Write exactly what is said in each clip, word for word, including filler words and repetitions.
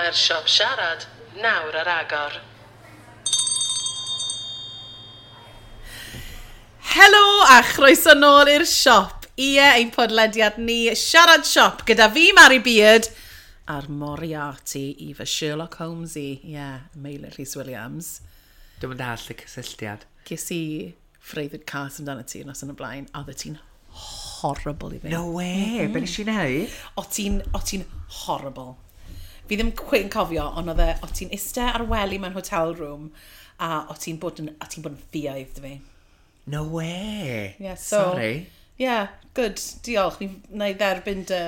Mae'r siop siarad nawr ar agor. Helo a chroeso nôl i'r siop. Ie, ein podlediad ni, Siarad Siop, gyda fi, Mari Beard, a'r Moriarty i fy Sherlock Holmes i, ie, yeah, Meilir Rhys Williams. Dwi'n mynd all y cysylltiad. Ges i freuddwyd cas amdano ti nos yn y blaen, a oedd ti'n horrible i fi. No way, mm -hmm. Be nes i wneud? O ti'n, o ti'n horrible. Fi ddim cweit yn cofio, ond oedd e, o ti'n iste ar wely mewn hotel room, a o ti'n bod yn, o ti'n bod yn ffiaidd dy fi. No way. Yeah, so, Sorry. Yeah, good. Diolch. Ni na i dderbyn dy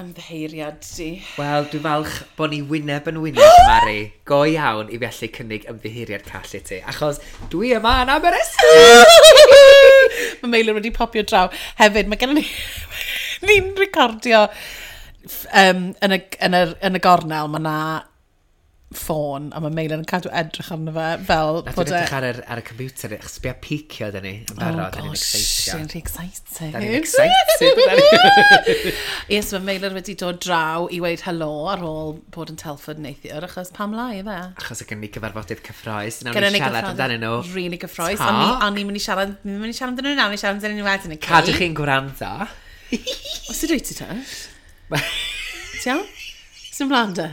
ymddiheuriad di. Wel, dwi'n falch bod ni wyneb yn wyneb, Mari. Go iawn i fi allu cynnig ymddiheuriad call i ti. Achos dwi yma yn Aberystwyth! Mae Meilir wedi popio draw. Hefyd, mae gennym ni... ni'n recordio um, yn, y, yn, y, yn y gornel, mae na ffôn, a mae Meilir yn cadw edrych arno fe fel Na, bod dwi'n e... edrych ar, yr, ar y computer, achos bia picio dyn ni yn barod, Oh da ni'n gosh, excited. ni'n rhy excited. Da ni'n excited. da ni. Yes, mae Meilir wedi dod draw i weud helo ar ôl bod yn Telford neithiwr, achos pam lai fe? Achos o gen ni gyfarfodydd cyffroes, nawn Gynnon ni ni siarad gyffroes- amdanyn nhw. Really gyffroes. Ta. O'n ni, o'n ni'n mynd i siarad, ni'n mynd i siarad amdanyn nhw nawr, ni'n siarad amdanyn nhw wedyn, okay? Cadw chi'n gwrando. O, sut wyt ti te? Ti iawn? Sy'n mlaen de?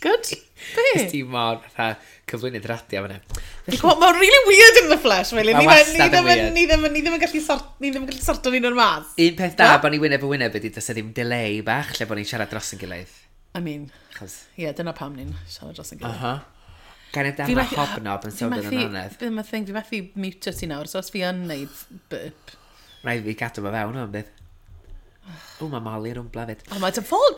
Good? Be? Cos ti mor fatha cyflwynydd radio fan'na. Fi'n gwybod, Mae'n really weird in the flesh, Meilir. Ma' Ni wastad ni yn ddim yn- weird. Ni ddim yn ni ddim yn gallu sort, ni ddim yn gallu sorto ni'n o'r mas. Un peth da bod ni wyneb yn wyneb ydy does 'na ddim delay bach lle bod ni'n siarad dros yn gilydd. I mean, Achos, ie, yeah, dyna pam ni'n siarad dros yn gilydd. aha. Gan y Fi darn o methu- hobnob yn fi sownd yn methu- anedd. Bydd yma thing, fi methu mutio ti nawr, so os fi yn neud burp. Rhaid fi gadw fo fewn o'n bydd. O, mae Molly rwmbla fyd. O, mae dy ffôn!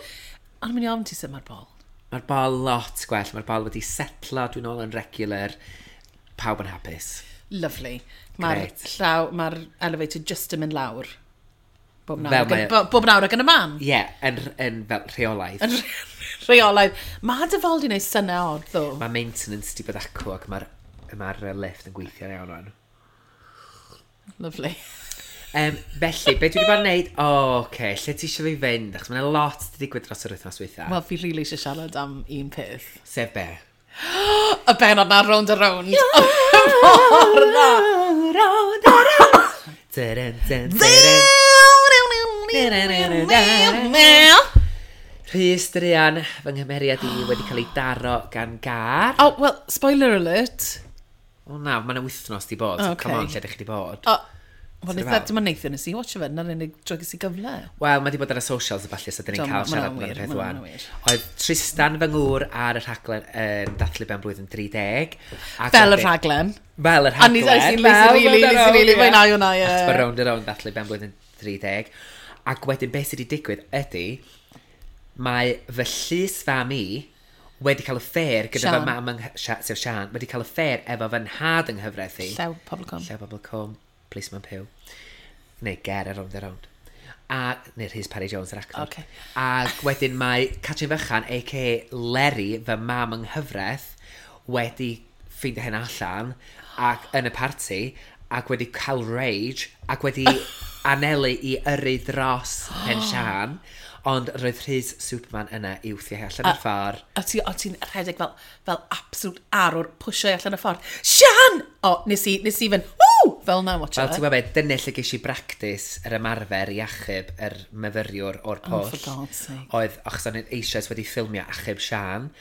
Ond mynd i ofn ti sut mae'r bol. Mae'r bol lot gwell, mae'r bol wedi setlo, dwi'n ôl yn regular. Pawb yn hapus. Lovely. Mae'r Grêt. llaw, mae'r elevator just yn mynd lawr. Bob nawr, Fel ac yn, mae- bo- bob nawr ac yn y man. Ie, yeah, yn, yn fel rheolaidd. Yn rheolaidd. Mae dy fol di wneud synnau odd, ddo. Mae maintenance di bod acw ac mae'r mae'r yy, lift yn gweithio'n iawn rwan. Lovely. Um, felly, be dwi wedi bod yn neud? O, oh, oce, okay. Lle ti eisiau fi fynd? Achos mae'n lot di digwydd dros yr wythnos dwytha. Wel, fi rili eisiau siarad am un peth. Sef be? Y benod na round a round. Mor dda. Round a round. Dyryn, dyn, dyryn. Rhys Druan, fy nghymeriad i wedi cael ei daro gan gar. Oh, well, spoiler alert. O na, mae'n wythnos di bod. Ocê. Come on, lle ydych chi di bod? O, wel, Sut eitha, fel? dim ond neithiwr nes i watch fe, na'r unig tro ges i gyfle. Wel, mae di bod ar y socials a falle, so dyn Do, ni'n cael ma' siarad hwnna'n amdano wir, peth ma' wan. hwnna'n wir. Oedd Tristan fy ngŵr ar y rhaglen yn dathlu ben blwyddyn tri deg. Ac Fel y wedyn- rhaglen. Fel y A ni- rhaglen. nes i- nes i fel really- Round and nes i really Round, ie. fwynhau hwnna, ie. Achos bod Rownd a Rownd dathlu ben blwyddyn tri deg. Ac wedyn beth sydd wedi digwydd ydy, mae fy llys fam i wedi cael affair gyda Sian. fy mam yng Nghy- sef Sian, wedi cael affair efo fy nhad yng nghyfraith i. Llew Pobl Cwm. Llew Pobl Cwm, Policeman Pugh. Neu Ger ar Rownd a Rownd. A, neu Rhys Parry Jones, yr actor. Ocê. Ac wedyn mae Catrin Fychan, a k a. Leri, fy mam yng nghyfraith, wedi ffeindio hyn allan ac yn y parti ac wedi cael rage ac wedi anelu i yrru dros pen Sian ond roedd Rhys Superman yna i wthio hi allan o'r ffordd. A ti, o ti'n rhedeg fel, fel absolute arwr, pwysio i allan y ffordd. Sian! O, nes i, nes i fynd, ww! Fel na, watch Fel ti'n it. gwybod be, dyna lle ges i bractis yr ymarfer i achub yr myfyriwr o'r Oh, pwll. for God's sake. Oedd, achos o'n i'n eisoes wedi ffilmio achub Sian,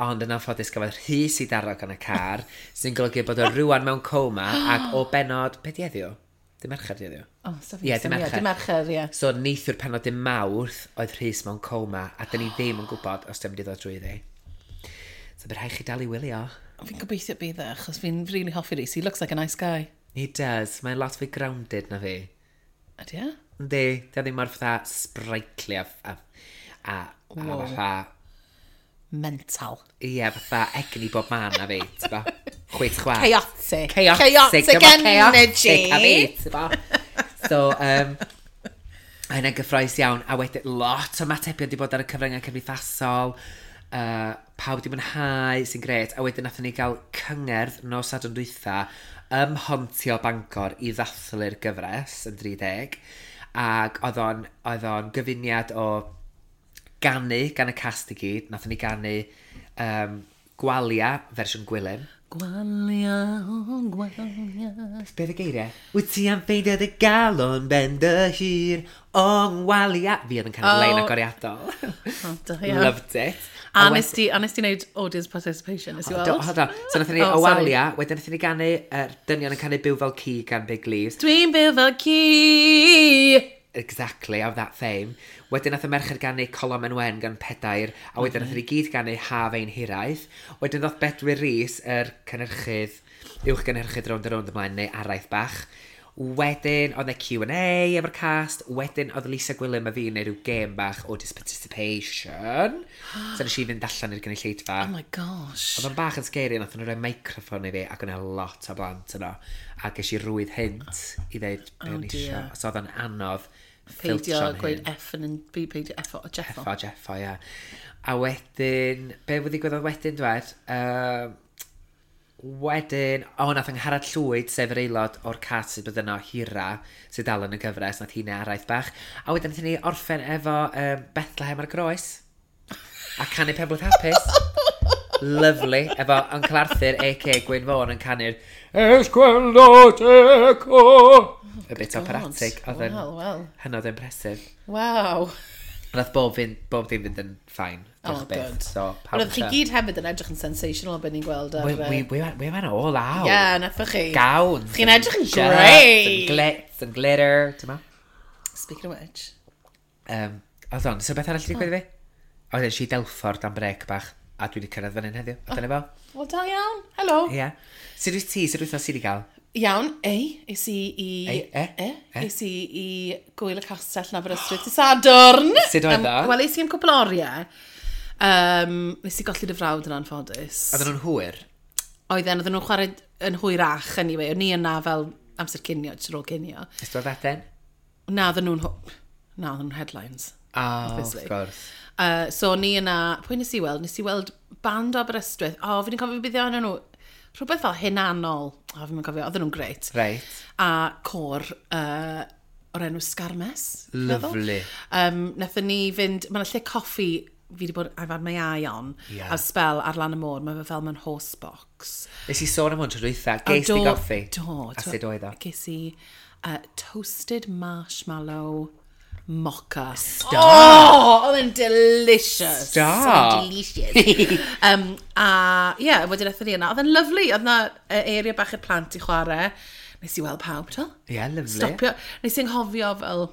ond yn anffodus gafodd Rhys i daro gan y car, sy'n golygu bod o rwan mewn coma, ac o benod, be di heddiw? Dim Mercher di heddiw? Oh, so Ie, dim Mercher. Dim Mercher, ie. So neithiwr penod dim Mawrth oedd Rhys mewn coma, a dyn ni ddim yn gwybod os di'n mynd i ddod drwyddi. So bydd rhaid chi dal i wylio. Fi'n gobeithio bydd e, achos fi'n really hoffi Rhys. He looks like a nice guy. He does. Mae'n lot fwy grounded na fi. Ydy e? Yndi, di o ddim mor fatha sprightly a, a, a, a Wow. fatha, Mental. ie, fatha egni bob man na fi, ti'n bo? Chwit chwa. Chaotic. Chaotic. Chaotic dyma energy. Chaotic a fi, ti'n bo? So, um, a hynna'n gyffroes iawn, a wedyn lot o matebion di bod ar y cyfryngau cymdeithasol, uh, pawb di mwynhau, sy'n gret, a wedyn nathon ni gael cyngerdd nos Sadwrn dwytha ym Mhontio Bangor i ddathlu'r gyfres yn dri deg, ac oedd o'n, oedd o'n gyfuniad o Ganu gan y cast i gyd. Nathon ni ganu um, Gwalia, fersiwn Gwilym. Gwalia, gwalia. Beth y geiriau? Wyt ti am ffeindio dy galon ben dy hir o ngwalia? Fi oedd yn canu'r Oh. lein agoriadol. Oh, da iawn. Loved it. A nes ti, a nes ti wneud audience participation, nes i Do, weld? hold on. So nathon ni Oh, o sorry. Walia, wedyn nathon ni ganu, er, dynion yn canu Byw Fel Ci gan Big Leaves. Dwi'n byw fel ci! Exactly, of that fame. Wedyn nath y merched ganu Colom en Wen gan Pedair, a wedyn nath ni gyd ganu Haf Ein Hiraeth. Wedyn ddoth Bedwyr Rees, yr cynhyrchydd, uwch gynhyrchydd Rownd a Rownd ymlaen, neu araith bach. Wedyn, oedd 'na Q and A efo'r cast. Wedyn, oedd Lisa Gwilym a fi yn neud rhyw gêm bach o participation. So nes i fynd allan i'r gynulleidfa. Oh my gosh. Oedd o'n bach yn scary, nath nhw roi microffon i fi, ac o'na lot o blant yno. A ges i rwydd hint i ddeud be Oh o'n i isio. dear. So oedd o'n anodd Peidio ffiltro'n gweud hun. F yn yn... Peidio F o Jeffo. Effo, Jeffo, ia. A wedyn, be wedi ddigwyddodd wedyn, dwed? Uh, wedyn, o, nath Angharad Llwyd, sef yr aelod o'r cast sydd bod yno hira, sydd dal yn y gyfres, nath hi'n araith bach. A wedyn nath ni orffen efo um, Bethlehem ar y Groes. A canu Penblwydd Hapus. Lovely. Efo Uncle Arthur, a k a. Gwyn Vaughan, yn canu'r Es gweld eco. A bit operatic. Oedd yn Wel, wel. hynod impressive. Waw. Nath bob, fynd, bob dim fynd yn fine. Oh, Diolch byth. good. So, pawb Wel, oedd chi yn gyd hefyd yn edrych yn sensational beth ni'n gweld ar... We, we, we, went, we went all out. Yeah, nathoch chi. Gowns. Chi'n edrych yn shirts and great. glitz and glitter. Ti'n ma? Speaking of which. Um, hold on, so beth arall wedi digwydd i fi? Oedd eisiau i Delford am brec bach, a dwi wedi cyrraedd fan hyn heddiw. A dyna fo. Wel, da iawn. Helo. Ie. Yeah. Sut wyt ti? Sut wythnos ti wedi cael? Iawn, ei, es i i... Ei, e, E, e. es i i Gwyl y Castell yn Aberystwyth dydd Sadwrn. Sut oedd Yym, o? Wel, es i am cwpl o oriau. Um, nes i golli dy frawd yn anffodus. Oedden nhw'n hwyr? Oedden, oedden nhw'n chwarae yn hwyrach, anyway. O'n i yna fel amser cinio, jyst ar ôl cinio. Nes ti weld Eden? Na, oedden nhw'n... ho- Na, oedden nhw'n headlines. Oh, of Obviously. course. Uh, so o'n i yna, pwy nes i weld? Nes i weld band o Aberystwyth. O, oh, fi 'di cofio beth o'n nhw. Rhywbeth fel hunanol. O, oh, fi'n cofio, oedden nhw'n grêt. Reit. A côr uh, o'r enw Sgarmes, fi'n meddwl. Lovely. Um, nathon ni fynd, mae yna lle coffi fi wedi bod, I've had my eye on, Ie. a spel ar lan y môr, mae fe fel mewn horse box. Nes i sôn am hwn tro dwytha. A Ges di do- goffi? Do. A sut oedd o? Ges i uh, toasted marshmallow mocha. Stop. Oh, oedd e'n delicious. Stop. Oedd e'n delicious. um, a ie, yeah, wedyn aethon ni yna. Oedd e'n lovely. Oedd yna uh, area bach i'r plant i chwarae. Nes i weld pawb, to. Ie, yeah, lovely. Stopio. Nes i anghofio fel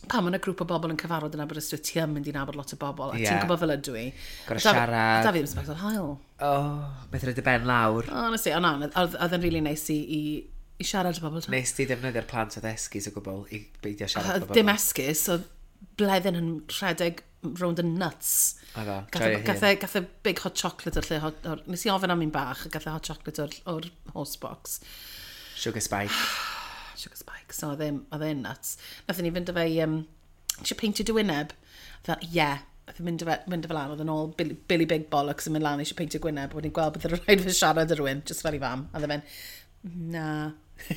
pan mae yna grŵp o bobl yn cyfarfod yn Aberystwyth, ti yn mynd i nabod lot o bobl, a Ie. ti'n gwybod fel ydw i. Gorfod Da- siarad. Da fi ddim sbectol haul. Oh, beth rhaid y ben lawr. Oh, honestly, o na, oedd oedd e'n really nice i, i, i siarad â bobl. t'mo. Nes ti ddefnyddio'r plant oedd esgus o gwbl i beidio siarad Oedd efo bobl? dim esgus, oedd bleddyn yn rhedeg rownd yn nuts. Oedd o, Gath e- joio hun. gath e gath e big hot chocolate o'r lle, hot, or, nes i ofyn am un bach, a gath e hot chocolate o'r, o'r horse box. Sugar spike. Sugar spike, so oedd e'n oedd e'n nuts. Nathon ni fynd â fe i, um, eisiau peintio dy wyneb? Fel, ie. Yeah. Nath e mynd â fe, mynd â fe lan, oedd yn ôl Billy, Billy Big Bollocks yn mynd lan eisiau peintio gwyneb. Wedyn gweld bod yn rhaid fe siarad â rhywun, just fel i fam. A oedd e'n mynd, na,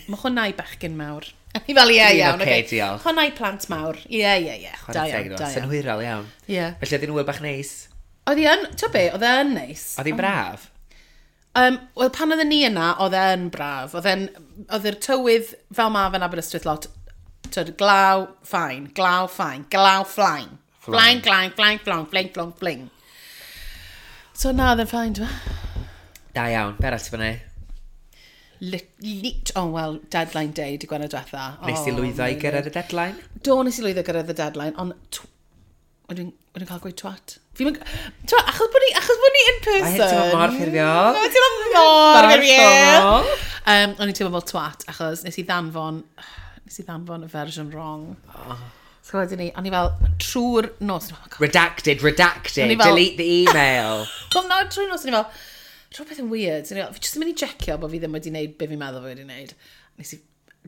mae hwnna i bechgyn mawr. A ni fel, ie, Dwi'n iawn, ocê, ocê. diolch. Hwnna i plant mawr. Ie, ie, ie. Da Chwarae teg iawn, iddo. da iawn. Synhwyrol iawn. Ie. Felly oedd hi'n wyl bach neis. Oedd hi yn, ti'n be, oedd e yn neis. Oedd hi'n braf. Um, Wel, pan oedden ni yna, oedd e'n braf. Oedd e'n, oedd yr tywydd fel ma fe'n Aberystwyth lot, tyd, glaw, fine, glaw, fine, glaw, flying. Flying, flying, flying, flying, flying, flying, flying. So na, oedd e'n fine, dwi'n Da iawn. Be arall ti fyny? Lit, lit, oh well, deadline day, di Gwener diwetha. Nes ti Oh, lwyddo i Meilir. gyrraedd y deadline? Do, nes i lwyddo gyrraedd y deadline, ond tw- Wedyn wedyn cael gweud twat. Fi'n mynd... Twat, achos bod ni, achos bod ni in person. Mae hyn teimlo mor ffurfiol. Mae'n teimlo mor Mor ffurfiol. formal. Um, o'n i'n teimlo fel twat, achos nes i ddanfon, nes i ddanfon y fersiwn wrong. Oh. So wedyn ni, o'n i fel, trwy'r nos, oh my God. Redacted, redacted, O'n i fel- delete the email. Wel, na, trwy'r nos, o'n i fel, rhywbeth yn weird. O'n i fel, fi jyst yn mynd i checio bod fi ddim wedi gwneud be fi'n meddwl fi wedi gwneud. Nes i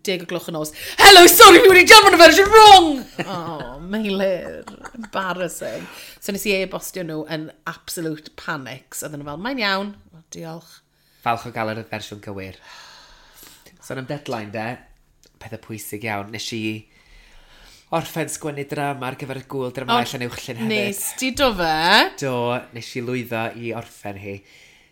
deg o gloch y nos, "Hello, sorry, fi wedi danfon y fersiwn wrong!" Oh, Meilir, embarrassing. So nes i e-bostio nhw yn absolute panics. Oedden nhw fel, "Mae'n iawn." Well, diolch. Falch o gael yr fersiwn gywir. Sôn am deadline de, pethau pwysig iawn. Nes i... Orffen sgwennu drama ar gyfer y gwyl drama oh, Llanuwchllyn hefyd. Nes di do fe? Do, nes i lwyddo i orffen hi.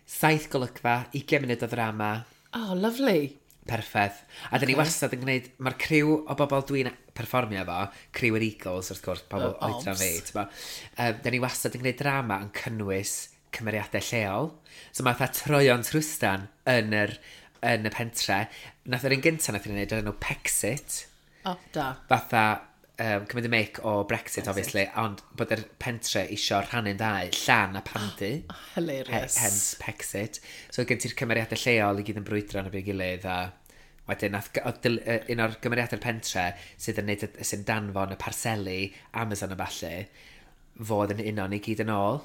Saith golygfa, ugain munud o ddrama. Oh, lovely. Perffaith. A dyn ni okay. wastad yn gwneud, mae'r criw o bobl dwi'n perfformio efo, criw yr Eagles, wrth gwrs, pobl uh, oedran fi, ti'n bo. Um, dyn ni wastad yn gwneud drama yn cynnwys cymeriadau lleol. So mae fatha troion trwstan yn yr, yn y pentre. Nath yr un gyntaf nath ni'n gwneud, o'r enw Pexit. Oh, da. Fatha um, cymryd y mic o Brexit, Brexit, obviously, ond bod yr pentre isio rhannu'n ddau, Llan a Pandy. Oh, hilarious. He, hence Pexit. So gen ti'r cymeriadau lleol i gyd yn brwydro yn y byd gilydd a wedyn nath, oedd un o'r gymeriadau'r pentre sydd yn neud, sy'n danfon y parseli Amazon a ballu fod yn uno ni gyd yn ôl.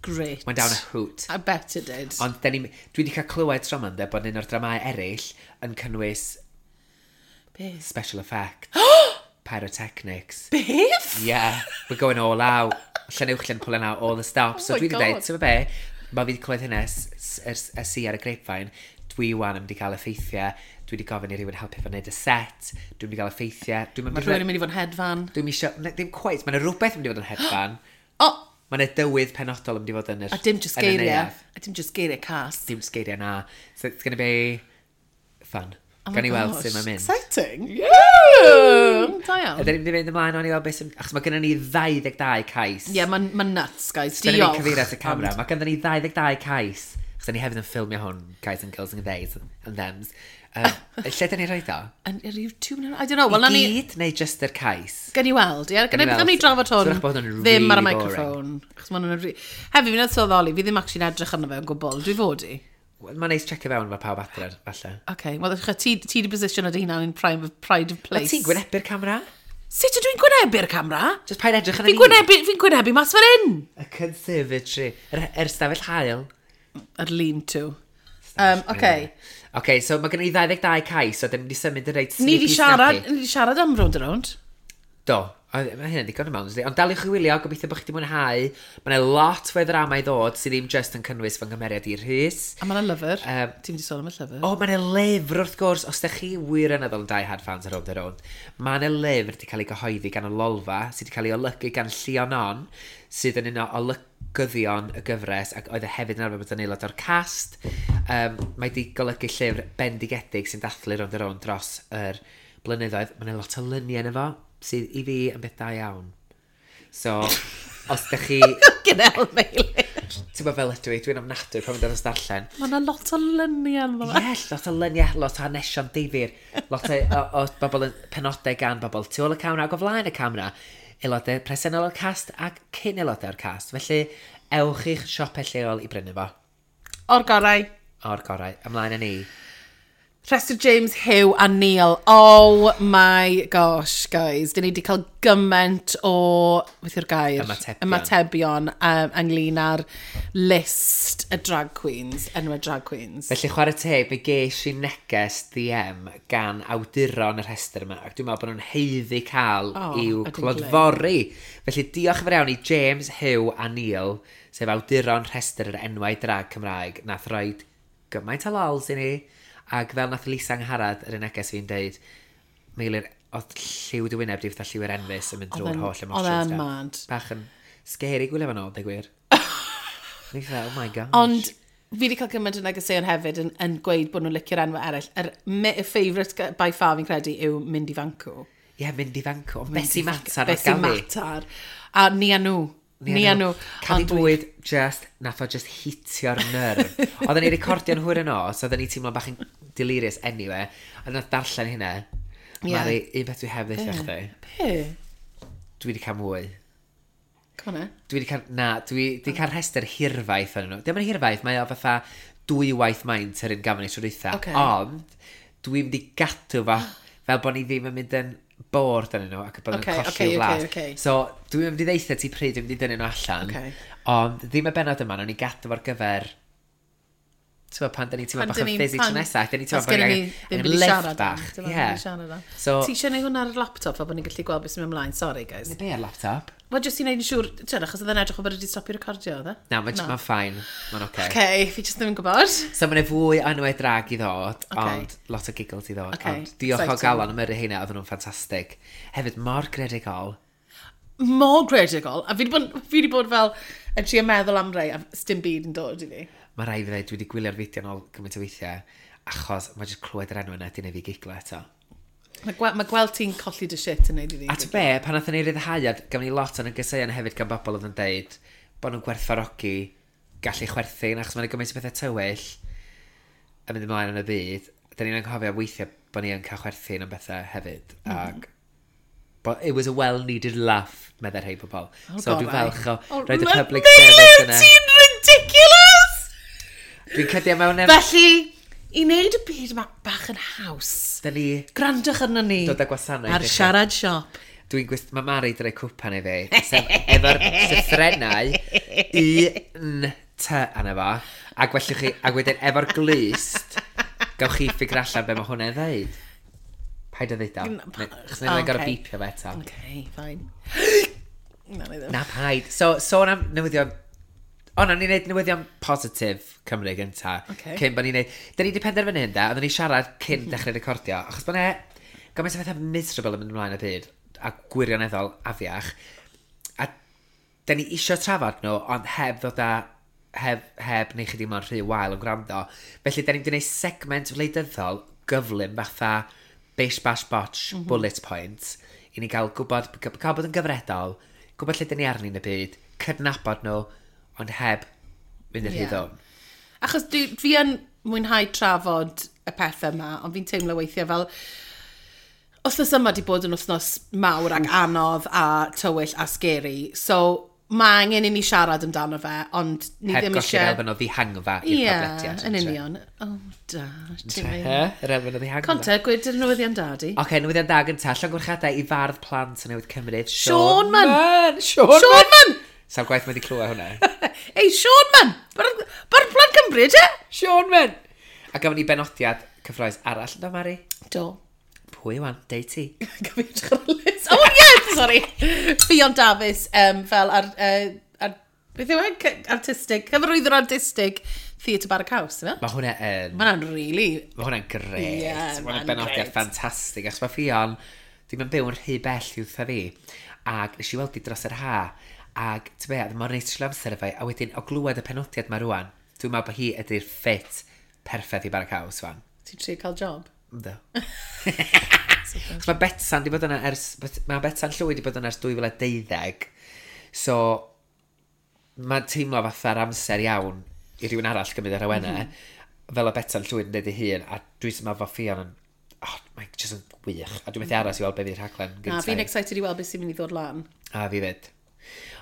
Great. Went down a hoot. I bet it did. Ond ni, dwi wedi cael clywed tro yma, bod un o'r dramau eraill yn cynnwys Beth? Special effects. Pyrotechnics. Beth? Yeah, we're going all out. Llanuwchllyn pulling out all the stops. Oh so dwi wedi dweud, ti'n be, mae fi wedi clywed hynna y si ar y grapevine, dwi wan yn mynd i gael effeithiau, dwi wedi gofyn i rhywun helpu fo wneud y set, dwi'n mynd i gael effeithiau. Dwi'n Mae rhywun yn mynd i fod yn hedfan. Dwi'n isio, ddim quite, mae'n rhywbeth yn mynd i fod yn hedfan. Oh! Mae'n yna dywydd penodol yn mynd i fod yn yr A dim just geiriau. A dim just geiriau cas. Dim just geiriau, na. So it's gonna be fun. Oh Gan i weld sut mae'n mynd. Exciting. Yeah! Da iawn. Ydyn ni'n mynd i fynd ymlaen o'n i weld beth sy'n... Achos mae gennym ni ddau ddeg dau cais. Ie, yeah, mae'n ma nuts, guys. Diolch. Dyna ni'n cyfeirio at y camera. Mae gennym ni ddau ddeg dau cais. Achos ni hefyd yn ffilmio hwn, guys and girls and theys and thems. Um, lle dyn ni'n rhoi o? Yn yr YouTube? I don't know. Well, I gyd neu just yr cais? Gan i weld, ie. Gan i drafod hwn ddim ar y microphone. Achos ma' hwnna'n... Hefyd, fi'n sylweddoli, fi ddim actually'n edrych arno fe o gwbl. Dwi fod i. Mae'n neis checio fewn mae pawb adre, falle. OK, wel, ti, ti di position o dy hunan in prime of, pride of place. A ti'n gwynebu'r camera? Sut ydw i'n gwynebu'r camera? Just paid edrych yn y Fi'n gwynebu, fi'n gwynebu mas fan hyn! Y conservatory, yr, yr stafell haul. Yr lean-to. Um, OK. OK, so mae gen i ddau ddeg dau cais, so dyn ni wedi symud yn reit snippy. Ni di siarad, ni di siarad am Rownd a Rownd. Do. Mae hynny'n ddigon yma, ond daliwch i wylio, gobeithio bod chi wedi mwynhau. Mae yna lot fwy ddrama i ddod sydd ddim just yn cynnwys fy nghymeriad i Rhys. A mae yna lyfr. Um, Ti'n mynd i sôn am y llyfr? O, mae yna lyfr wrth gwrs. Os ydych chi wir yn yn Die Hard fans ar Rownd a Rownd, mae yna lyfr wedi cael ei gyhoeddi gan y Lolfa, sydd wedi cael ei olygu gan Llion On, sydd yn un o olygyddion y gyfres, ac oedd e hefyd yn arfer bod yn aelod o'r cast. Um, mae wedi golygu llyfr bendigedig sy'n dathlu Rownd a Rownd dros yr blynyddoedd. Mae yna lot o luniau yno fo, sydd i fi yn beth da iawn. So, os ydych chi... Gynel Meilir. Ti'n bod fel ydw i, dwi'n ofnadwy pan mynd ar darllen. Mae yna lot o luniau ynddo fe. Ie, lot o luniau, lot o hanesion difyr. Lot o, o, o bobl yn penodau gan bobl tu ôl y camera ac o flaen y camera. Aelodau presennol o'r cast ac cyn aelodau o'r cast. Felly, ewch i'ch siopau lleol i brynu fo. O'r gorau. O'r gorau. Ymlaen â ni. Rhestr James, Hugh a Neil. Oh my gosh, guys. Dyn ni wedi cael gymaint o, beth yw'r gair? Ymatebion. Ymatebion um, ynglyn â'r list y drag queens, enwau drag queens. Felly chwarae teg, mi ges i neges D M gan awduron y rhestr yma, ac dwi'n meddwl bod nhw'n haeddu cael oh, i'w clodfori. Felly diolch yn fawr iawn i James, Hugh a Neil, sef awduron rhestr yr enwau drag Cymraeg, nath roed gymaint o lols i ni. Ac fel nath Lisa Angharad yr un neges fi'n deud, Meilir, oedd lliw dy wyneb di fatha lliw yr enfys yn mynd drwy'r holl emotions. Oedd e'n mad. Bach yn scary gwylio fan ôl, dweud gwir. Ni fatha, oh my gosh. Ond fi wedi cael gymaint o negeseuon hefyd yn, yn gweud bod nhw'n licio'r enwau eraill. Yr y favourite by far fi'n credu yw Mindy Fanco. Ie, yeah, Mindy Fanco. Bessie Matar. Bessie Matar. A ni a nhw. Ni a nhw. Cadi bwyd, just, nath o just hitio'r nerf. Oedden ni recordio'n hwyr yn os, oedden ni teimlo bach yn delirious anyway, a nath darllen hynna. Yeah. Mari, un beth dwi heb ddeitha chdi. Be? Dwi wedi cael mwy. Come on, eh? Dwi wedi cael, na, dwi wedi cael rhestr hirfaith yn nhw. Dim yn hirfaith, mae o fatha dwywaith maint yr un gafon ni tro dwytha. Okay. Ond, dwi'n mynd i gadw fo, fel bod ni ddim yn mynd yn bored yn nhw ac bod nhw'n okay, colli okay, o flas. Okay, okay. So, dwi'n mynd i ddeitha ti pryd dwi'n mynd i dynnu nhw allan. Okay. Ond ddim y bennod yma, nawn ni gadw fo'r gyfer... Ti'n gwybod, pan da ni'n teimlo bach yn fizzy tro nesaf, da ni'n teimlo bod angen lift bach. Yeah. So, ti eisiau neud hwnna ar y laptop fel bod ni'n gallu gweld beth sy'n mynd ymlaen? Sorry, guys. Be ar laptop? Wel, jyst i wneud yn siŵr, ti'n achos oedd e'n edrych o bod wedi stopio recordio, oedd e? Na, mae'n ma fine. Mae'n oce. Okay. Okay, fi jyst ddim yn gwybod. So mae'n fwy o enwau drag i ddod, Ocê. ond lot o giggles i ddod. Ocê, Ond diolch o exciting. galon am yrru heina, oedden nhw'n ffantastig. Hefyd, mor greadigol. Mor greadigol. A fi wedi bod, fi wedi bod fel yn trio meddwl am rei, a sdim byd yn dod i fi. Mae rai fi ddweud, dwi wedi gwylio'r fideo nôl gymaint o weithiau, achos mae jyst clywed yr enw yna di wneud fi giglo eto. Mae gwe ma gweld ti'n colli dy shit yn neud i fi. A ty be, pan nathon ni ryddhau, a gafon ni lot o'n negeseuon hefyd gan bobl oedd yn deud bod nhw'n gwerthfawrogi gallu chwerthin, achos mae'n gymaint o bethau tywyll yn mynd ymlaen yn y byd. Da ni'n anghofio weithiau bod ni yn cael chwerthin am bethau hefyd. Mm. Ac but it was a well-needed laugh, meddai rhai pobl. Oh, So dwi'n gorau. falch o Oh, roed y ma- public Meilir, service yna. ti'n ridiculous! Dwi'n credu mewn... em- Felly, i wneud y byd yma bach yn haws, Da ni gwrandwch arno ni dod â gwasanaeth ar i chi. Siarad Siop. Dwi'n gwist... Mae Mari di rhoi cwpan i fi. Sef efo'r llythrennau U, N, T arno fo. Ac felly chi... Ac wedyn efo'r glust, gawch chi ffigur allan be mae hwnna'n ddeud. Paid o ddeud o. Pa- Chos neu O, gorau ocê. beepio fe eto. Okay, fine. Na, na i ddim. Na paid. So, sôn am newyddion... O, na, ni'n neud newyddion positif Cymru gynta. Ocê. Cyn bod ni'n neud... Da ni wedi penderfynu hyn, da. Oedden ni siarad cyn dechrau recordio. Achos bod ne... Gymaint o bethau miserable yn mynd ymlaen y byd. A gwirioneddol afiach. A da ni isio trafod nhw, ond heb ddod â... Heb, heb neu chi ddim ond rhy wael yn gwrando. Felly, da ni'n gwneud segment wleidyddol gyflym fatha bish bash botch mm -hmm. bullet points i ni gael gwybod, cael bod yn gyfredol, gwybod lle da ni arni yn y byd, cydnabod nhw, ond heb mynd yn rhy Ie. ddwn. Achos dwi, fi yn mwynhau trafod y pethau yma, ond fi'n teimlo weithiau fel... Wythnos yma di bod yn wythnos mawr ac anodd a tywyll a scary, so mae angen i ni siarad amdano fe, ond ni Heb ddim golli'r eisiau. elfen o ddihangfa i'r Ie, podlediad. yn union. Oh, da. ti'n He? mynd. Yr elfen o ddihangfa. Conte, gweud yr newyddion da di. Oce, okay, newyddion da gynta. Llongyfarchiadau i fardd plant yn newydd Cymru. Sean Mann. Mann! Sean Mann! Sean Mann! Sa'n gwaith mae wedi clywed hwnna. Ei, Sean Mann! Bardd Bardd Plant Cymru, te? Sean Mann! A gafon ni benodiad cyffroes arall, ynddo, Mari? Do. Pwy wan? Deud ti. Gafon edrych ar y list. Oh, yeah, sorry. Ffion Dafis, um, fel ar, uh, ar, beth yw e? C- Artistig, cyfarwyddwr artistig Theatr Bara Caws, yma? Mae hwnna yn... Mae hwnna'n really. Mae hwnna'n gret. Ie, Mae hwnna'n ma'n benodiad grêt. ffantastig. Achos mae Ffion, ddim yn byw yn rhy bell i wrtha fi. Ac nes i weld hi dros yr ha. Ac, ti'n be, mor neis trwy amser efo hi. A wedyn, o glywed y penodiad ma rwan, dwi'n meddwl bod hi ydy'r ffit perffaith i Bara Caws, fan. Ti'n trio cael job? Ynddo. Achos mae Betsan di bod yna ers... Mae Betsan Llwyd di bod yna ers dwy fil a deuddeg. So, mae'n teimlo fatha'r amser iawn i rhywun arall gymryd yr awenau. Mm -hmm. Fel o Betsan Llwyd yn dweud ei hun, a dwi'n meddwl fod Ffion yn... Oh, mae'n just yn wych. A dwi'n methu aros i weld be fydd rhaglen Na, gyntaf. fi'n excited i weld beth sy'n mynd i ddod lan. A fi fyd.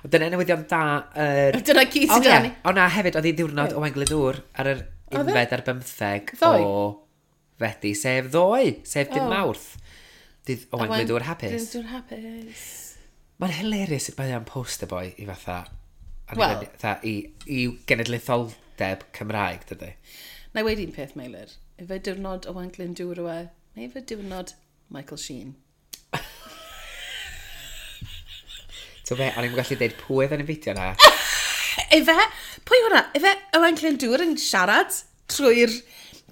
Ond dyna newyddion da yr... Dyna gyd O sydd ie, 'da ni. o na, hefyd, oedd hi ddiwrnod Owain Glyndŵr ar yr Oedd e? unfed ar bymtheg Ddoe? o Fedi, sef ddoe, sef dydd O. Mawrth. Dydd Owain Glyndŵr hapus. Glyndŵr hapus. Mae'n hilarious sut mae o'n poster boy i fatha... Wel. Fatha, i, i genedlaetholdeb Cymraeg, dydy. Na i weud un peth, Meilir. Ife diwrnod Owain Glyndŵr yw e, neu ife diwrnod Michael Sheen? So be, o'n i'n gallu deud pwy oedd yn y fideo na. Ife, pwy hwnna? Ife Owain Glyndŵr yn siarad trwy'r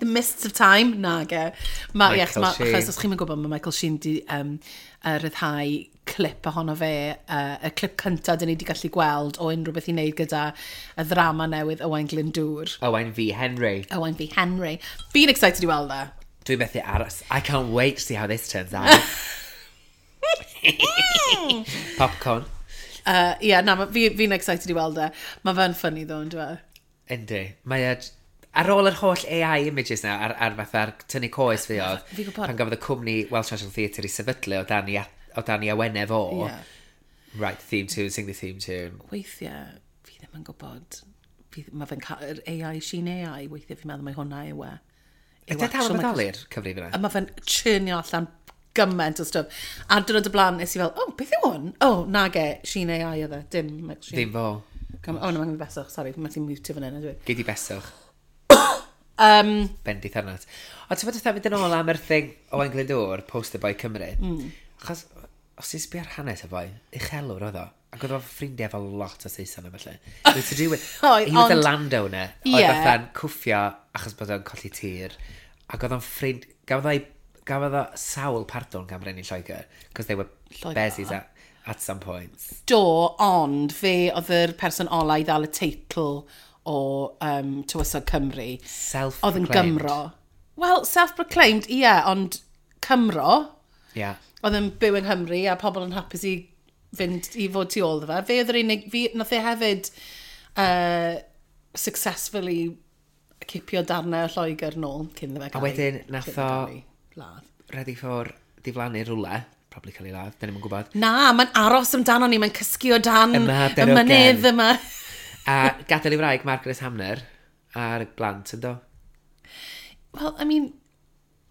the mists of time? Na, ge. Ma, ie, Michael ma, Sheen. achos os chi'n gwybod, mae Michael Sheen di um, uh, ryddhau clip ohono fe, uh, y clip cyntaf dyn ni wedi gallu gweld o unrhyw beth i wneud gyda y ddrama newydd Owain Glyndŵr. Owain v Henry. Owain v Henry. Fi'n excited i weld e. Dwi'n methu aros. I can't wait to see how this turns out. Popcorn. Uh, yeah, na, ma- fi, fi'n excited i weld e. Mae fe'n funny ddo, yn dweud. Yndi. Mae e... Ar ôl yr holl A I images na, ar, ar fatha'r tynnu coes fi oedd, Fi'n gwybod. pan gafodd y cwmni Welsh National Theatre i sefydlu o dan i, o dan i awenau fo. Ie. Right, theme tune, sing the theme tune. Weithiau, fi ddim yn gwybod. Fi, mae fe'n cael, yr A I, Sheen A I, weithiau fi'n meddwl mai hwnna yw e. Yw Ydy dal actual yn Michael bodoli'r cyfrif yna? A mae fe'n churnio allan gymaint o stwff. A dwrnod y blaen, nes i fel, "Oh, beth yw hwn?" Oh, nage, Sheen A I oedd e, dim Michael Sheen. Ddim fo. Come, oh, no, mae'n beswch, sorry, fi'n methu mutio fan hyn, ydw i. Gei di beswch. Um, Bendith arnat. Ond ti'n fod fatha mynd yn ôl am yr thing Owain Glyndŵr, Poster Boy Cymru. Mm. Achos, Os ti'n sbio ar hanes y boi, uchelwr oedd o. Ac oedd o'n ffrindiau efo lot o Saeson a felly. It was to do with... Oedd, He was a ond- landowner. Ie. Oedd fatha'n cwffio achos bod o'n colli tir. Ac oedd o'n ffrind... Gafodd o'i... Gafodd o sawl pardwn gan Brenin Lloegr. Because they were Lloegr. bezies at, at some points. Do, ond fe oedd yr person ola i ddal y teitl o um, Tywysog Cymru. Self-proclaimed. Oedd yn Gymro. Wel, self-proclaimed, ie, yeah, ond Cymro. Yeah. Oedd yn byw yng Nghymru a pobl yn hapus i fynd i fod tu ôl iddo fe. Fe oedd yr unig... Fi, nath e hefyd uh, successfully cipio darnau o Lloegr nôl cyn iddo fe gael A wedyn ei- nath cyn iddo o- gael ei ladd. Ready for diflannu rhywle. Probably cael ei ladd. Dyn ni'm yn gwybod. Na, mae'n aros amdano ni, mae'n cysgu o dan Y mab y darogan. mynydd yma. A gadael i wraig Margaret Hamner a'r blant yn do. Wel, I mean,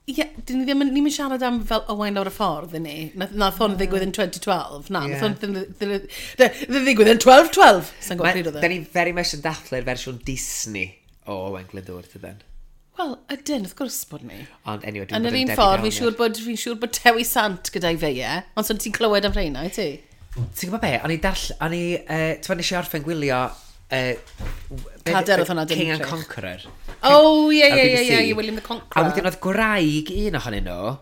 ie, yeah, dyn ni ddim yn, ni'n siarad am fel Owain lawr y ffordd, yn ni. Nath, nath hwn ddigwydd yn twenty twelve. Na, Ie. nath hwn ddim ddim- ddim ddigwydd yn twelve twelve. Sa'n gwybod pryd oedd Da e. ni very much yn dathlu'r fersiwn Disney o Owain Glyndŵr, dydan. Wel, ydyn, wrth gwrs bod ni. Ond anyway, dwi'n Yn bod yr yn un Debbie ffordd, fi'n Downer. siŵr bod, fi'n siŵr bod Dewi Sant gyda'i feie, ond so ti'n clywed am rheina, wyt ti? Ti'n gwybod be? O'n i darll... O'n i... Uh, Ti'n nes i orffen gwylio... Uh, Cader oedd hwnna, dim King and Drych. Conqueror. Oh, ie, Ar ie, ie, B B C. ie, William the Conqueror. A wedyn oedd gwraig un ohonyn nhw,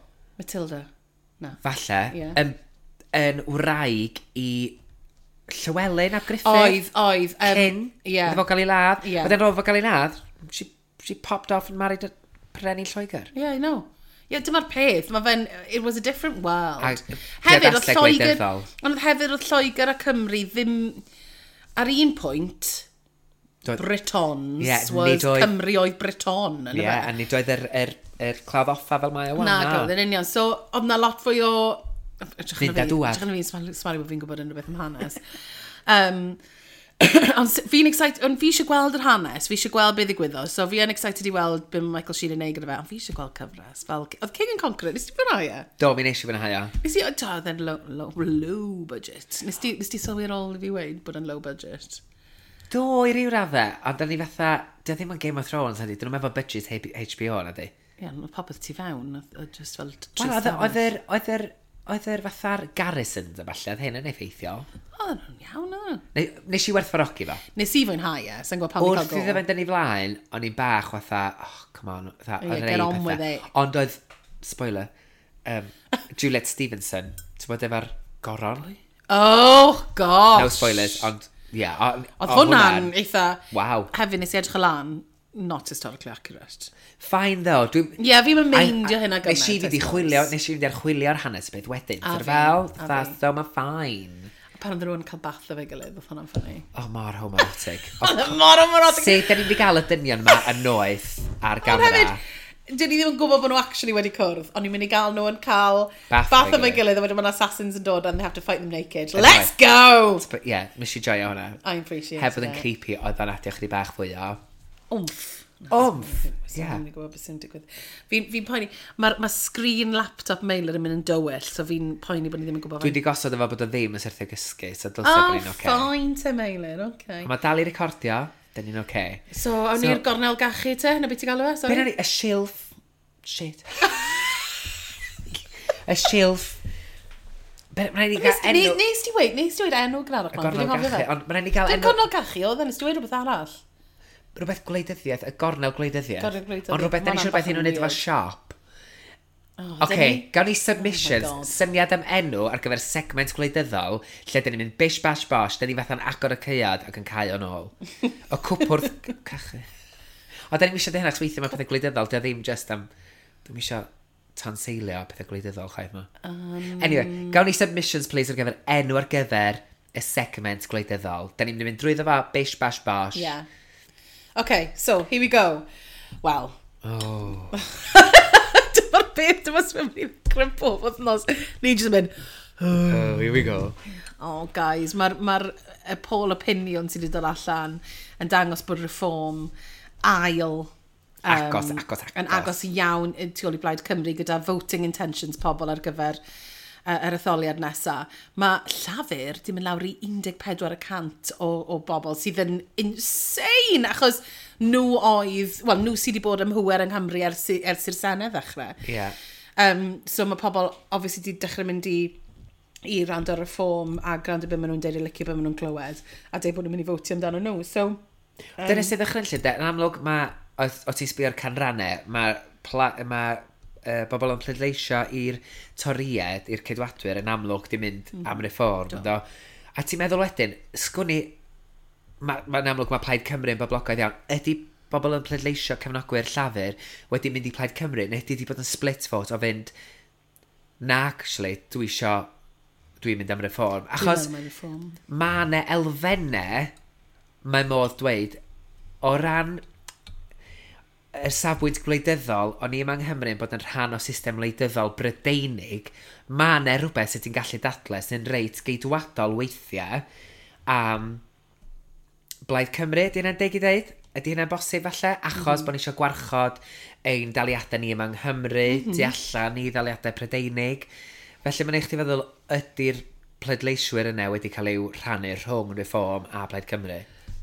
Matilda. Na. falle, Ie. yn, yn wraig i Llywelyn ap Gruffydd. Oedd, oedd. Um, Cyn. Ie. Iddo fo gael ei ladd. Ie. Wedyn roedd fo gael ei ladd, she, she popped off and married a Brenin Lloegr. Yeah, I know. Ie, yeah, dyma'r peth. Mae fe'n... It was a different world. A Hefyd, oedd priodasau Lloegr... gwleidyddol. Ond hefyd, oedd Lloegr a Cymru ddim... Ar un pwynt, Doedd- Britons Ie, was nid oedd- Cymru oedd Briton. Ie, yeah, a nid oedd yr, yr, yr clawdd offa fel mae o wan. Na, na. Yn union. So, oedd na lot fwy o... Edrych Fynd arno a fi- dŵad. Edrych arno fi'n smalu smalu bod fi'n gwybod unrhyw beth am hanes. Um, ond s- fi'n excited, ond fi eisiau gweld yr hanes, fi eisiau gweld beth ddigwyddodd, so fi yn excited i weld be mae Michael Sheen yn neud gyda fe, ond fi eisiau gweld cyfres. Fel, oedd King and Conqueror, nes ti fwynhau e? Do, mi nes i fwynhau o. Nes i, do, oedd e'n low, low, low budget. Nes ti, nes ti sylwi ar ôl i fi weud bod e'n low budget? Do, i ryw raddau, ond da ni fatha, dy ddim yn Game of Thrones, ydy, dyn nhw'n efo budget H B O, na di. Ie, yeah, oedd popeth tu fewn, oedd oedd just fel tri Wel, oedd stafell. oedd yr, oedd yr, oedd yr fatha'r garrisons a falle, oedd hyn yn effeithiol. Oedd nhw'n iawn, oedd nhw. Ne, nes i werthfawrogi fo. Nes i fwynhau e, sa'n gwybod pam i cael Wrth go. iddo fynd yn ei flaen, o'n i'n bach fatha, oh, come on, fatha, Ie, oedd get rei on with pethau. it. Ond oedd, spoiler, um, Juliet Stevenson, ti'n bod efo'r goron? Oh, gosh. No spoilers, ond, ie. Yeah, Oedd hwnna'n eitha... Waw. Hefyd nes i edrych o lan, not historically accurate. Fine though. Dwi'n... Ie, yeah, fi'n meindio hynna gymaint. Nes i fynd i I suppose. chwilio, nes i fynd i archwilio'r hanes beth wedyn. A Sort of fi, fel, a that's fi. so ma fine. Pan oedd rhywun yn cael bath efo'i gilydd, oedd hwnna'n funny. Oh, mor homoerotic. Oedd e mor homoerotic. Sut da ni wedi gael y dynion yma yn noeth ar Ond gamera? hefyd, dyn ni ddim yn gwybod bod nhw actually wedi cwrdd, ond ni'n mynd i gael nhw yn cael Bath bath efo'i efo'i gilydd. gilydd, a wedyn mae'n assassins yn dod and they have to fight them naked. Anyway. Let's go! But yeah, nes i joio hwnna. I appreciate Heb fod yn it. creepy, oedd o'n adio chydig bach fwy o. Wmff. Wmff, Ie. ie. Fi'n gwybod beth sy'n digwydd. Fi'n fi poeni, mae'r ma screen laptop Meilir yn mynd yn dywyll, so fi'n poeni bod ni ddim yn gwybod Dwi wedi gosod efo bod o ddim yn syrthio gysgu, so dylse Oh, bod ni'n oce. fine te Meilir, oce. Mae dal i recordio, dyn ni'n oce. So, awn So- ni'r gornel gachu te, na beth ti'n galw e, Be sorry? na ni? Y silff. Shit. Y silff. Be, mae'n rhaid i gael Nes enw... nes ti weud, nes ti weud enw gyda Y gornel gachu, ond mae'n rhaid i gael Dim enw... gornel gachu, oedd e, nes ti weud rhywbeth arall. Rhywbeth gwleidyddiaeth, y gornel gwleidyddiaeth. Gornel gwleidyddiaeth, Ond rhywbeth, da ni ma' eisiau rhywbeth hwnna'n i nhw'n neud efo weird. siop. Oh, Oce, dyn ni? gawn ni submissions, Oh my God. syniad am enw ar gyfer segment gwleidyddol, lle dyn ni'n mynd bish bash bosh, dyn ni fatha'n agor y caead ac yn cau o'n ôl. Y cwpwrdd cachu. O, da ni'n eisiau dweud hynna, achos weithio mae pethau gwleidyddol, dy ddim just am... Dwi'n eisiau tanseilio pethau gwleidyddol chwaith ma. Um... Anyway, gawn ni submissions please ar gyfer enw ar gyfer y segment gwleidyddol. Da ni'n mynd i mynd drwyddo fo, bish bash bosh. Yeah. Okay, so, here we go. Wel, Oh. dyma'r beth, dyma sy'n mynd i ddechrau pob wythnos. Ni jyst yn mynd, Oh, here we go. Oh, guys, mae'r ma y poll opinion sydd wedi dod allan yn dangos bod Reform ail um, Agos, agos, agos. yn agos iawn i tu ôl i Blaid Cymru gyda voting intentions pobl ar gyfer uh, yr etholiad nesaf. Mae Llafur di mynd lawr i un deg pedwar y cant o, o bobl sydd yn insane achos nhw oedd, wel, nhw sydd wedi bod ym mhŵer yng Nghymru ers, i- ers i'r Senedd ddechrau. Yeah. Um, so mae pobl obviously di dechrau mynd i i rando ar Reform a gwrando beth maen nhw'n deud, a licio beth maen nhw'n clywed, a deud bod nhw'n mynd i fotio amdano nhw. So, um, Dyna sydd ddychrynllyd, de. Yn amlwg, mae, o, o ti'n sbio ar canrannau, mae ma, uh, bobl yn pleidleisio i'r Toried, i'r Ceidwadwyr, yn amlwg di mynd mm. am Reform. Do. A ti'n meddwl wedyn, sgwn i, mae'n ma amlwg mae Plaid Cymru yn boblogaidd iawn. Ydy bobl yn pleidleisio cefnogwyr Llafur wedi mynd i Plaid Cymru, neu ydy wedi bod yn split vote o fynd, na, actually, dwi isio, dwi'n mynd am Reform. Achos mae yna elfennau, mae modd dweud, o ran y safbwynt gwleidyddol, o'n i yma yng Nghymru yn bod yn rhan o system wleidyddol Brydeinig, mae yna rhywbeth sydd ti'n gallu dadle sy'n reit geidwadol weithiau am Blaid Cymru, ydy hynna'n deg i ddeud? Ydy hynna'n bosib falle? Achos mm -hmm. bod ni eisiau gwarchod ein daliadau ni yma yng Nghymru, mm -hmm. tu allan i ddaliadau Prydeinig. Felly mae'n eich ti feddwl, ydy'r pleidleiswyr yna wedi cael eu rhannu rhwng Reform a Plaid Cymru?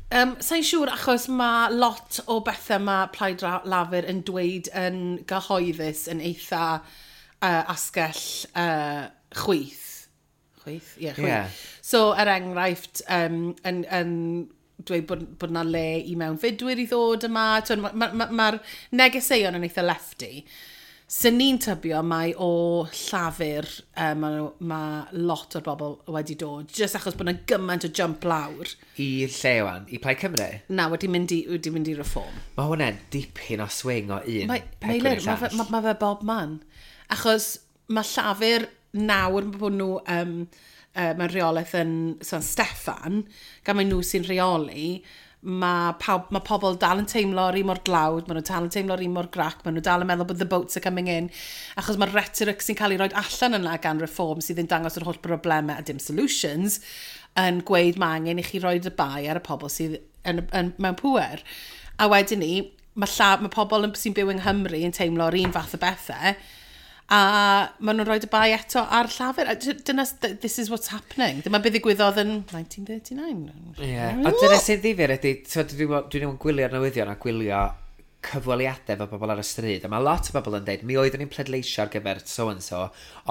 Um, Sa'n siŵr, achos mae lot o bethau mae Plaid Lafur yn dweud yn gyhoeddus yn eitha uh, asgell uh, chwith. Chwith? Ie, yeah, chwith. Yeah. So, er enghraifft, um, yn, yn dweud bod, bod na le i mewnfudwyr i ddod yma. Mae'r ma, ma, ma negeseuon yn eitha lefty. Sy'n ni'n tybio mai o Llafur uh, mae ma lot o'r bobl wedi dod, just achos bod yna gymaint o jump lawr. I lle wan? I Plaid Cymru? Na, wedi mynd i, wedi mynd i Reform. Mae hwnna'n dipyn o swing o un mae, pegwn i'r llall. Mae ma, ma fe bob man. Achos mae Llafur nawr bod nhw um, uh, mewn rheolaeth yn San Steffan, gan mae nhw sy'n rheoli, mae, pawb, mae pobl dal yn teimlo'r un mor dlawd, maen nhw dal yn teimlo'r un mor grac, maen nhw dal yn meddwl bod the boats are coming in, achos mae'r rhetoric sy'n cael ei roi allan yna gan Reform sydd yn dangos yr holl broblemau a dim solutions, yn gweud mae angen i chi roi y bai ar y pobl sydd yn, yn, mewn pŵer. A wedyn ni, mae, lla, mae pobl sy'n byw yng Nghymru yn teimlo'r un fath o bethau, a maen nhw'n rhoi y bai eto ar Llafur. Dyna, this is what's happening. Dyma beth ddigwyddodd yn nineteen thirty-nine. Ie. Yeah. Ond dyna sy'n ddifyr ydy, dwi'n dwi dwi'n gwylio'r newyddion a gwylio cyfweliadau efo bobl ar y stryd. A mae lot o bobl yn dweud, mi oeddwn i'n pleidleisio ar gyfer so-and-so,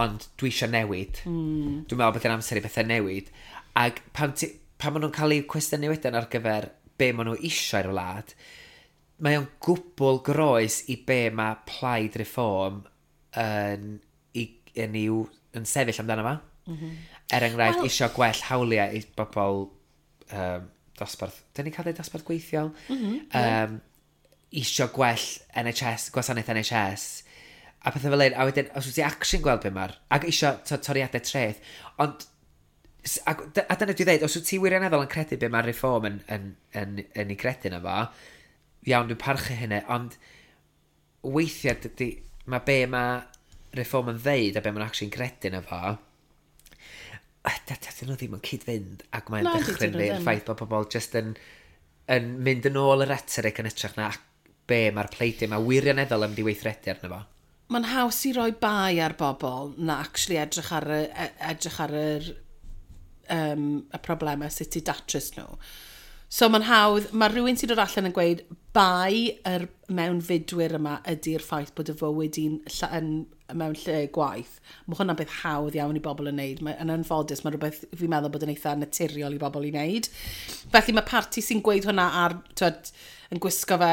ond dwi eisiau newid. Mm. Dwi'n meddwl bod yn amser i bethau newid. Ac pan, ti, pan maen nhw'n cael eu cwestiynu wedyn ar gyfer be maen nhw eisiau i'r wlad, mae o'n gwbl groes i be mae Plaid Reform yn, i, yn, i'w, yn sefyll amdano fo. Mm -hmm. Er enghraifft, well, isio gwell hawliau i bobl um, dosbarth... Dyn ni'n cael dweud dosbarth gweithiol? Mm -hmm, um, isio gwell N H S, gwasanaeth N H S, a pethau fel un. A wedyn, os wyt ti actually'n gweld be mae'r... Ac isio to, toriadau treth. Ond, a, a dyna dwi dweud, os wyt ti wirioneddol yn credu be mae'r Reform yn, yn, yn, yn, yn ei credu na fo, iawn, dwi'n parchu hynny, ond weithiau dydy... Mae be mae Reform yn ddeud a be mae'n actually'n credu na fo, dydyn nhw ddim yn cyd-fynd, ac mae'n dychryn fi'r ffaith bod pobl just yn, yn mynd yn ôl y rhetoric yn hytrach na be mae'r pleidiau, mae wirioneddol yn mynd i weithredu arno fo. Mae'n haws i roi bai ar bobl na actually edrych ar y, edrych ar yr, um, y problemau sut i datrys nhw. So mae'n hawdd, mae rhywun sy'n dod allan yn gweud bai yr mewnfudwyr yma ydy'r ffaith bod y fywyd i'n yn, mewn lle gwaith. Mae hwnna'n beth hawdd iawn i bobl yn neud. Mae, yn anffodus, mae rhywbeth fi'n meddwl bod yn eitha naturiol i bobl i wneud. Felly mae parti sy'n gweud hwnna ar, twed, yn gwisgo fe,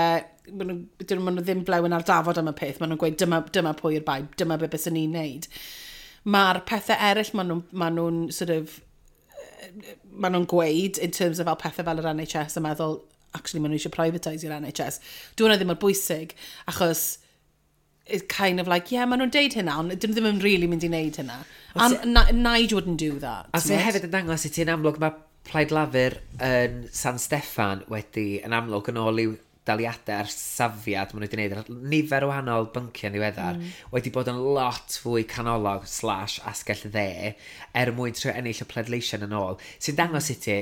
maen nhw, maen nhw ddim blewyn ar dafod am y peth, maen nhw'n gweud dyma, dyma pwy yw'r bai, dyma be bys ni'n neud. Mae'r pethau eraill maen nhw'n maen nhw'n sort of, maen nhw'n gweud in terms of fel pethau fel yr N H S a meddwl, actually maen nhw eisiau privatise i'r N H S. Dwi hwnna ddim mor bwysig, achos it's kind of like, yeah, maen nhw'n deud hynna, ond dyn nhw ddim yn really mynd i wneud hynna. And Nige wouldn't do that. A sy'n hefyd yn dangos i ti'n amlwg mae Plaid Lafur yn San Steffan wedi yn amlwg yn ôl i'w daliadau a'r safiad maen nhw wedi gwneud ar nifer o wahanol bynciau yn ddiweddar, mm. wedi bod yn lot fwy canolog slash asgell dde er mwyn trio ennill y pleidleisiau yn ôl. Sy'n dangos i ti,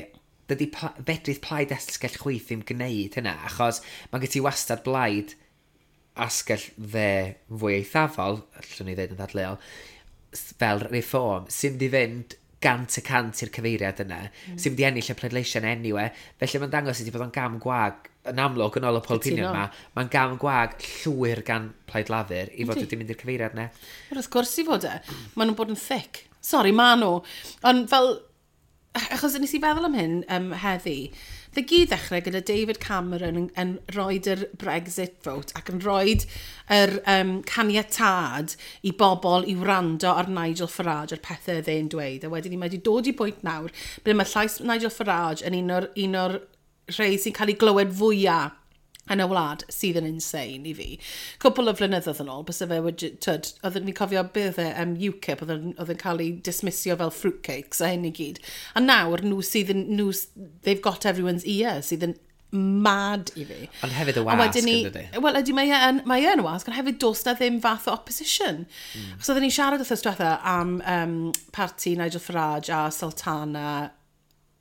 dydy pla fedrith plaid asgell chwith ddim gwneud hynna, achos mae gen ti wastad blaid asgell dde fwy eithafol, allwn ni ddeud yn ddadleuol, fel Reform, sy'n mynd i fynd gant y cant i'r cyfeiriad yna, mm. sy'n mynd i ennill y pleidleisiau anyway. Felly mae'n dangos i ti bod o'n gam gwag, yn amlwg yn ôl y poll opinion yma, mae'n gam gwag llwyr gan Plaid Lafur i fod wedi mynd i'r cyfeiriad yna. Wrth gwrs i fod e. Maen nhw'n bod yn thick. Sorry, ma nhw. Ond fel, achos nes i feddwl am hyn um, heddi, fe gyd ddechrau gyda David Cameron yn, yn rhoid yr Brexit vote ac yn rhoid yr um, caniatad i bobl i wrando ar Nigel Farage a'r pethau oedd e'n dweud. A wedyn ni mae wedi dod i bwynt nawr ble mae llais Nigel Farage yn un o'r, un o'r rhai sy'n cael ei glywed fwyaf yn y wlad sydd yn insane i fi. Cwpl o flynyddoedd yn ôl, byse fe wedi, tyd, oedden ni'n cofio beth e, um, UKIP, oedd yn, oedd yn cael ei dismissio fel fruitcakes a hyn i gyd. A nawr, nhw sydd yn, nhw, they've got everyone's ear, sydd yn mad i fi. Ond hefyd y A wasg, wedyn ni, yn dydi? Wel, ydy, mae e yn, mae e yn y wasg, ond hefyd does na ddim fath o opposition. Mm. Achos oedden ni'n siarad wrthos diwetha am um, parti Nigel Farage a Sultana.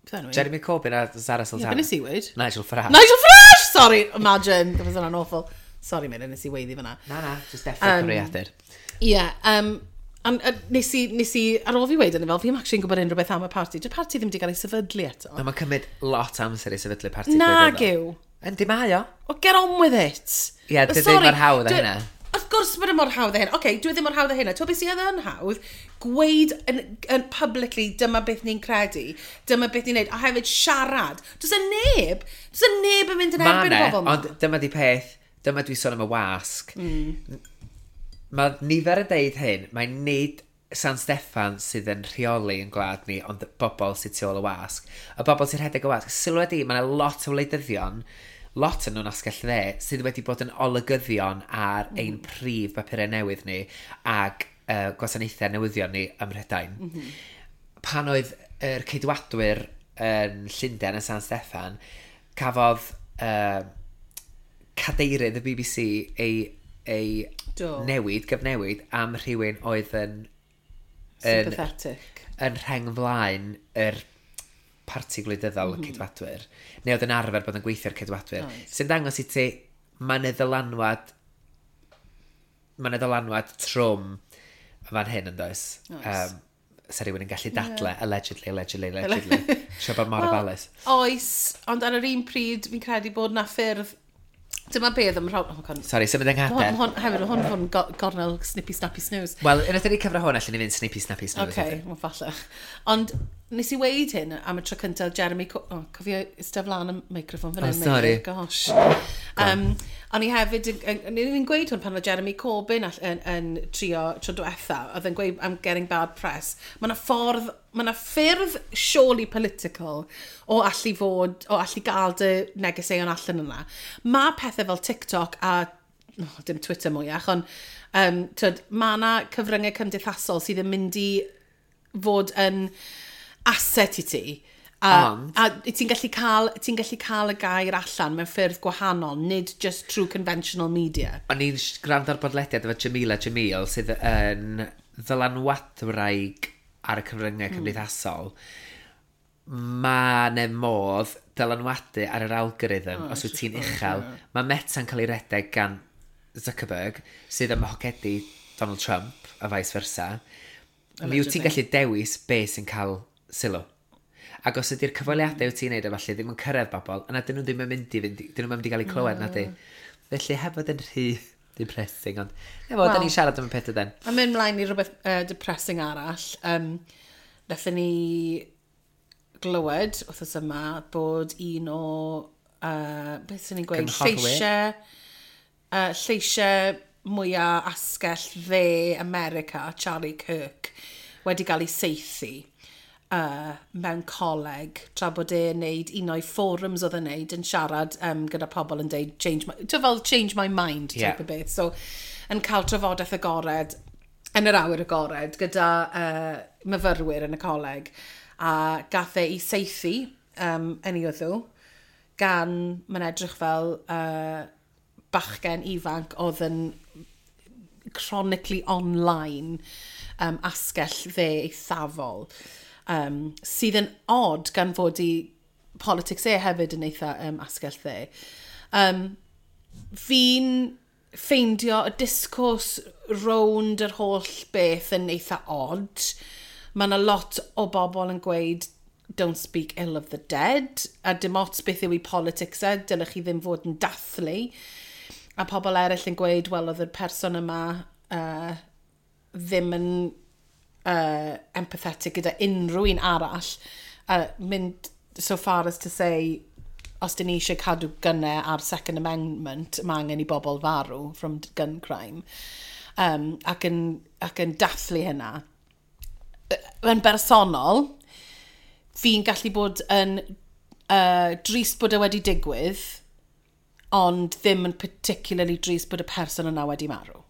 Beth enw hi? Jeremy Corbyn a Zara Ie, Sultana. be nes i weud? Nigel Farage. Nigel Farage! Sorry, imagine. That was hwnna'n awful. Sorry, Meilir, nes i weiddi fyna. Na, na, just deffro um, cyfrifiadur. Ie, yeah, um, and, uh, nes i, nes i, ar ôl fi weid hynny fel, fi'n actually'n gwybod unrhyw beth am y parti. Dy'r parti ddim wedi cael ei sefydlu eto. Na, mae'n cymryd lot amser i sefydlu parti Nag gwleidyddol. yw. Yndi mae o. Well, get on with it. Ie, But dydy sorry, mor hawdd â dwi- hynna. Wrth gwrs bod e mor hawdd â hynna. Oce, okay, dwi ddim mor hawdd â hynna. Ti'n gwybod beth sydd yn hawdd? Gweud yn, yn publicly, dyma beth ni'n credu, dyma beth ni'n neud, a hefyd siarad. Does y neb, does y neb yn mynd yn Ma' erbyn y 'ne, bobl yma. Ond dyma di peth, dyma dwi sôn am y wasg. Mm. Mae nifer yn deud hyn, mae nid San Steffan sydd yn rheoli yn gwlad ni, ond bobl sydd tu ôl y wasg. Y bobl sy'n rhedeg y wasg. Sylwa di, mae yna lot o wleidyddion, lot yn nhw'n asgell dde, sydd wedi bod yn olygyddion ar mm. ein prif bapurau newydd ni ac uh, gwasanaethau newyddion ni ym Mhrydain. Mm -hmm. Pan oedd yr Ceidwadwyr yn Llundain yn San Steffan, cafodd uh, cadeirydd y B B C ei, ei Do. newid, gyfnewid, am rhywun oedd yn, yn, Sympathetic. yn rheng flaen yr parti gwleidyddol mm -hmm. y Ceidwadwyr, neu oedd yn arfer bod yn gweithio'r Ceidwadwyr. Oes. Sy'n dangos i ti, mae 'na ddylanwad, mae 'na ddylanwad trwm fan hyn yn does. Oes. Um, sa rhywun yn gallu dadle, yeah. Allegedly, allegedly, allegedly. Sio bod mor Wel, ofalus. Oes, ond ar yr un pryd fi'n credu bod na ffyrdd. Dyma beth am rhaid. Oh, God. Sorry, symud yng Hwn, nghader. hwn, hefyd, hwn hwn go- gornel snippy snappy snooze. Wel, unwaith ni cyfro hwn, allan ni fynd snippy snappy snooze. Oce, okay, wel falle. Ond nes i weid hyn am y tro cyntaf Jeremy... Co oh, cofio eistedd flaen y microffon fan Oh, hyn. sorry. Meilir, gosh. Um, o'n i hefyd, yn- yn- o'n i'n gweud hwn pan oedd Jeremy Corbyn all- yn, yn trio tro diwetha, oedd yn gweud "I'm getting bad press." Mae yna ffordd, mae yna ffyrdd surely political o allu fod, o allu gael dy negeseuon allan yna. Mae pethau fel TikTok a oh, dim Twitter mwyach, ond um, tyd, mae yna cyfryngau cymdeithasol sydd yn mynd i fod yn asset i ti. A, Ond- a ti'n gallu cael, ti'n gallu cael y gair allan mewn ffyrdd gwahanol, nid just true conventional media. O'n i'n sh- gwrando ar bodlediad efo Jamila Jamil sydd yn ddylanwadwraig ar y cyfryngau mm. cymdeithasol. Mae 'na modd dylanwadu ar yr algorithm oh, os wyt ti'n uchel. Mae Meta'n cael ei redeg gan Zuckerberg sydd ym mhocedi Donald Trump a vice versa. Mi wyt ti'n gallu dewis be sy'n cael sylw. Ac os ydy'r cyfweliadau wyt ti'n neud a falle ddim yn cyrraedd bobl, yna dyn nhw ddim yn mynd i fynd, dyn nhw'n mynd i gael eu clywed na di. Felly heb fod yn rhy depressing, ond efo, well, da Wel. ni'n siarad am y peth ydyn. A mynd mlaen i rhywbeth uh, depressing arall. Um, Nethon ni glywed wythnos yma bod un o, uh, beth sy'n ni'n gweud, Cynghorwyr. lleisiau, uh, lleisiau mwyaf asgell dde America, Charlie Kirk, wedi cael ei saethu uh, mewn coleg tra bod e'n neud un o'i forums oedd e'n neud yn siarad um, gyda pobl yn deud change my, ti'n fel "change my mind" type Yeah. o beth. So, yn cael trafodaeth agored yn yr awyr agored gyda uh, myfyrwyr yn y coleg a gath e ei saethu um, yn ei wddw gan, mae'n edrych fel uh, bachgen ifanc oedd yn chronically online um, asgell dde eithafol um, sydd yn odd gan fod i politics e hefyd yn eitha um, asgell dde. Um, fi'n ffeindio y discourse rownd yr holl beth yn eitha odd. Mae yna lot o bobl yn gweud "Don't speak ill of the dead", a dim ots beth yw i politics e, dylech chi ddim fod yn dathlu. A pobl eraill yn gweud, wel, oedd y person yma uh, ddim yn uh, empathetic gyda unrhyw un arall. Uh, mynd so far as to say, os dyn ni eisiau cadw gynnau ar Second Amendment, mae angen i bobl farw from gun crime. Um, ac, yn, ac yn dathlu hynna. Yn bersonol, fi'n gallu bod yn uh, drist bod e wedi digwydd, ond ddim yn particularly drist bod y person yna wedi marw.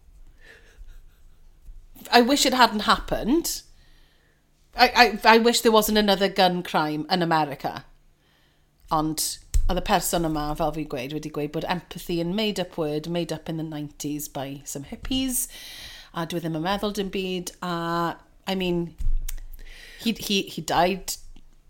I wish it hadn't happened. I, I, I wish there wasn't another gun crime in America. Ond oedd y person yma, fel fi'n gweud, wedi gweud bod empathy yn made up word, made up in the nineties by some hippies, a dwi ddim yn meddwl dim byd, a, I mean, he, he, he died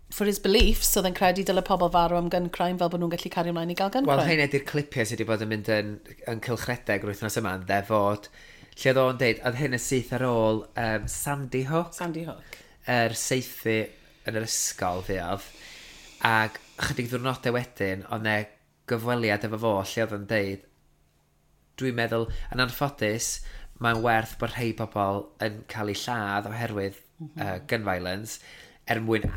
for his beliefs, so oedd e'n credu dyle pobl farw am gun crime fel bod nhw'n gallu cario ymlaen i gael gun Wel, crime. Heina di'r clipiau sydd wedi bod yn mynd yn, yn cylchredeg yr wythnos yma, yn dde fod, lle oedd o'n deud, oedd hyn yn syth ar ôl um, Sandy Hook, Sandy Hook. Yr saethu yn yr ysgol fuodd, ac chydig ddiwrnodau wedyn, oedd 'ne gyfweliad efo fo, lle oedd o'n deud, "Dwi'n meddwl, yn anffodus, mae'n werth bod rhai bobl yn cael eu lladd oherwydd mm -hmm. uh, gun violence, er mwyn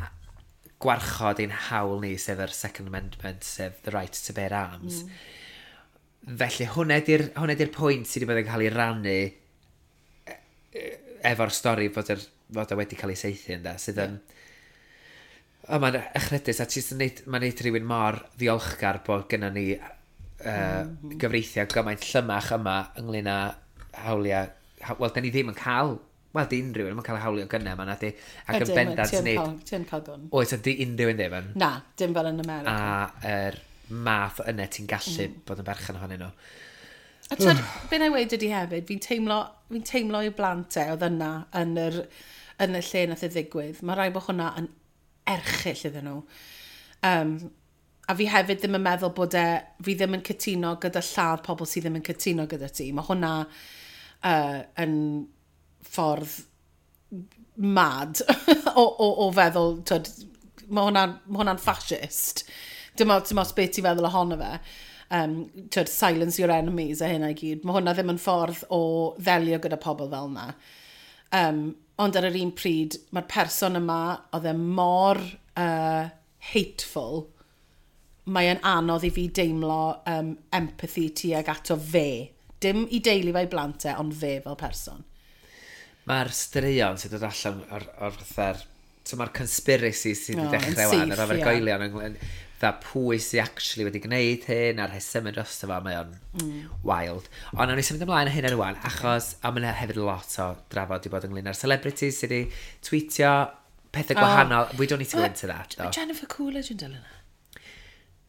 gwarchod ein hawl ni, sef yr Second Amendment, sef the right to bear arms." Mm. Felly hwnna di'r hwnna di'r pwynt sydd wedi bod yn cael ei rannu e- e- efo'r stori fod, yr, fod o wedi cael ei saethu ynde, sydd yn... O, mae'n echrydus, a ti'n neud, mae'n neud rhywun mor ddiolchgar bod gennym ni uh, mm -hmm. gyfreithiau gymaint llymach yma ynglyn â hawliau. Ha, wel, da ni ddim yn cael. Wel, di unrhyw un ddim yn cael hawlio gynnau yma, na di. Ac yn Ydyn, bendant ti yn nid cael- Ti yn cael gwn. Oes, a di unrhyw un ddim yn. Na, dim fel yn America. A yr math o yna ti'n gallu mm. bod yn berchen ohonyn nhw. A twyd, be na i weud ydi hefyd, fi'n teimlo, fi'n teimlo i blant e oedd yna yn, yr, yn y lle nath e ddigwydd. Mae rhaid bod hwnna yn erchyll iddyn nhw. Um, a fi hefyd ddim yn meddwl bod e, fi ddim yn cytuno gyda lladd pobl sydd ddim yn cytuno gyda ti. Mae hwnna uh, yn ffordd mad o, o, o feddwl, twyd, mae hwnna'n ma hwnna fascist. Dim ots, dim ots beth ti'n feddwl ohono fe. Um, twyd, silence your enemies a hynna i gyd. Mae hwnna ddim yn ffordd o ddelio gyda pobl fel yna. Um, ond ar yr un pryd, mae'r person yma, oedd e mor uh, hateful, mae'n anodd i fi deimlo um, empathy tuag ato fe. Dim i deulu fe, i blant e, ond fe fel person. Mae'r straeon sydd dod allan o'r, o'r fatha'r. So mae'r conspiracy sydd wedi O, yn dechrau wan, yr syth, ie. ofergoelion ynglyn fatha pwy sydd actually wedi gwneud hyn a'r rhesymau drosto fo, mae o'n mm. wild. Ond nawn ni symud ymlaen o hyn ar rwan, achos a mae yna hefyd lot o drafod wedi bod ynglyn â'r celebrities sydd wedi tweetio pethau Oh. gwahanol. We don't need to go into that, though. Jennifer Coolidge yn dilyn e.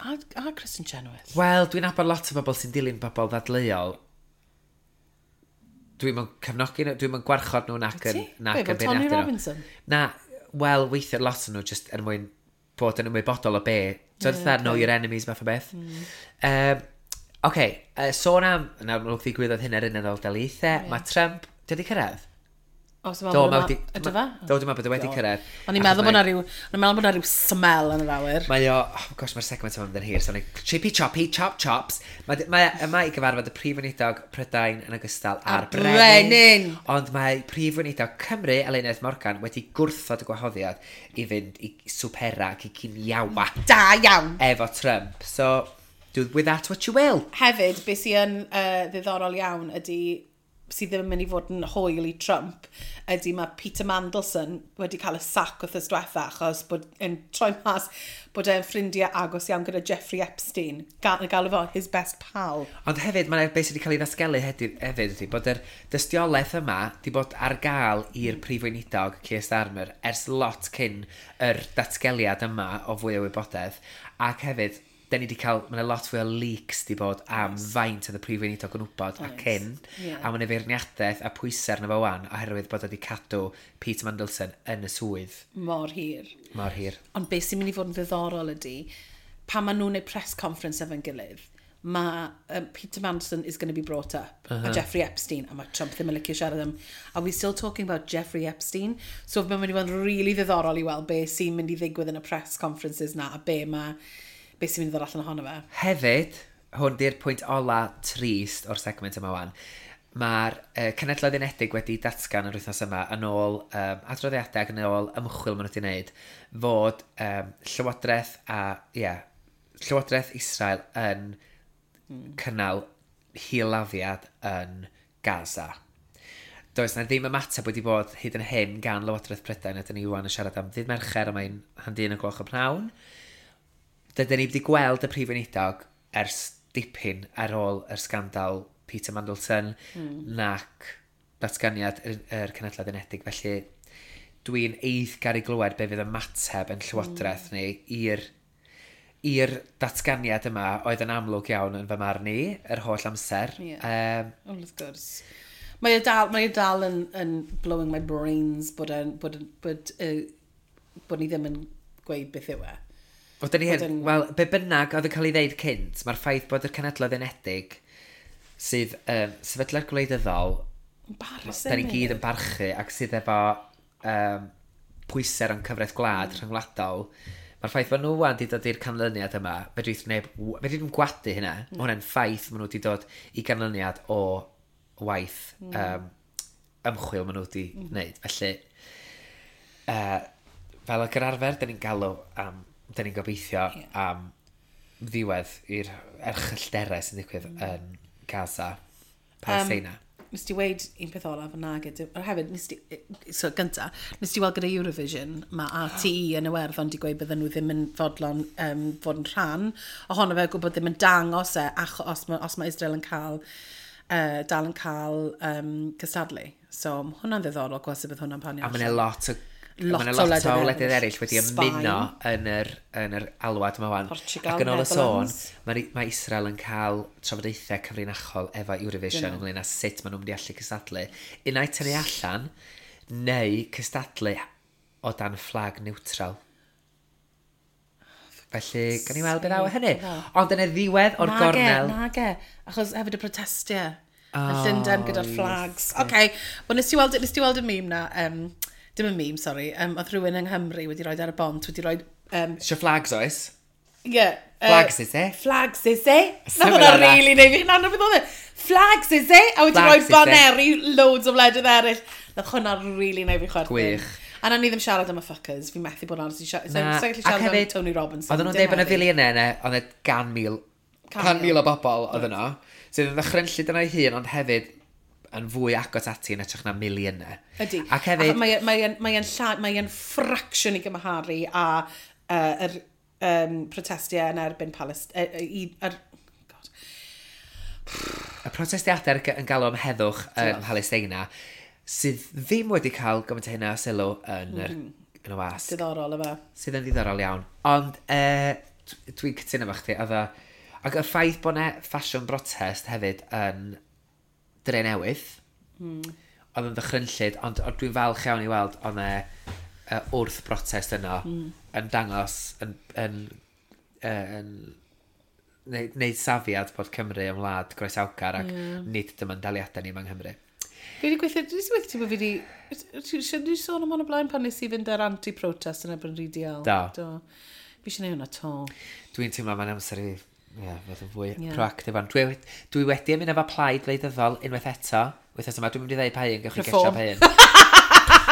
A, a Kristen Chenoweth. Wel, dwi'n nabod lot o bobl sy'n dilyn bobl ddadleuol. Dwi'n mynd cefnogi nhw, dwi'n mynd gwarchod nhw nac yn, Ti? nac Be, yn fel Tony beirniadu nhw. Robinson? Na, wel, weithiau lot o nhw just er mwyn bod yn ymwybodol o be. So, yeah, okay. Know your enemies fath o beth. Mm. Um, OK, uh, sôn am, nawr mae'n ddigwyddodd hyn ar Unol Daleithiau, yeah. Mae Trump, di wedi cyrraedd? O, so Do, mae mae wedi Ydy fe? Do, dwi'n meddwl bod e wedi cyrraedd. O'n i'n meddwl bod 'na ryw, o'n i'n meddwl bod 'na ryw smell yn yr awyr. Mae o, oh gosh, mae'r segment yma'n mynd yn hir, so ni chippy choppy chop chops. Mae, mae yma i gyfarfod y Prif Weinidog Prydain yn ogystal â'r A'r brenin. Ond mae Prif Weinidog Cymru, Eluned Morgan, wedi gwrthod y gwahoddiad i fynd i swpera ac i giniawa Da iawn. efo Trump. So, do with that what you will. Hefyd, beth sy'n uh, ddiddorol iawn ydy, sydd ddim yn mynd i fod yn hwyl i Trump, ydy mae Peter Mandelson wedi cael y sac wythnos diwetha achos bod yn troi mas bod e'n ffrindiau agos iawn gyda Jeffrey Epstein. Ga galw fo his best pal. Ond hefyd, mae'n beth sydd wedi cael ei ddatgelu hefyd, hefyd ydy bod yr dystiolaeth yma wedi bod ar gael i'r Prif Weinidog, Keir Starmer, ers lot cyn yr datgeliad yma o fwy o wybodaeth. Ac hefyd, da ni wedi cael, mae'n lot fwy o leaks di bod am faint oedd y Prif Weinidog yn wybod a Oes. cyn. Ie. A mae'n feirniadaeth a pwysau arno fo wan oherwydd bod wedi cadw Peter Mandelson yn y swydd Mor hir. Mor hir. Ond beth sy'n mynd i fod yn ddiddorol ydy, pan maen nhw'n gwneud press conference efo'n gilydd, mae um, Peter Mandelson is going to be brought up, uh -huh. a Jeffrey Epstein, a mae Trump ddim yn licio siarad am, "Are we still talking about Jeffrey Epstein?" So mae'n mynd i fod yn really ddiddorol i weld be sy'n mynd i ddigwydd yn y press conferences na, a be mae, be sy'n mynd i ddod allan ohono fe. Hefyd, hwn di'r pwynt ola trist o'r segment yma wan. Mae'r uh, Cenhedloedd Unedig wedi datgan yr wythnos yma yn ôl um, adroddiadau ac yn ôl ymchwil maen nhw wedi wneud fod um, Llywodraeth a, ie, yeah, Llywodraeth Israel yn mm. cynnal hil-laddiad yn Gaza. Does na ddim ymateb wedi bod hyd yn hyn gan Lywodraeth Prydain, a dyn ni wan yn siarad am ddydd Mercher, a mae'n hanner un o gloch y pnawn. Dydyn ni wedi gweld y prif weinidog ers dipyn ar ôl yr sgandal Peter Mandelson mm. nac datganiad yr, yr Cenhedloedd Unedig. Felly dwi'n eiddgar i glywed be fydd ymateb yn Llywodraeth mm. ni i'r i'r datganiad yma oedd yn amlwg iawn yn fy marn i yr holl amser. Ie. Um, Wel, wrth gwrs. Mae e dal, mae e dal yn, yn blowing my brains bod, e'n, bod, bod, uh, bod ni ddim yn gweud beth yw e. Wel, dyn ni Bod hyn, yn- wel, be bynnag oedd yn cael ei ddeud cynt, mae'r ffaith bod yr Cenhedloedd Unedig sydd um, sefydliad gwleidyddol, Embarrassing. da ni gyd yn barchu ac sydd efo um, pwysau o'n cyfraith gwlad mm. rhyngwladol, mae'r ffaith bod nhw wan wedi dod i'r canlyniad yma, fedrith neb, fedrith ddim gwadu hynna. Mm. Mae hwnna'n ffaith maen nhw wedi dod i ganlyniad o waith mm. um, ymchwil maen nhw wedi mm. wneud. Felly, uh, fel ag yr arfer, da ni'n galw am, da ni'n gobeithio Ie. am ddiwedd i'r erchyllterau sy'n digwydd mm. yn Gaza, Palestina. Um, Nes ti weud un peth olaf yn nag ydw. Ond hefyd, nes ti, so gynta, nes ti weld gyda Eurovision, mae R T E yn Iwerddon di gweud bydden nhw ddim yn fodlon um, fod yn rhan ohono fe, gwybod ddim yn dangos e, achos os mae, os mae Israel yn cael, uh, dal yn cael um, cystadlu. So, ma' hwnna'n ddiddorol gweld sut bydd hwnna'n panio A mae yna lot o Lot ma' 'na o lot o wledydd wledydd eraill. eraill wedi Sbaen. ymuno yn yr, yn yr alwad yma wan. Portugal, Ac yn ôl y sôn, Netherlands. mae, mae Israel yn cael trafodaethau cyfrinachol efo Eurovision Dyn nhw. ynglyn â sut maen nhw'n mynd i allu cystadlu. Unai tynnu allan, neu cystadlu o dan fflag neutral. Felly, gan i weld beth ddaw o hynny. Ond yn y ddiwedd o'r Nage, gornel. Nage, achos hefyd y protestiau. Oh, Oh, yn Llundain gyda'r flags. Oce, okay. Well, nes ti weld, nes ti weld y meme na, um, dim y meme, sorry, um, oedd rhywun yng Nghymru wedi rhoi ar y bont, wedi rhoi... Um, Isio flags oes? Yeah, uh, Flags is it? Flags is it? Na Something hwnna like that. really neud fi, na, na beth oedd e? Flags is it? A wedi rhoi Flags is it? baneri loads o wledydd eraill. Nath hwnna really neud fi chwerthin. Gwych. A na ni ddim siarad am y fuckers, fi methu bod yn honest i siarad. Na, Sa'n gallu ac siarad am hefyd, Tony Robinson. Oedden nhw'n dim dweud bod yna heddi. filiynau yna, oedd e gan mil, Can can mil. mil o bobl oedd yno, sydd yn ddychrynllyd yna ei hun, ond hefyd yn fwy agos ati yn edrych na miliynau. Ydy. Ac hefyd, Mae mae yn mae yn lla- mae yn ffracsiwn i gymharu a uh, yr um, protestiau yn erbyn Palest... Uh, i, er, God. Y protestiadau yn galw am heddwch yn Diolch. Palestina, sydd ddim wedi cael gymaint o hynna o sylw yn, yr, yn y wasg. Diddorol yma. Sydd yn ddiddorol iawn. Ond uh, dwi'n cytuno efo chdi, oedd o. Ac y ffaith bod 'na ffasiwn brotest hefyd yn Dre Newydd, mm. oedd yn ddychrynllyd, ond, ond dwi'n falch iawn i weld oedd 'na uh, wrth brotest yno mm. yn dangos, yn, yn, uh, yn neud, neud safiad bod Cymru yn wlad groesawgar ac yeah. nid dyma'n daliadau ni yma yng Nghymru. Fi wedi gweithio, dwi wedi gweithio ti bod fi wedi... Ti wedi sôn am hwn o blaen pan nes i fynd ar anti-protest yn erbyn R D L? Do. Do. Fi eisiau gwneud hwnna to. Dwi'n teimlo mae'n amser i yeah, fod yn fwy Ie. yeah. proactive. Ond dwi, dwi wedi ymuno efo plaid wleidyddol unwaith eto. Wythnos yma, dwi'n mynd i ddeud pa un, gewch chi gesio Reform. pa un.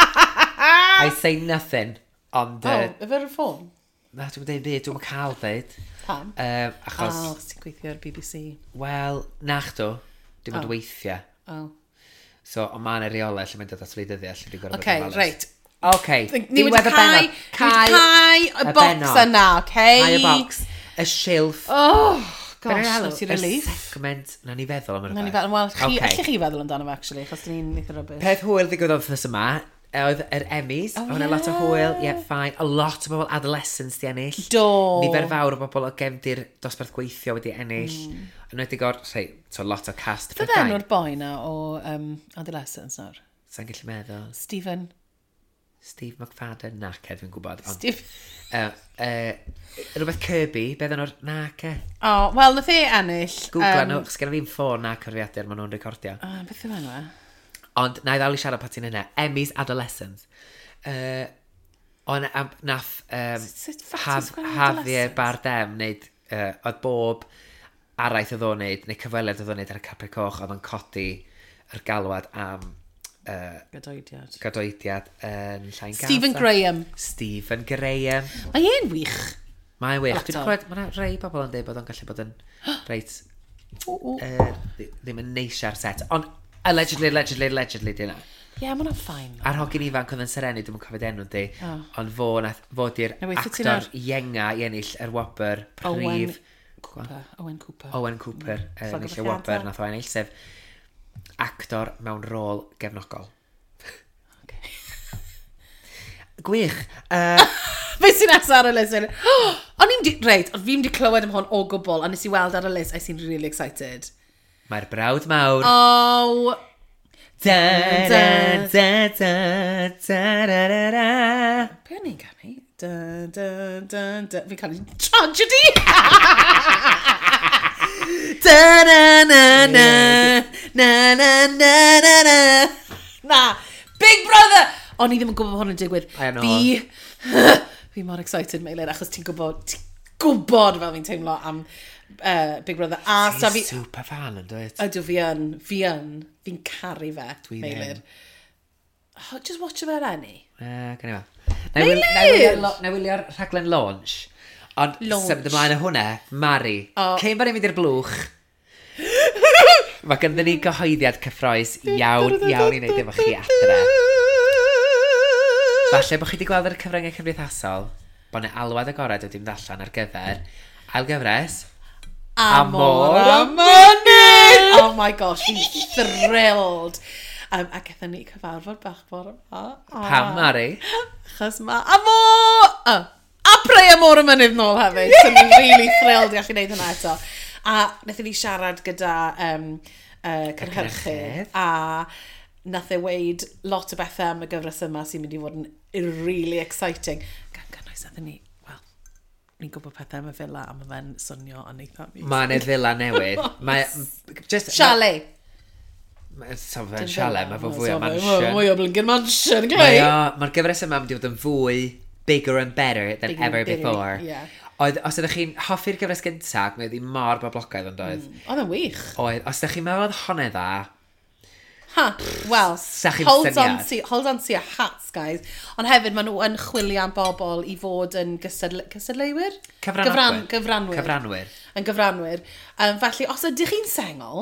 I say nothing, ond Oh, Uh, efe Reform? Na, dwi'n dweud byd, dwi'n cael dweud. Pam? Um, achos, Oh, ti'n gweithio ar B B C. Wel, na chdw, dim ond Oh. weithiau. Oh. So, ond mae yna reolau lle mae'n dod at wleidyddiaeth lle dwi'n gorfod Okay, bod yn ofalus. reit. Okay, Ni wedi diwedd y cau, bennod. ni wedi cau y y box bennod. yna, okay? Cau y box. Y silff. Oh, Be' gosh, ni'n alw? nes i relief. Y segment, na ni feddwl am Na ni rhywbeth. fel, wel, chi, Ocê. allech chi feddwl amdano fe, actually, achos ni'n eitha rubbish. Peth hwyl ddigwyddodd wythnos yma, e, oedd yr Emmys. Oh, Oh, hwnna lot o ie. hwyl, ie, yeah, fine. A lot o bobl adolescents di ennill. Do. Nifer fawr o bobl o gefndir dosbarth gweithio wedi ennill. Mm. Yn enwedig o'r, rhei, so lot o cast Beth Prydain. enw'r boi na o um, Adolescence nawr? Sa'n gallu meddwl. Stephen. Steve McFadden, nace, dwi'n gwybod. Ond, Steve. uh, uh, rhywbeth Kirby, beth enw'r, nace. Oh, wel, nath e ennill. Googla um, nhw, chos gen i fi'n ffôn na cyfrifiadur maen nhw'n recordio. Uh, beth yw enw e? Ond na i ddal i siarad pan ti'n yna. Emmys Adolescence. Uh, ond am, nath um, Sut- sut ffat Haf, ti'n sgwennu Javier Adolescence? Bardem wneud, uh, oedd bob araith oedd o'n wneud, neu cyfweliad oedd o'n wneud ar y carpet coch, oedd o'n codi yr galwad am uh, Gadoediad. Gadoediad yn Llain Gaza. Stephen Graham. Stephen Graham. Mae e'n wych. Mae'n wych. Dwi'n Actor. clywed, mae rhai bobl yn dweud bod o'n gallu bod yn reit O, o. uh, ddim yn neis ar set. Ond allegedly, allegedly, allegedly, di hynna. Ie, yeah, mae hwnna'n fine. A'r hogyn ifanc oedd yn serenu, dwi'n cofio enw di, O. ond fo, nath, fo di'r Na, weithio ti actor nawr. ienga i ennill yr wobr Owen prif... Cooper. Owen Cooper. Owen Cooper mm. ennill y wobr nath o ennill, sef actor mewn rôl gefnogol. Okay. Gwych. Uh, Be sy'n nesaf ar y list? O'n i'n di... Reit, ond fi'n di clywed am hwn o gwbl, a nes i weld ar y list, I seemed really excited. Mae'r brawd mawr. Oh, Da, da, da, da, da, da, da, da. Be o'n i'n canu? Da, da, da, da. Fi'n canu tragedy! Da, na, na, na. Na, na, na, na, na. Na. Big Brother! O'n i ddim yn gwybod bod hwn yn digwydd. I know. Fi... Fi mor excited, Meilir, achos ti'n gwybod... Ti'n gwybod fel fi'n teimlo am uh, Big Brother. A sa fi... Super fan yn dweud. Ydw, fi yn. Fi yn. Fi'n caru fe, Dwi ddim. Meilir. Oh, just watch fe eleni. Uh, Gan i fel. Na i Meilir! Na i wylio'r rhaglen launch. Ond Launch. symud ymlaen o hwnna, Mari. O. Cyn bod ni'n mynd i'r blwch, mae ganddyn ni gyhoeddiad cyffroes iawn, iawn i wneud efo chi adre. Falle bod chi wedi gweld ar y cyfryngau cymdeithasol bod yna alwad agored wedi mynd allan ar gyfer ail gyfres Amor a Mynydd! Oh my gosh, fi'n thrilled. Um, a gaethon ni cyfarfod bach bore yma. A- Pam, Mari? Achos mae Amor! Oh, a Prey Amor y Mynydd nôl hefyd. So ni'n really thrilled i allu gwneud hynna eto. A wnaethon ni siarad gyda um, uh, cynhyrchydd. cynhyrchydd. A nath e weud lot o bethau am y gyfres yma sy'n mynd i fod yn really exciting. Gan gynnwys nathon ni, wel, ni'n gwybod pethau am y villa a mae fe'n swnio yn eitha amazing. Mae yna villa newydd. Mae... Just, Chalet. Ma, so fe'n chalet, mae fo fwy o Mae mansion. Mwy o blinking mansion, Mae Clay. o, mae'r gyfres yma yn mynd i fod yn fwy bigger and better than Bigger and ever better, before. yeah. Oedd, os ydych chi'n hoffi'r gyfres gyntaf, mae oedd hi mor boblogaidd yn doedd. Mm. Oedd yn wych. Oedd, os ydych chi'n meddwl oedd hwnna dda, Ha, wel, Sa chi'm hold on, syniad. to, hold on to your hats, guys. Ond hefyd, maen nhw yn chwilio am bobl i fod yn gystadle cystadleuwyr? Cyfranogwyr. Gyfran, gyfranwyr. Cyfranwyr. Yn gyfranwyr. Um, felly, os ydych chi'n sengl,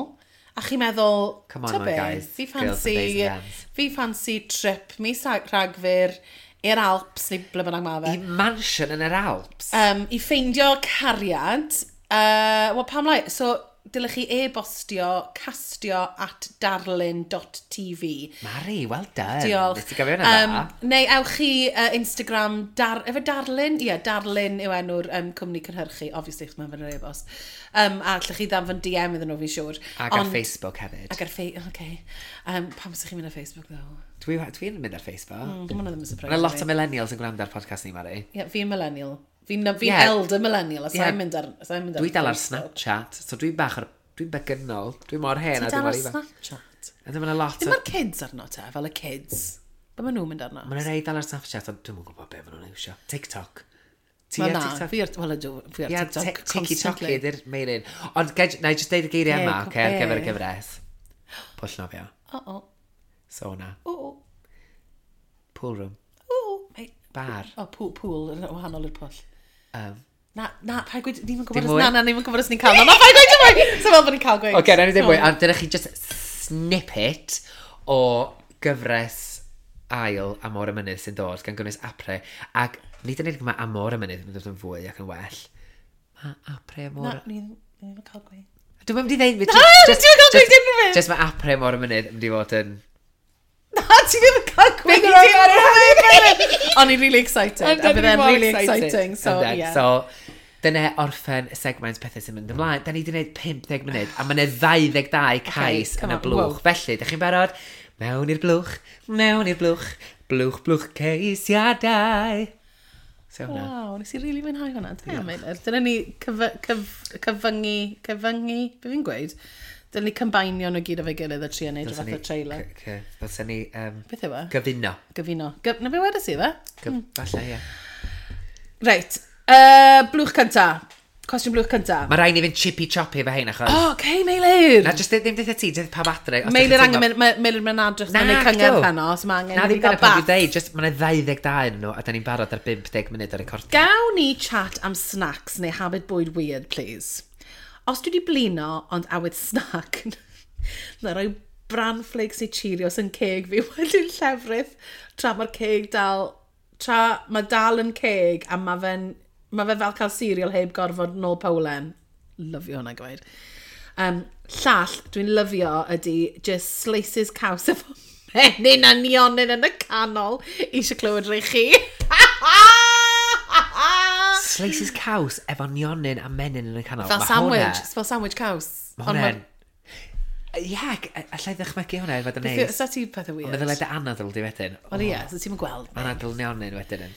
a chi'n meddwl, Come on, "Ta my be, guys, fi girls and ffansi, boys and bands." fi ffansi trip mis Rhag- Rhagfyr i'r Alps, neu ble bynnag ma fe. I mansion yn yr Alps. Um, I ffeindio cariad, uh, wel pam lai, so dylech chi e-bostio castio at darlun dot T V. Mari, well done. Diolch. Nes ti gofio hwnna Um, dda? Neu ewch chi uh, Instagram, dar, efo Darlun? Ie, yeah, Darlun yw enw'r um, cwmni cynhyrchu, obviously, chos mae'n fy'n yr e-bost. Um, a allwch chi ddanfon D M iddyn nhw, fi'n siŵr. Ac ar Ond- Facebook hefyd. Ac ar Facebook, oce. Um, pam ydych chi'n mynd ar Facebook, though? Dwi'n dwi mynd ar Facebook. Mm, Mae hwnna ddim yn surprise. Mae lot i o fi. millennials yn gwrando ar podcast ni, Mari. Ie, fi'n millennial. Fi'n fi Ie. elder millennial, a Ie. sa'n mynd ar, sai'n mynd ar Dwi dal ar Facebook. Snapchat, so dwi'n bach ar... Dwi'n begynol. Dwi'n mor hen Ti a dal dwi'n mor ar ifanc. Snapchat? A ddim yna lot Ddim o... ar kids arno te, fel y kids. Be maen nhw'n mynd arno? Mae yna rei dal ar Snapchat, ond dwi'm yn gwybod be maen nhw'n iwsio. TikTok. Ti Wel ar na, TikTok? fi ar, wel ydw, fi ar Ie, TikTok tiki toki constantly. ydy'r main un. Ond ged, na i just deud y geiriau Ie, yma, co- oce, ar gyfer y be? gyfres. Pwll nofio. O, o, Sauna. o, o, Pool room. o, o. Bar. O, pool, pool, yn wahanol i'r pwll. Um, Na, na, paid gweud, ni'n gwybod Dim os, mwy? na, na, ni'n gwybod os ni'n cael, na, na, paid gweud dim mwy! So fel bod ni'n cael gweud. Oce, okay, na ni ddim mwy. Ond dyna chi just snippet o gyfres ail Amor y Mynydd sy'n dod, gan gynnwys Apre. Ac nid yn unig mae Amor y Mynydd yn dod yn fwy ac yn well. Mae Apre Amor... Na, ni ddim yn cael gweud. Dwi'n mynd i ddeud... Na, ti'n cael gweud unrhyw beth. Just mae Apre Amor y Mynydd yn mynd i fod yn... Na, ti ddim yn cael gweud Big unrhyw beth. O'n i'n really excited. A Yndan, bydd e'n mor really exciting. So, Yndan. yeah. So, dyna orffen y segment pethau sy'n mynd ymlaen. Da ni wedi gwneud pump deg munud, a mae yna dau ddeg dau cais come yn y on, blwch. wow. Felly, da chi'n barod? Mewn i'r blwch, mewn i'r blwch, blwch, blwch ceisiadau. So hwnna. Waw, nes i really mwynhau hwnna. Da iawn, Meilir. Dyna ni cyf cyf cyfyngu, cyfyngu, be fi'n gweud? Dyna ni combinio nhw gyd efo'i gilydd a trio neud rhyw fath o trailer. Dylsen ni um, Beth yw e? gyfuno. Gyfuno. Gyf na be wedes i fe? Gyf Falle, ie. Reit, uh, blwch cynta. Cwestiwn blwch cynta. Mae rhaid ni fynd chippy choppy efo hein, achos... Oh, okay, Meilir. Na, jyst ddim deutha ti, jyst pawb adre. Os dach Meilir chi'n angen, teimlo- mynd- ma- Meilir mynd adrych Na, yn ei cyngerdd acdo. heno, so mae angen Na, i ddim fi gael dyna pan dwi'n bath. deud, just mae yna ddau ddeg dau yn nhw, a da ni'n barod ar bump deg munud o recordio. Gawn ni chat am snacks neu habit bwyd weird, please? Os dwi wedi blino, ond awydd snack, na roi bran flakes neu Cheerios yn ceg fi wedyn llefrith tra mae'r ceg dal, tra mae dal yn ceg a mae fe'n mae fe fel cael cereal heb gorfod nôl powlen. Lyfio hwnna gweud. Um, llall, dwi'n lyfio ydy just slices caws efo menyn a nionyn yn y canol. Eisiau clywed rei chi. Slices caws efo nionyn a menyn yn y canol. Fel Ma' sandwich, hwnna- fel sandwich caws. Ma' hwnna'n... Ie, allai ddychmygu hwnna i fod yn neis. Sa ti pethau Ond weird? meddwl dy anadl di wedyn. Wel ie, so ti'n gweld. Anadl nionyn wedyn. yn.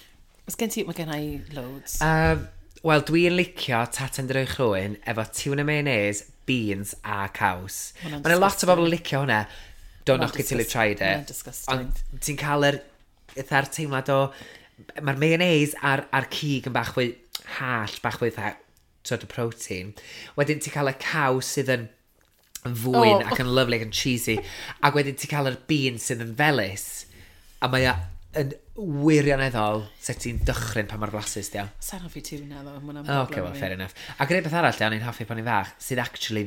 Os gen ti, mae gen i loads. Um, Wel, dwi'n licio taten drwy chrwyn efo tuna mayonnaise, beans a caws. Hwnna'n Mae'n lot o disgusting. bobl yn licio hwnna. Don't knock it till you've tried it. Hwnna'n disgusting. Ond ti'n cael yr, fatha'r teimlad o... Mae'r mayonnaise a'r, a'r cig yn bach fwy hallt, bach fwy fatha sort of protein. Wedyn ti'n cael y caws sydd yn yn fwyn Oh. ac yn lovely ac yn cheesy. Ac wedyn ti'n cael yr beans sydd yn felys. A mae o yn wirioneddol sut ti'n dychryn pa mor flasus di o. Sa'n hoffi tuna, ddo. Ma' hwnna'n Oh, okay, broblem well, i fi. fair enough. Ac yr un beth arall, o'n i'n hoffi pan i'n fach, sydd actually,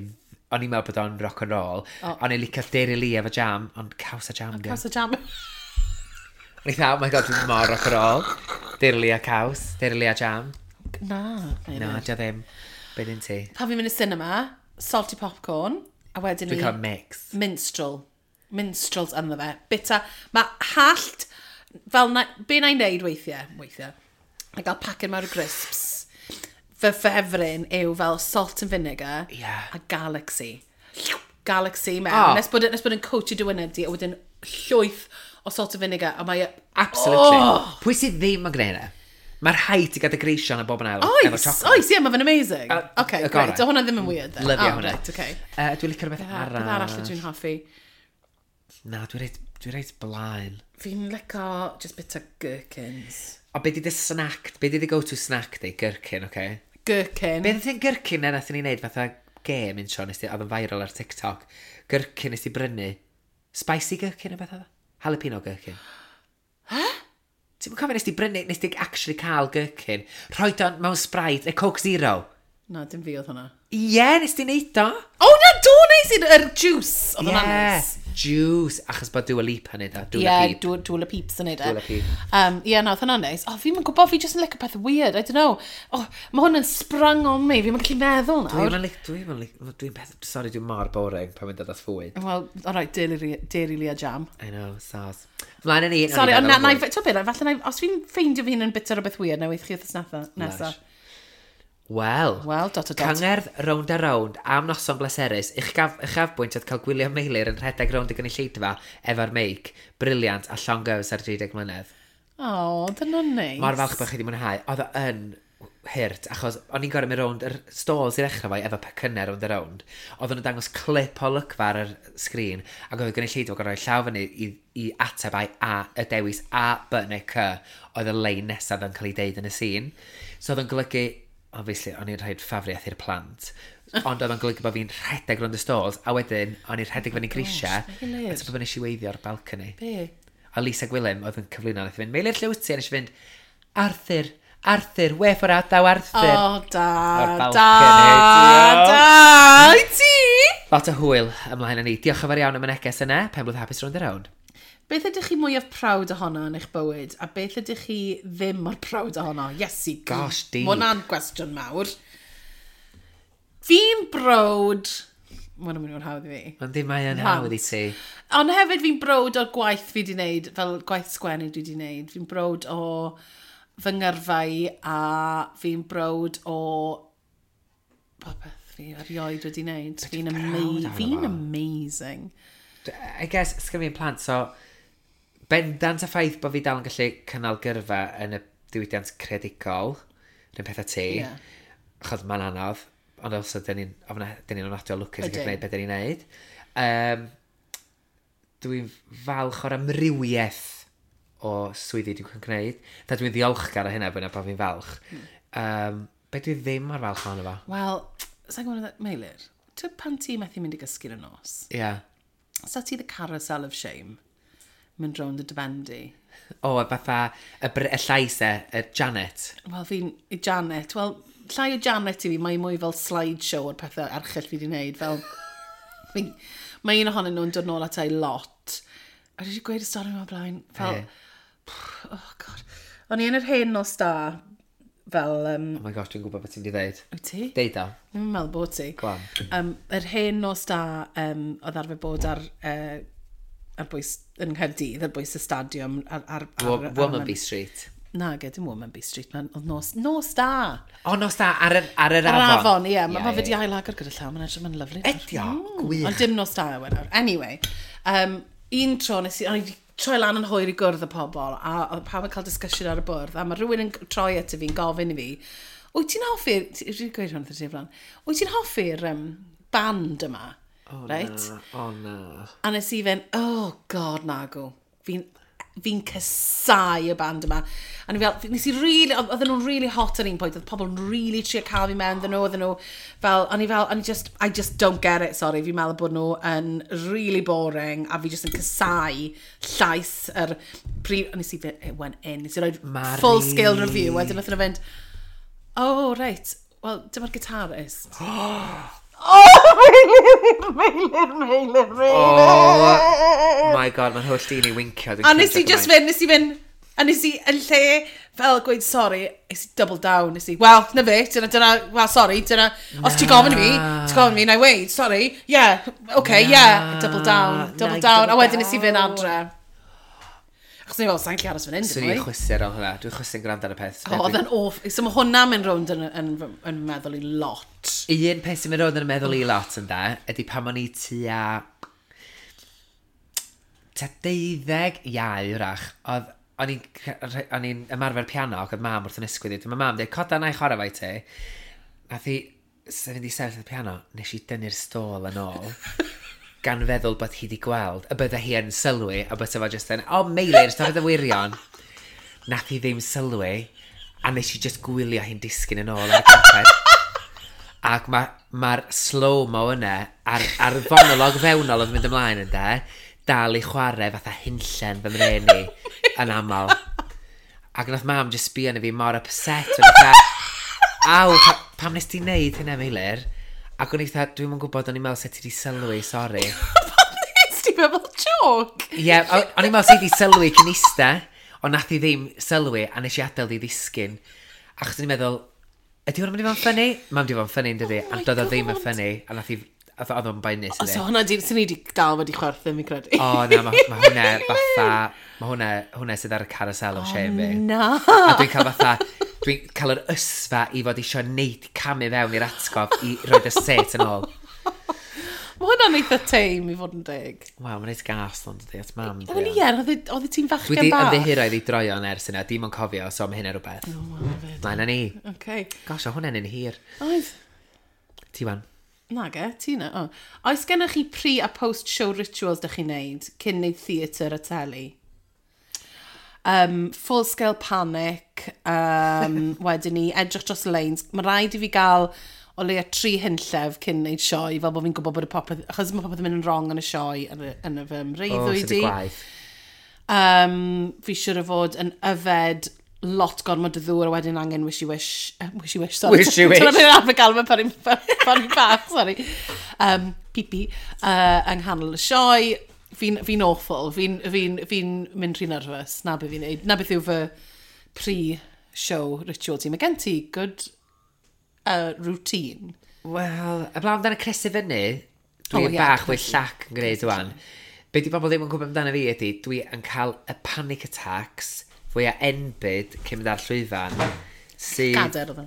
o'n i'n meddwl bod o'n rock and roll, oh. O'n i'n licio Dairylea efo jam, ond caws a jam, di o. Caws a jam. O'n i'n dda, oh my God, dwi'n mor rock and roll. Dairylea caws, Dairylea jam. Na. Na, di o ddim. Be dyn ti? Pan fi'n mynd i cinema, salty popcorn, a wedyn Dwi'n ni cael mix. Minstrel. Minstrels ynddo fe. Bita, mae hallt, fel na, be na i'n neud weithiau, weithiau, a gael paced mawr o crisps. Fy ffefryn yw fel salt and vinegar Ie. a Galaxy. Galaxy mewn. Oh. Nes bod, nes bod yn coatio dy wyneb di, a wedyn llwyth o salt and vinegar, a mae e... Absolutely. Oh! Pwy sydd ddim yn gwneud hynna? Mae'r rhaid i gadw greision a bob yn ail. Efo Oes, chocolate. oes, ie, mae fe'n amazing. Uh, okay, y great. gorau. So hwnna ddim yn weird then. Lyfio oh, hwnna. Right, okay. Uh, dwi'n licio rhywbeth Beth arall. arall ydw i'n hoffi? Na, dwi'n reit, dwi reit blaen. Fi'n licio just bit o gherkins. O, be di dy snack, be di dy go-to snack di? Gherkin, oce? Okay? Gherkin. Be ddyn gherkin na nathon ni wneud fatha game un tro, nes di, oedd yn viral ar TikTok. Gherkin nes di brynu. Spicy gherkin o beth oedd o? Jalapeno gherkin. Huh? Ti'n cofio nes di brynu, nes di actually cael gherkin, rhoi o mewn Sprite, neu Coke Zero? Na, dim fi oedd hwnna. Ie, yeah, nes di neud o. O, na, do nes i'r yr juice. Oedd hwnna'n Ie, neis. juice. Achos bod Dua Lipa yn neud o. Dua Ie, Lipa. Dua, Dua Peeps yn neud e. Dua Lipa. Um, Ie, na, oedd hwnna'n neis. O, fi'n gwybod, fi jyst yn licio peth weird, I don't know. Oh, mae hwn yn sprung on me, fi'n gallu meddwl nawr. Dwi'n lic, dwi'n lic, dwi'n peth, sorry, dwi'n mor boring pan mae'n dod at fwyd. Wel, alright, Dairy, Dairylea jam. I know, soz. Mlaen â ni. Nawn ni Sorry, ond feddwl na, na, am fwy. ti'n beth, falle na, os fi'n ffeindio fi hun yn bita rhywbeth weird, na weith chi wrth nesa. Nesa. Lush. Wel, Wel, dot o dot. Cyngerdd rownd a rownd am noson bleserus, uchaf, uchafbwynt oedd cael gwylio Meilir yn rhedeg rownd y gynulleidfa efo'r meic, brilliant a llongyfs ar dri deg mlynedd. O, dyna'n neis. Mor falch bod chi wedi mwynhau. Oedd o yn hurt, achos o'n i'n gorau mynd rownd yr stalls i ddechrau fo efo pecynnau rownd a rownd. Oedden nhw'n dangos clip o lygfa ar yr sgrin, ac oedd y gynulleidfa gorau rhoi llaw fyny i, i ateb ai A, y dewis A, B neu C, oedd y lein nesaf yn cael ei deud yn y sîn. So oedd yn golygu, obviously, o'n i'n rhaid ffafriaeth i'r plant, ond oedd o'n golygu bod fi'n rhedeg rownd y stalls, a wedyn o'n i'n rhedeg fyny grisiau, Meilir. a ti'n bod nes i weithio ar balcony. Be? A Lisa Gwilym oedd yn cyflwyno, nath i fynd, "Meilir, lle wyt ti?" A nes i fynd, "Arthur, Arthur, wê for adaw Arthur." O, da, O'r da, balcony, da, i ti! Lot o hwyl ymlaen â ni. Diolch yn fawr iawn am y neges yna. Penblwydd hapus rownd a rownd. Beth ydych chi mwyaf proud ohono yn eich bywyd, a beth ydych chi ddim mor proud ohono? Iesu, Gosh, deep. Mae hwnna'n gwestiwn mawr. Fi'n browd. Mae hwnna'n mynd i fod yn hawdd i fi. Ond ddim mae yn Plant. hawdd i ti. Ond hefyd fi'n browd o'r gwaith fi wedi wneud, fel gwaith sgwennu dwi wedi wneud. Fi'n browd o fy ngyrfa i a fi'n browd o popeth fi erioed wedi wneud. Fi'n proud ama ohono fi'n fo? amazing. I guess, sgan fi'n plant, so bendant y ffaith bod fi dal yn gallu cynnal gyrfa yn y diwydiant creadigol, rhywun peth â ti, Ie. achos mae'n anodd, ond also, dyn ni'n ofna- dyn ni'n ofnadwy o lwcus i Ydyn. gallu gwneud beth dyn ni'n neud. Um, dwi'n falch o'r amrywiaeth o swyddi dwi'n gwneud. Da dwi'n ddiolchgar o hynna, fwy na bod fi'n falch. Um, Be dwi ddim mor falch ohono fo? Wel, sa'n gwybod, Meilir, ti'n pan ti methu mynd i gysgu yn y nos? Ie. Yeah. Sa ti the carousel of shame? Mynd rownd y dy ben di? O, fatha y, br- y llais e, y Janet. Wel, fi'n... i Janet. Wel, llai o Janet i fi, mae mwy fel slideshow o'r pethau erchyll fi wedi wneud. Fel, fi, mae un ohonyn nhw'n dod nôl ata i lot. A dwi wedi gweud y stori yma blaen. Fel, Ie. oh God. O'n i yn yr hen nos da, fel... Um, Oh my gosh, dwi'n gwybod beth ti'n di ddeud. Wyt ti? Deud o. Ddim yn meddwl bod ti. Go on. Um, yr hen nos da um, oedd arfer bod ar, uh, ar bwys yn Nghaerdydd, ar bwys y stadiwm. Ar, ar, ar, ar, Womanby Street. Na, ge, dim Womanby Street, man. Oedd nos, nos da. O, nos da, ar yr, ar yr Ar afon. afon, ie. Mae Ie, ma fe ie, di ailagor gyda llaw, mae'n edrych, mae'n lyfli. Ydi o, gwych. Ond dim nos da yw e nawr. Anyway, um, un tro nes i, o'n i 'di troi lan yn hwyr i gwrdd y pobl, a oedd pawb yn cael discussion ar y bwrdd, a mae rhywun yn troi at fi'n gofyn i fi, wyt ti'n hoffi'r, ti- dwi 'di gweud hwn wrth y ti o flaen, wyt ti'n hoffi'r um, band yma? O, right? na, o na. A nes i fynd, oh God, nagw. Fi'n fi casau y band yma. A ni fel, nes i really, oedd- oedden nhw'n really hot ar un pwynt, oedd pobl yn really trio cael fi mewn iddyn nhw, oedden nhw fel, o'n i fel, o'n i just, I just don't get it, sorry, fi'n meddwl bod nhw yn really boring, a fi just yn casau llais yr prif, a nes i fynd, it went in, nes i roi Mari. full scale review, wedyn nath nhw fynd, oh, right, well, dyma'r guitarist. Oh, Meilir, Meilir, Meilir, Meilir. Oh my God, mae'n holl dyn i wincio. Dwi'n A nes i crinjo just gymaint. fynd, nes i fynd, a nes i yn lle fel gweud sorry, nes i double down, nes i, well, na fe, dyna, dyna, well, sorry, dyna, os ti'n gofyn i fi, ti'n gofyn i fi, na i weud, sorry, yeah, okay, yeah, double down, double Na, down, a double wedyn nes i fynd down. adre. Achos ni fel, sa'n gallu aros fan hyn, Swn dim i'n mwy. chwysu ar ôl hwnna. Dwi'n chwysu'n gwrando ar y peth. O, oedd e'n off. So mae hwnna'n mynd rownd yn, yn, yn, yn meddwl i lot. Un peth sy'n mynd rownd yn y meddwl i lot yn da, ydy pan o'n i tua... tua deuddeg iau wrach, oedd o'n i'n o'n i'n ymarfer piano ac oedd mam wrth yn ysgwydd i. Mae mam dweud, coda na i chwarae fo i ti. Nath hi sef fynd i sefyll ar y piano, nes i dynnu'r stôl yn ôl, gan feddwl bod hi wedi gweld, y bydde hi yn sylwi, a bod fo just yn, o, oh, Meilir, stop y wirion. Nath hi ddim sylwi, a nes i just gwylio hi'n disgyn yn ôl ar y carped. Ac mae'r ma slow-mo yna, a'r, a'r fonolog fewnol oedd yn mynd ymlaen yn de, dal i chwarae fatha hunllen fy mren i yn aml. Ac nath mam just sbio arna fi mor upset. O'n i fatha, aw, pa, pam nes ti wneud hynna, Meilir? Ac o'n i fatha, dwi'm yn gwybod, o'n i'n meddwl sut ti di sylwi, sori. Nes ti feddwl joke? Ie, yeah, o'n i'n meddwl sut ti di sylwi cyn ista, ond nath i ddim sylwi, a nes i adael i ddisgyn. Achos o'n i'n meddwl, ydy hwn yn mynd i fod yn funny? Mae'n mynd i fod yn funny, yn dydi? Oh my A doedd o ddim yn God. funny, a nath i, oedd oedd o'n boenus O, iddi. so hwnna di, sy'n ni wedi dal wedi chwerthin, fi'n credu. O, na, mae ma hwnna fatha, mae hwnna, hwnna sydd ar y carousel o shame fi. Na. A dwi'n cael fatha, dwi'n cael yr ysfa i fod eisiau neud camu fewn i'r atgof i roed y set yn ôl. Mae hwnna'n eitha tame i fod yn deg. Wel, mae'n reit gas ond dydi, at mam. Wel ie, oedd e- oedd ti'n Dwi fachgen di bach. ymddiheuro iddi droion ers yna, dim ond cofio, so mae hynna rhywbeth. O, wel, fyd. Na, na ni. Okay. Gosh, o hwnna'n un hir. Oedd. Ti wan. Nage, ti na. Oh. Oes gennych chi pre a post-show rituals dych chi'n neud cyn neud theatr a teli? Um, full scale panic, um, wedyn ni edrych dros y lanes. Mae rhaid i fi gael o leia tri hunllef cyn neud sioe, fel bod fi'n gwybod bod y popeth, achos mae popeth yn mynd yn wrong yn y sioe yn y, yn y fy O, mreuddwyd sydd y i. gwaith. Um, fi siŵr o fod yn yfed lot gormod o ddŵr a wedyn angen wishy wish, uh, wishy wish, sorry. Wishy wish. Dyna beth arfer gael mewn pan i'n pan i'n bach, sorry. Um, pipi, uh, yng nghanol y sioe. Fi'n fi awful, fi'n fi fi mynd rhy nervous, na beth fi'n neud. Na beth yw fy pre-show ritual ti. Mae gen ti good uh, routine. Wel, y blaen amdano cresu fyny, dwi'n O, oh, ie, bach fwy cresu. llac yn gwneud wan. Be di bobl ddim yn gwybod amdano fi ydy, dwi yn cael y panic attacks fwyaf enbyd cyn mynd ar llwyfan. Sydd, Gader oedd o.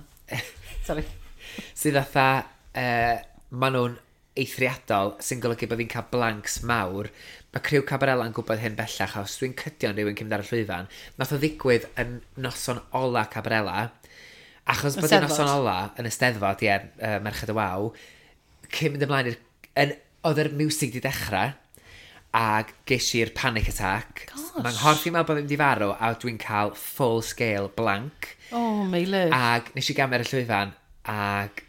Sorry. sydd fatha, uh, maen nhw'n eithriadol, sy'n golygu bod fi'n cael blanks mawr. Mae criw Cabarella yn gwybod hyn bellach, os dwi'n cydio'n rhywun cyn mynd ar y llwyfan. Nath o ddigwydd yn noson ola Cabarella, achos Y bod y Steddfod. noson ola yn y Steddfod, ie, uh, Merched y Waw, cyn mynd ymlaen i'r... yn- Oedd yr music di dechrau, Ag ges i'r panic attack. Gosh. Mae'n nghorff i'n meddwl bod fi'n mynd i farw, a dwi'n cael full scale blank. Oh, Meilir. Ag nes i gamu ar y llwyfan, ag...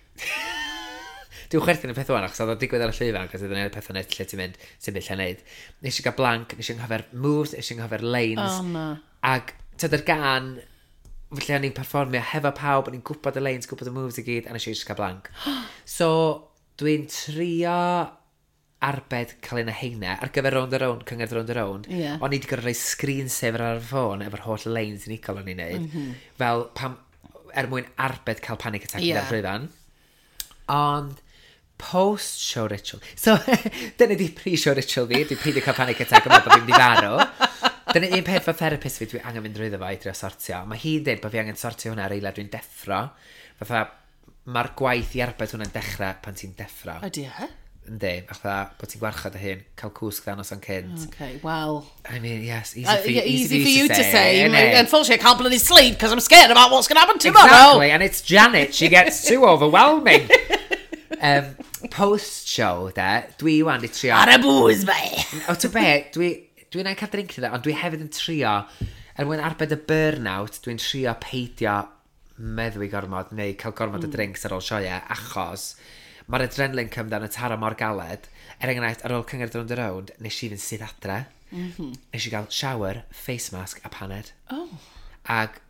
Dwi'n chwerthin y peth o'n achos oedd o'n digwydd ar y llwyfan, achos oedd o'n peth o'n lle ti'n mynd, sy'n mynd lle neud. Nes i gael blank, nes i anghofio'r moves, nes i anghofio'r lines. Oh, na. Ag, tyd yr gan, lle o'n i'n perfformio hefo pawb, o'n i'n gwybod y lines, gwybod y moves i gyd, a nes i just cael blank. So, dwi'n trio arbed cael un o heina ar gyfer Rownd a Rownd, cyngerdd Rownd a Rownd. Ie. O'n i wedi gorfod rhoi screensaver ar y ffôn efo'r holl lines unigol o'n i'n neud. Mm -hmm. Fel pam, er mwyn arbed cael panic attack Ie. yeah. llwyfan. Ond post-show ritual. So, dyna di pre-show ritual fi. Dwi'n peidio cael panic attack yma bod fi'n mynd i farw. Dyna un peth fel therapist fi, dwi angen mynd drwyddo fo i drio sortio. Mae hi'n dweud bod fi angen sortio hwnna ar eiliad dwi'n deffro. Fatha, mae'r gwaith i arbed hwnna'n dechrau pan ti'n deffro. Ydy e? Yndi, fatha bod ti'n gwarchod dy hun, cael cwsg dda noson cynt. Okay, well... I mean, yes, easy Uh, for, yeah, easy, for you to say. say. innit? Unfortunately, I can't bloody sleep because I'm scared about what's going to happen tomorrow. Exactly, and it's Janet. She gets too overwhelming. um, Post-show, de, dwi wan di trio... Ar y booze, be. O, ti'n be, dwi, dwi'n cael drink iddo, ond dwi hefyd yn trio, er mwyn arbed y burnout, dwi'n trio peidio meddwi gormod neu cael gormod mm. o drinks ar ôl sioeau, achos mae'r adrenaline come down yn taro mor galed. Er enghraifft, ar ôl cyngerdd Rownd a Rownd, nes i fynd syth adre. Mm -hmm. Nes i gael shower, face mask a paned. Oh. Ag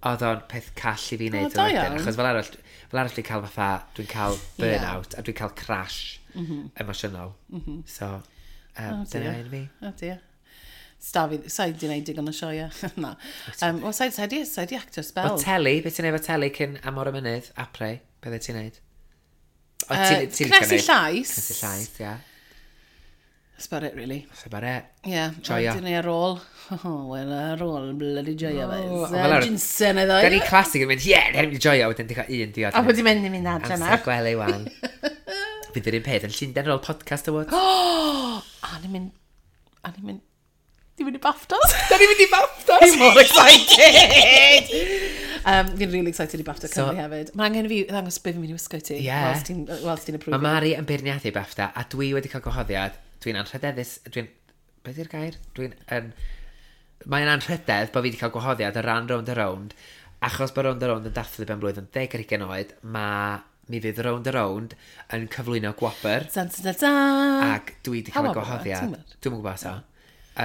oedd o'n peth call i fi wneud O, da yn wedyn, iawn. achos fel arall, fel arall dwi'n cael fatha, dwi'n cael burnout, yeah. a dwi'n cael crash mm -hmm. emosiynol. Mm -hmm. So, um, Oh, dyna dear. un fi. Oh dear. Stafi, sa'i di wneud digon o sioia. Na. Um, Wel, sa'i sa'i di, sa'i di actor spell. O teli, beth ti'n neud efo teli cyn Amor y Mynydd, apre, beth ti'n neud? O, Yy, ti'n- ti'n licio cnesu neud? llais. Cnesu llais, ia. That's about it, really. That's about it. Yeah. Joio. Dyn ni ar ôl. Oh, wel, ar ôl, bloody joio fe. Oh, fel arall- Ginseng iddo. Da ni classic yn mynd, ie, yeah, ni'n joio, wedyn di cael un diod. A wedi mynd i mynd adre Amser nawr. gwely wan. Fydd yr un peth yn Llundain ar ôl podcast awards. Oh, a ni'n mynd... A ni'n mynd... Ni'n mynd i BAFTAs. Da ni'n mynd i BAFTAs! Fi'n mor excited! um, fi'n really excited i BAFTA So- Cymru hefyd. Mae angen i fi ddangos beth fi'n mynd i wisgo i ti. Ie. Whilst ti'n whilst ti'n Mae approve. Mari yn beirniadu BAFTA, a dwi wedi cael gwahoddiad. Dwi'n anrhydeddus, dwi'n... Beth yw'r gair? Dwi'n... yn... Mae'n anrhydedd bod fi wedi cael gwahoddiad ar ran Rownd a Rownd, achos bod Rownd a Rownd yn dathlu ben blwydd yn deg ar hugain oed, mae mi fydd Rownd a Rownd yn cyflwyno gwobr, Dan, dan, dan, dan. ac dwi wedi Pa cael y wobr yw e? gwahoddiad. Ti'n gwbod? Dwi'm yn gwybod so.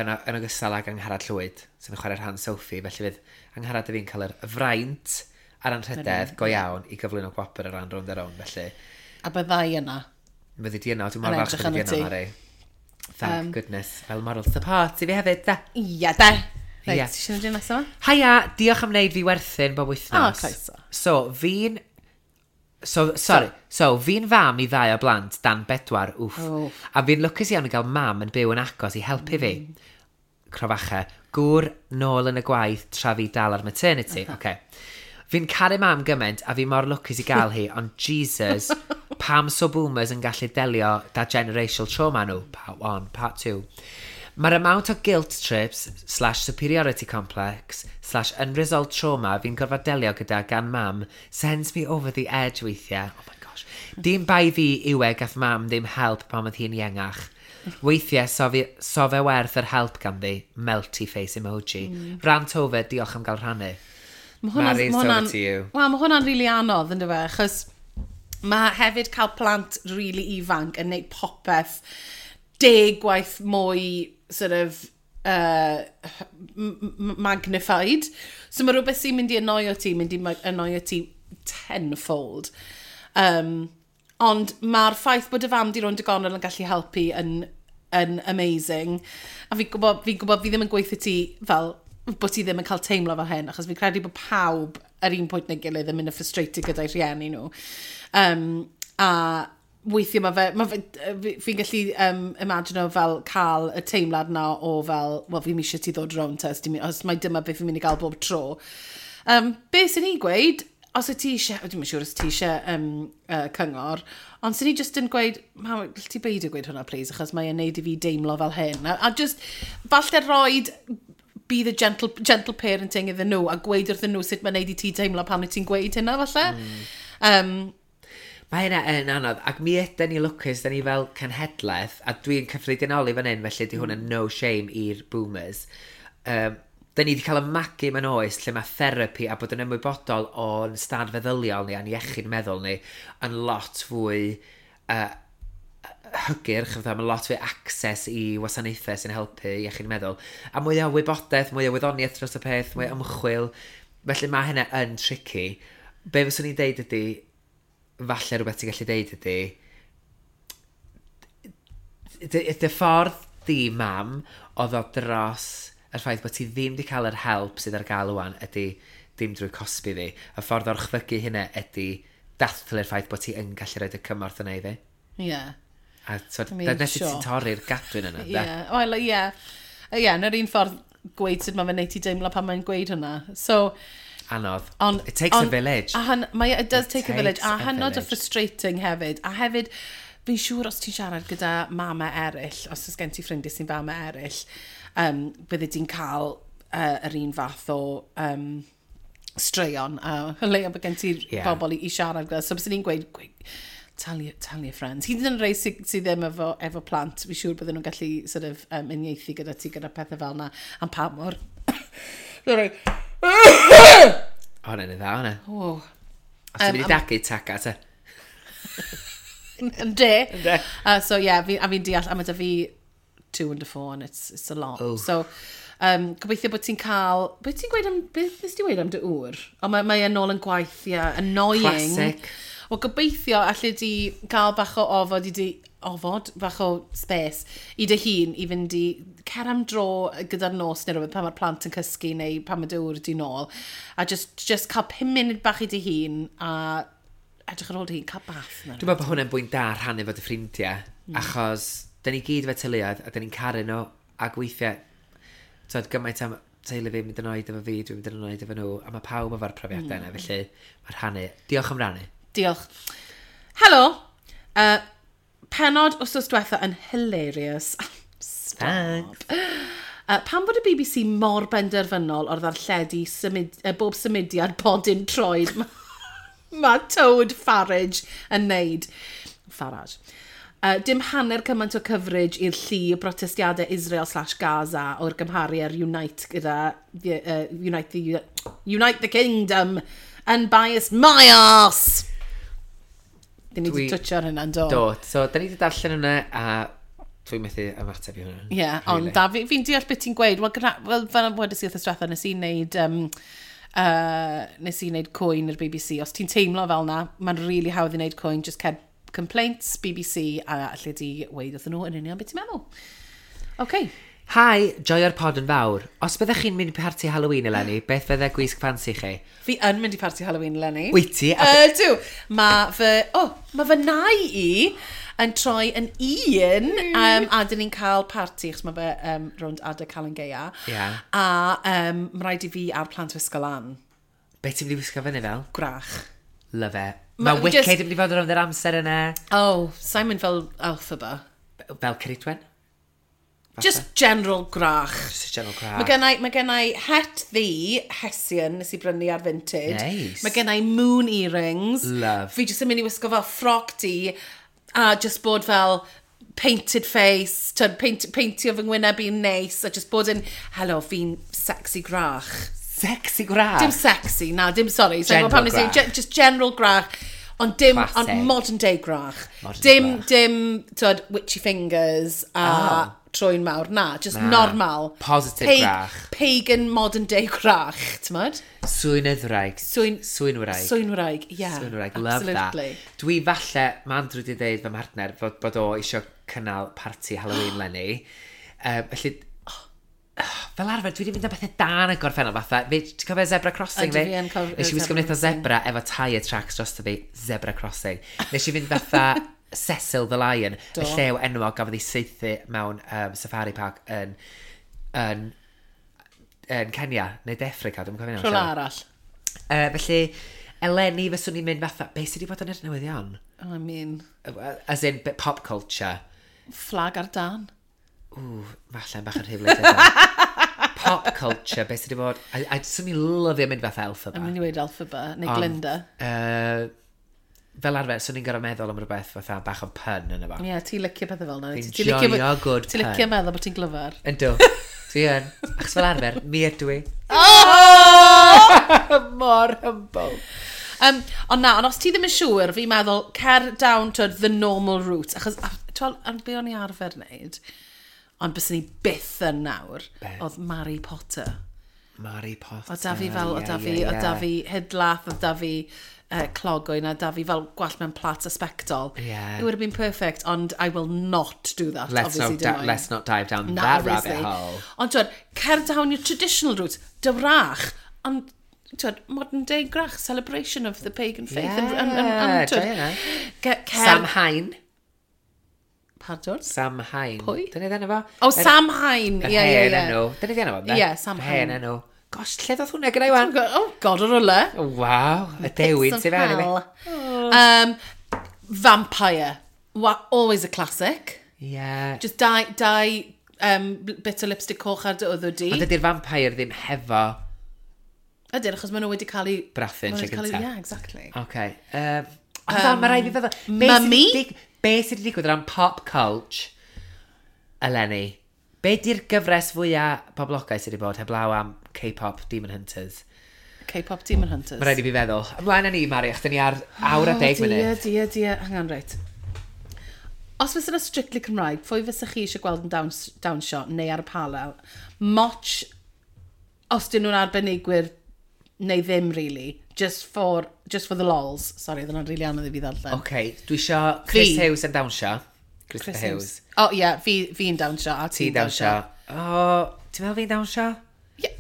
Yn, o- yn ogystal ag Angharad Llwyd, sy'n chwarae rhan Sophie, felly fydd Angharad a fi'n cael yr fraint a'r anrhydedd go iawn i gyflwyno gwobr ar ran Rownd a Rownd, felly A byddai yna. fyddi di yno, dwi'n mor Yn falch edrych bod di arnat yno, ti. Mari. Thank um, goodness. Fel moral support i fi hefyd, da. Ia, de. Reit, Ie. ti eisiau gwneud nesaf yma? Haia, diolch am wneud fi werthin bob wythnos. O, croeso. So, fi'n... So, sorry. So, fi'n fam i ddau o blant dan bedwar, wff. Wff. A fi'n lwcus iawn i gael mam yn byw yn agos i helpu fi. Crofache. Gŵr nôl yn y gwaith tra fi dal ar maternity. Uh -huh. Okay. Fi'n caru mam gymaint a fi mor lwcus i gael hi, ond Jesus, pam so boomers yn gallu delio da generational trauma nhw? Part one, part two. Mae'r amount o guilt trips slash superiority complex slash unresolved trauma fi'n gorfod delio gyda gan mam sends me over the edge weithiau. Oh my gosh. Dim bai fi yw e gath mam ddim help pan oedd hi'n iengach. Weithiau, so, fi, so fe werth yr help ganddi. Melty face emoji. Mm. Rant over, diolch am gael rhannu. Ma' hwnna'n- Mari's ma' over hwnna'n- to you. Wel, mae hwnna'n rili really anodd, ynddo fe, achos mae hefyd cael plant rili really ifanc yn neud popeth deg gwaith mwy sort of uh, m- m- magnified. So mae rhywbeth sy'n mynd i annoio ti, mynd i ma- annoio ti tenfold. Um, ond mae'r ffaith bod y fam di rownd y gornel yn gallu helpu yn, yn amazing. A fi'n gwybod, fi'n gwybod fi ddim yn gweithio ti fel bod ti ddim yn cael teimlo fel hyn, achos fi'n credu bod pawb ar un pwynt neu gilydd yn mynd yn frustrated gyda'i rhieni nhw. Um, a weithiau mae fe, ma fe fi- fi'n gallu um, imagino fel cael y teimlad na o fel, wel, fi'n eisiau ti ddod rownd te, os, ti'n mynd- os mai dyma beth fi'n mynd i gael bob tro. Um, be sy'n ni gweud, os wyt ti eisiau, dwi'm yn siŵr os ti eisiau um, uh, cyngor, ond sy'n ni just yn gweud, mam, gall ti beidio gweud hwnna, please, achos mae e'n neud i fi deimlo fel hyn. A, a just, falle roed be the gentle, gentle parenting iddyn nhw a gweud wrthyn nhw sut mae'n neud i ti teimlo pan wyt ti'n gweud hynna, falle. Mm. Um, Mae hynna yn anodd, ac mi ydy ni lwcus, da ni fel cenhedlaeth, a dwi'n cyffredinoli fan hyn, felly di hwn yn no shame i'r boomers. Um, da ni wedi cael y magu mewn oes lle mae therapi a bod yn ymwybodol o'n stad feddyliol ni a'n iechyd meddwl ni yn lot fwy uh, hygyrch, fatha, mae lot fwy access i wasanaethau sy'n helpu iechyd meddwl. A mwy o wybodaeth, mwy o wyddoniaeth dros y peth, mwy o ymchwil. Felly mae hynna yn tricky. Be fyswn i'n deud ydy, falle rhywbeth ti'n gallu deud ydy, dy, dy ffordd di, mam, o ddod dros y ffaith bod ti ddim wedi cael yr help sydd ar gael wan ydy dim drwy cosbi fi. Y ffordd o'r chfygu hynna ydy dathlu'r ffaith bod ti yn gallu rhoi y cymorth yna i fi. Ie. Yeah. A so, I mean, nes i sure. ti'n torri'r gadwyn yna. Ie, yeah. Well, ie. Ie, yn yr un ffordd gweud sut mae fe'n neud ti deimlo pan mae'n gweud hwnna. So, Anodd. On, It takes on, a village. A han, mae, it does It take a village. takes A a hynod o village. frustrating hefyd. A hefyd, fi'n siŵr os ti'n siarad gyda mama eraill, os oes gen ti ffrindiau sy'n fama eraill, um, bydde di'n cael uh, yr un fath o um, straeon. A uh, leia bod gen ti Ie. bobl i, i siarad gyda. So byswn i'n gweud, gweud tell your, tell your friends. Hyd yn oed rei sydd sy ddim efo, efo plant, fi'n siŵr bydden nhw'n gallu sort of, um, uniaethu gyda ti gyda pethau fel yna. Am pa mor... Sorry. O, hwnna'n dda, hwnna. Oh. Os ti'n mynd i dagu, taga, te. Ynde. Ynde. Uh, so yeah, fi, a fi'n deall, a mae da fi two under four and it's, it's a lot. Oh. So, um, gobeithio bod ti'n cael... Beth ti'n gweud am... Beth nes ti weud am dy ŵr? O, mae, mae e'n nôl yn gwaith, yeah, annoying. Classic. Wel, gobeithio allu di cael bach o ofod i di... Ofod, bach o space i dy hun i fynd i cer am dro gyda'r nos neu rhywbeth pan mae'r plant yn cysgu neu pan mae dy ŵr di nôl a just, just cael pum munud bach i dy hun a edrych ar ôl dy hun, cael bath. neu Dwi'n meddwl bod hwnna'n bwynt da rhannu fo dy ffrindiau, mm. achos da ni gyd efo teuluoedd a da ni'n caru nhw, ac weithiau, twyd, gymaint am teulu fi mynd yn oed efo fi, dwi'n mynd yn oed efo nhw, a mae pawb efo'r profiadau yna, felly mae'r rhannu. Diolch am rannu. Diolch. Helo. Uh, pennod wsos diwetha yn hilarious. Stop. Thanks. Uh, pam bod y B B C mor benderfynol o'r ddarlledu symud, uh, bob symudiad bodyn troed mae ma Toad Farage yn neud? Farage. Uh, dim hanner cymaint o coverage i'r llu o brotestiadau Israel slash Gaza o'r gymharu ar Unite gyda the, uh, Unite, the, Unite the Kingdom, unbiased my arse! Dyn ni wedi Dwi- twtio ar hynna, do? Do, so da ni wedi darllen hwnna, a dwi'n methu ymateb i hwnna. Ie, yeah, ond Really. da, fi'n fi deall beth ti'n gweud. Wel, gyda, wel fel wedes i wrth diwetha, nes i wneud, um, uh, nes i wneud cwyn i'r B B C. Os ti'n teimlo fel na, mae'n really hawdd i wneud cwyn, just cer complaints B B C a alle di weud wrthyn nhw yn union beth ti'n meddwl. OK. Hi, joio'r pod yn fawr. Os byddech chi'n mynd i parti Halloween eleni, beth fydde gwisg ffansi chi? Fi yn mynd i parti Halloween eleni. Wyt ti? A Ydw. Mae fy... Oh, mae fy nai i yn troi yn un, um, a dyn ni'n cael parti, achos mae fe um, rownd adeg Calan Gaea. Ie. A um, mae rhaid i fi a'r plant wisgo lan. Be ti'n mynd i wisgo fyny fel? Gwrach. Love it. Ma- Mae Wicked just- yn mynd i fod rownd yr amser yna. Oh, Simon fel Elphaba. Fel Ceridwen? Just general gwrach. Just a general gwrach. Mae gennai, mae gennai het ddu, Hessian, nes i brynu ar Vinted. Nice. Mae gennai moon earrings. Love. Fi jyst yn mynd i wisgo fel ffroc du a just bod fel painted face, tyd, paint, paintio fy ngwyneb i'n neis, a just bod yn, hello, fi'n sexy gwrach. Sexy gwrach. Dim sexy, na, dim, sorry. So, General pam nes i, gwrach. ge- just general gwrach, ond dim, Classic. ond modern day gwrach. Modern dim, gwrach. dim, tyd, witchy fingers a Oh. trwyn mawr, na, just Na. normal. Positive gwrach. Pagan modern day gwrach, t'mod? Swynydwraig. Swyn- Swynwraig. Swynwraig, yeah. Swynwraig, love that. Absolutely. Dwi falle, mae Andrew wedi dweud fy mhartner fod, bod o eisiau cynnal parti Halloween lenni. Uh, felly, fel arfer, dwi wedi mynd am bethau da yn y gorffennol, fatha, fi, ti'n cofio Zebra Crossing Ydw, fi? fi yn cofio Nes i wisgo Zebra mynd eitha zebra efo tyre tracks drosto fi, Zebra Crossing. Nes i fynd fatha Cecil the Lion, Do. y llew enwog gafodd ei saethu mewn um, safari park yn, yn, yn Kenya, neu De Affrica, dwi'n cofio nawr. Rhywle arall. Uh, felly, eleni fyswn i'n mynd fatha, beth sydd wedi bod yn yr newyddion? I mean, As in, bit pop culture. Fflag ar dan. Ww, falle'n bach yn rhy wleidyddol. Pop culture, beth sydd wedi bod. I, I swn i'n lyfio mynd fatha Elphaba. I'm mynd i weud Elphaba, neu Ond, Glinda. Uh, Fel arfer, swn i'n gorfod meddwl am rhywbeth fatha bach o pun yn efo. Ie, yeah, ti'n licio pethau fel yna. Fi'n Ti'n licio- joio good Ti'n licio pun. meddwl bod ti'n glyfar. Yndw. Dwi yn. Achos fel arfer, mi ydw i. Oh! Mor humble. Um, ond na, ond os ti ddim yn siŵr, fi'n meddwl, cer down to the normal route. Achos, a- twel, ar be o'n i arfer wneud, ond bys ni byth yn nawr, Be? oedd Mary Potter. Mary Potter. Oedd da fi fel, oedd da ie, fi, ie, oedd da ie. fi hidlath, oedd da fi uh, clogwyn, a da fi fel gwallt mewn plats a sbectol. Ie. It would have been perfect, ond I will not do that. Let's obviously, not, di dim moyn. let's not dive down Na, that obviously. rabbit hole. Ond twyd, cer down your traditional route, dywrach, ond twyd, modern day gwrach, celebration of the pagan faith. Yeah, and, and, and, and, twyd, joio hynna. ge- cer... Sam Hain. Pardon? Sam Hain. Pwy? Dyna enw fo? Oh, Sam Hain. Yr Ie, ie, hen ie. enw. Dyna enw fo, ynde? Ie, Sam Yr hen Hain. enw. Gosh, lle ddoth hwnna gyda i wan? Oh, God, o'r rwle. Oh, Waw, y dewin Bits sy'n of fewn i fi. hell. Um, vampire. Wa always a classic. Ie. Just dau, dau um, bit o lipstick coch ar dy wddw di. Ond ydy'r vampire ddim hefo Ydyn, achos maen nhw wedi cael eu... Brathu'n maen nhw lle wedi cael eu- gynta. Yeah, exactly. OK. Um, ond um, mae rhaid fi feddwl... Be sydd Mummy? 'di dig- Be sydd wedi digwydd o ran pop culture eleni? Be di'r gyfres fwyaf poblogaidd sydd wedi bod heblaw am K-pop Demon Hunters? K-pop Demon Hunters. Mae rhaid i fi feddwl. Ymlaen â ni, Mari, achos ni ar awr a deg Oh, munud. Dear, dear, dear. Hang on, reit. Os fysa yna strictly Cymraeg, pwy fysa chi eisiau gweld yn dawns, dawnsio neu ar y panel? Moch, os dyn nhw'n arbenigwyr neu ddim, really. Just for, just for the lols. Sorry, oedd hwnna'n really anodd i fi ddarllen. OK, dwi isio Chris Fi. Hughes yn dawnsio. Christopher Chris Hughes. O, oh, ie, yeah, fi, fi'n dawnsio a Ti ti'n dawnsio. O, ti'n meddwl fi'n dawnsio? Yeah.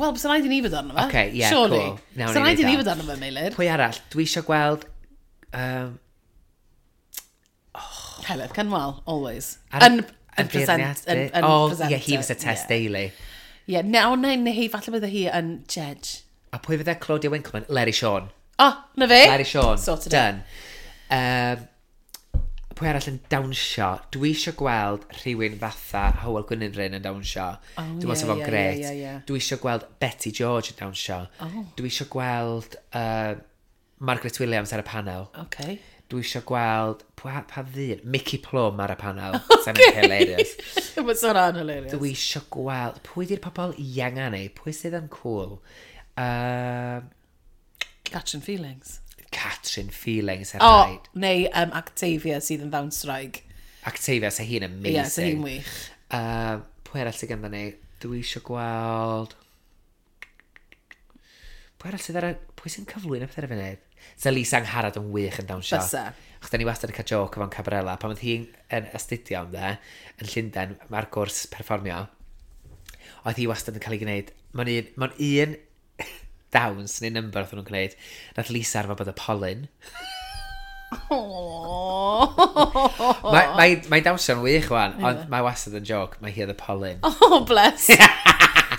Wel, bysa rhaid i ni fod arno fe. Ocê, ie, Surely. cool. Nawn Bysa ni rhaid i neud ni o. fod arno fe, Meilir. Pwy arall? Dwi eisiau gweld... Um, Heledd Cynwal, always. ar- Yn, yn present. Yn, yn Oh, presenter. ie, hi fysa Tess Yeah. Daly. Ie, no, neu, neu hi, falle bydde hi yn judge. A pwy fydde Claudia Winkleman? Larry Sean. Oh, na fe? Larry Sean. Sorted it. Done. Um, pwy arall yn dawnsio? Dwi eisiau gweld rhywun fatha Hywel Gwynfryn yn dawnsio. Oh, Dwi'n meddwl ie, sa fo'n ie, grêt. ie, ie, ie. Dwi eisiau gweld Betty George yn dawnsio. Oh. Dwi eisiau gweld uh, Margaret Williams ar y panel. Okay. Dwi eisiau gweld, pa, pa ddyn? Mickey Plum ar y panel. Okay. Hilarious. Mae hwnna'n hilarious. Dwi eisiau gweld, pwy di'r pobl ienga ni? Pwy sydd yn cool? Uh, Catrin Feelings. Catrin Feelings, er O, oh, rhaid. neu um, Octavia sydd yn ddawnswraig. Octavia, sa hi'n amazing. Ie, yeah, so hi'n wych. Uh, pwy arall sydd ganddo ni? Dwi eisiau gweld... Pwy arall sydd ar y... Pwy sy'n cyflwyno pethau ar y funud? Sa Lisa Angharad yn wych yn dawnsio. Bysa. Achos da ni wastad yn cael joke efo'n Cabarella. Pan oedd hi'n yn astudio ynde, yn Llundain, mae'r gwrs perfformio, oedd hi wastad yn cael ei gwneud... Mae'n un, mae'n un dawns neu number oedd nhw'n gwneud. Nath Lisa arfer bod y polyn. Oh, Mae mae, mae dawnsio'n wych wan, ond mae wastad yn joke, mae hi oedd y polyn. oh bless.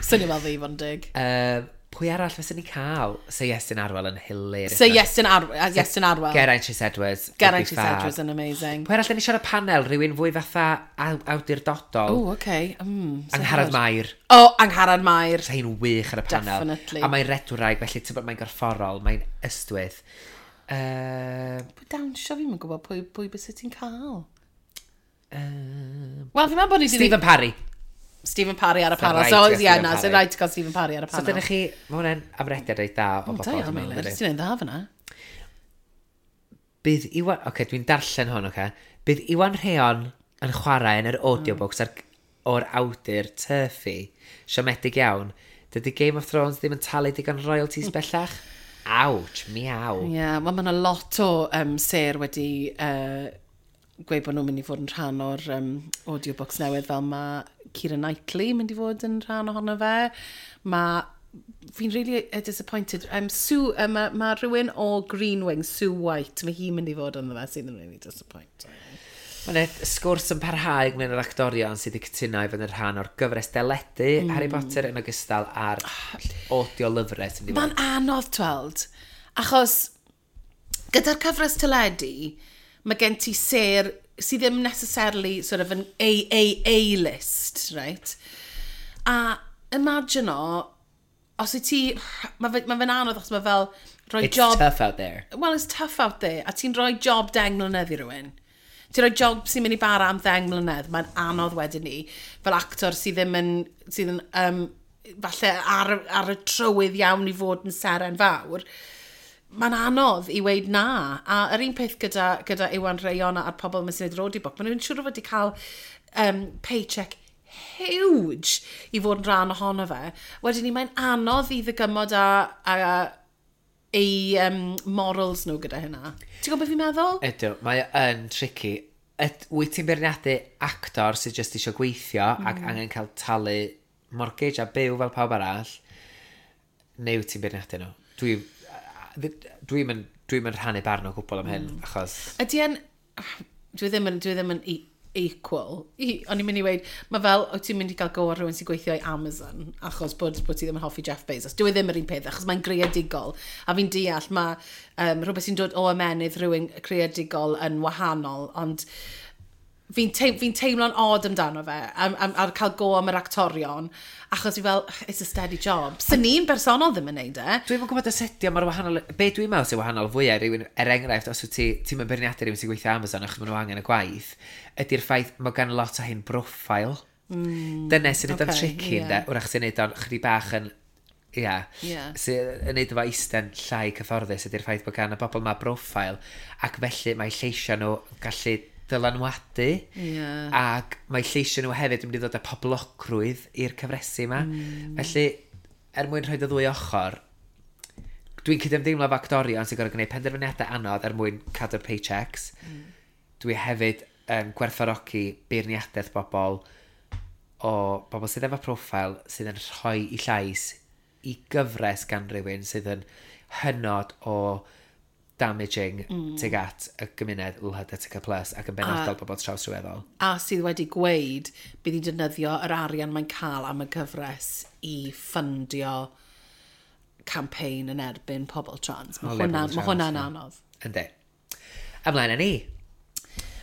Swnio fel fi, fod yn dig. Um, pwy arall fysen ni cael? Sir Iestyn Arwel yn hilarious. So Iestyn Arwel. Iestyn Arwel. Geraint Rhys Edwards. would Geraint be Rhys fab. Edwards yn amazing. Pwy arall da ni siarad panel? Rhywun fwy fatha aw- awdurdodol? Oh, okay. Mm, so Angharad hard. Mair. Oh, Angharad Mair. Sa hi'n wych ar y panel. Definitely. A mae'n redwraig, felly ti'n bod mae'n gorfforol, mae'n ystwyth. Uh, Pwy dawnsio fi'n yn gwybod pwy, pwy bys ti'n cael. um, Wel, fi'n meddwl bod ni 'di Stephen Parry. Stephen Parry ar y Sa'n panel. rhaid So, i gael ie, Stephen na, Parry. sy'n rhaid i gael Stephen Parry ar y So panel. dyna chi, mae hwnna'n amrediad reit da o O, bobl. da iawn, dwi'n meddwl, Meilir. dydi? Ti'n neud dda fyna. Bydd Iwan... Oce, okay, dwi'n darllen hwn, oce. Okay. Bydd Iwan Rheon yn chwarae yn yr audiobooks ar, o'r awdur Turfy. Siomedig iawn. Dydy Game of Thrones ddim yn talu digon royalties bellach? Ouch, miaw. Ie, yeah, wel, mae yna lot o um, ser wedi uh, gweud bod nhw'n mynd i fod yn rhan o'r um, audiobooks newydd, fel mae Keira Knightley yn mynd i fod yn rhan ohono fe. Mae fi'n really uh, disappointed. Um, Sue, uh, mae ma rhywun o Green Wing, Sue White, mae hi'n mynd i fod ynddo fe, sydd yn really disappointing. Mae yna sgwrs yn parhau ynglyn â'r actorion sydd wedi cytuno i fod yn rhan o'r gyfres deledu mm. Harry Potter yn ogystal â'r audio lyfrau sy'n mynd i Mae'n fod. anodd tweld, achos gyda'r cyfres teledu, mae gen ti ser sydd ddim necessarily sort of an A A A list, right? A imagine o, Os wyt ti... Mae fe, ma fe'n anodd achos mae fel rhoi It's job. tough out there. Well, it's tough out there. A ti'n rhoi job deng mlynedd i rywun. Ti'n rhoi job sy'n mynd i bara am ddeng mlynedd. Mae'n anodd wedyn ni. Fel actor sydd ddim yn... Sydd yn um, falle ar, ar y trywydd iawn i fod yn seren fawr. Mae'n anodd i weud na. A yr un peth gyda, gyda Iwan Rheon a'r pobl yma sy'n neud yr audiobook, maen nhw'n siŵr o fod wedi cael um, paycheck huge i fod yn rhan ohono fe. Wedyn ni, mae'n anodd i ddygymod â, a, ei um, morals nhw gyda hynna. Ti'n gwybod beth fi'n meddwl? Ydw, mae o yn tricky. Yd, wyt ti'n beirniadu actor sydd jyst eisiau gweithio mm. ac angen cael talu mortgage a byw fel pawb arall, neu wyt ti'n beirniadu nhw? Dwi, dwi'n mynd dwi mynd rhannu barn o gwbl am hyn, mm. achos. Ydy e'n... Dwi ddim yn, dwi ddim yn e equal. I, o'n i'n mynd i weud, mae fel, wyt ti'n mynd i gael go ar rhywun sy'n gweithio i Amazon, achos bod, bod ti ddim yn hoffi Jeff Bezos. Dwi ddim yr un peth, achos mae'n greadigol. A fi'n deall, mae um, rhywbeth sy'n dod o ymenydd rhywun creadigol yn wahanol, ond fi'n teim, fi teimlo'n odd amdano fe, am, am, ar cael go am yr actorion, achos fi fel, "It's a steady job." Sy'n ni'n bersonol ddim yn neud e. Dwi'n yn gwybod os ydi o mor wahanol. Be dwi'n meddwl sy'n wahanol fwyaf rhywun, er enghraifft, os wyt ti, ti'n mynd beirniadu rhywun sy'n gweithio Amazon achos maen nhw angen y gwaith, ydy'r ffaith mae gan lot o hyn profile. Mm, Dyna sy'n neud o'n ocê, tricky, ie. ynde? Wrach sy'n neud o'n chydig bach yn... Ia. Ie. Sy'n yn neud o fo eistedd llai cyfforddus ydy'r ffaith bod gan y bobl ma profile ac felly mae lleisiau nhw yn gallu dylanwadu Ie. ac mae lleisiau nhw hefyd yn mynd i ddod â poblogrwydd i'r cyfresi yma. Mm. Felly, er mwyn rhoi y ddwy ochr, dwi'n cydymdeimlo efo actorion sy'n gorfod gwneud penderfyniadau anodd er mwyn cadw'r paychecks. Mm. Dwi hefyd yn gwerthfawrogi beirniadaeth bobl o bobl sydd efo profil sydd yn rhoi i llais i gyfres gan rhywun sydd yn hynod o damaging mm. tuag at y gymuned L H B T Q plus ac yn benodol bobl trawsryweddol. A sydd wedi gweud bydd hi'n defnyddio yr arian mae'n cael am y gyfres i ffundio campaign yn erbyn pobl trans. Mae O, le hwnna, pobl ma hwnna'n trans, ie. anodd. Yndi. Ymlaen â ni.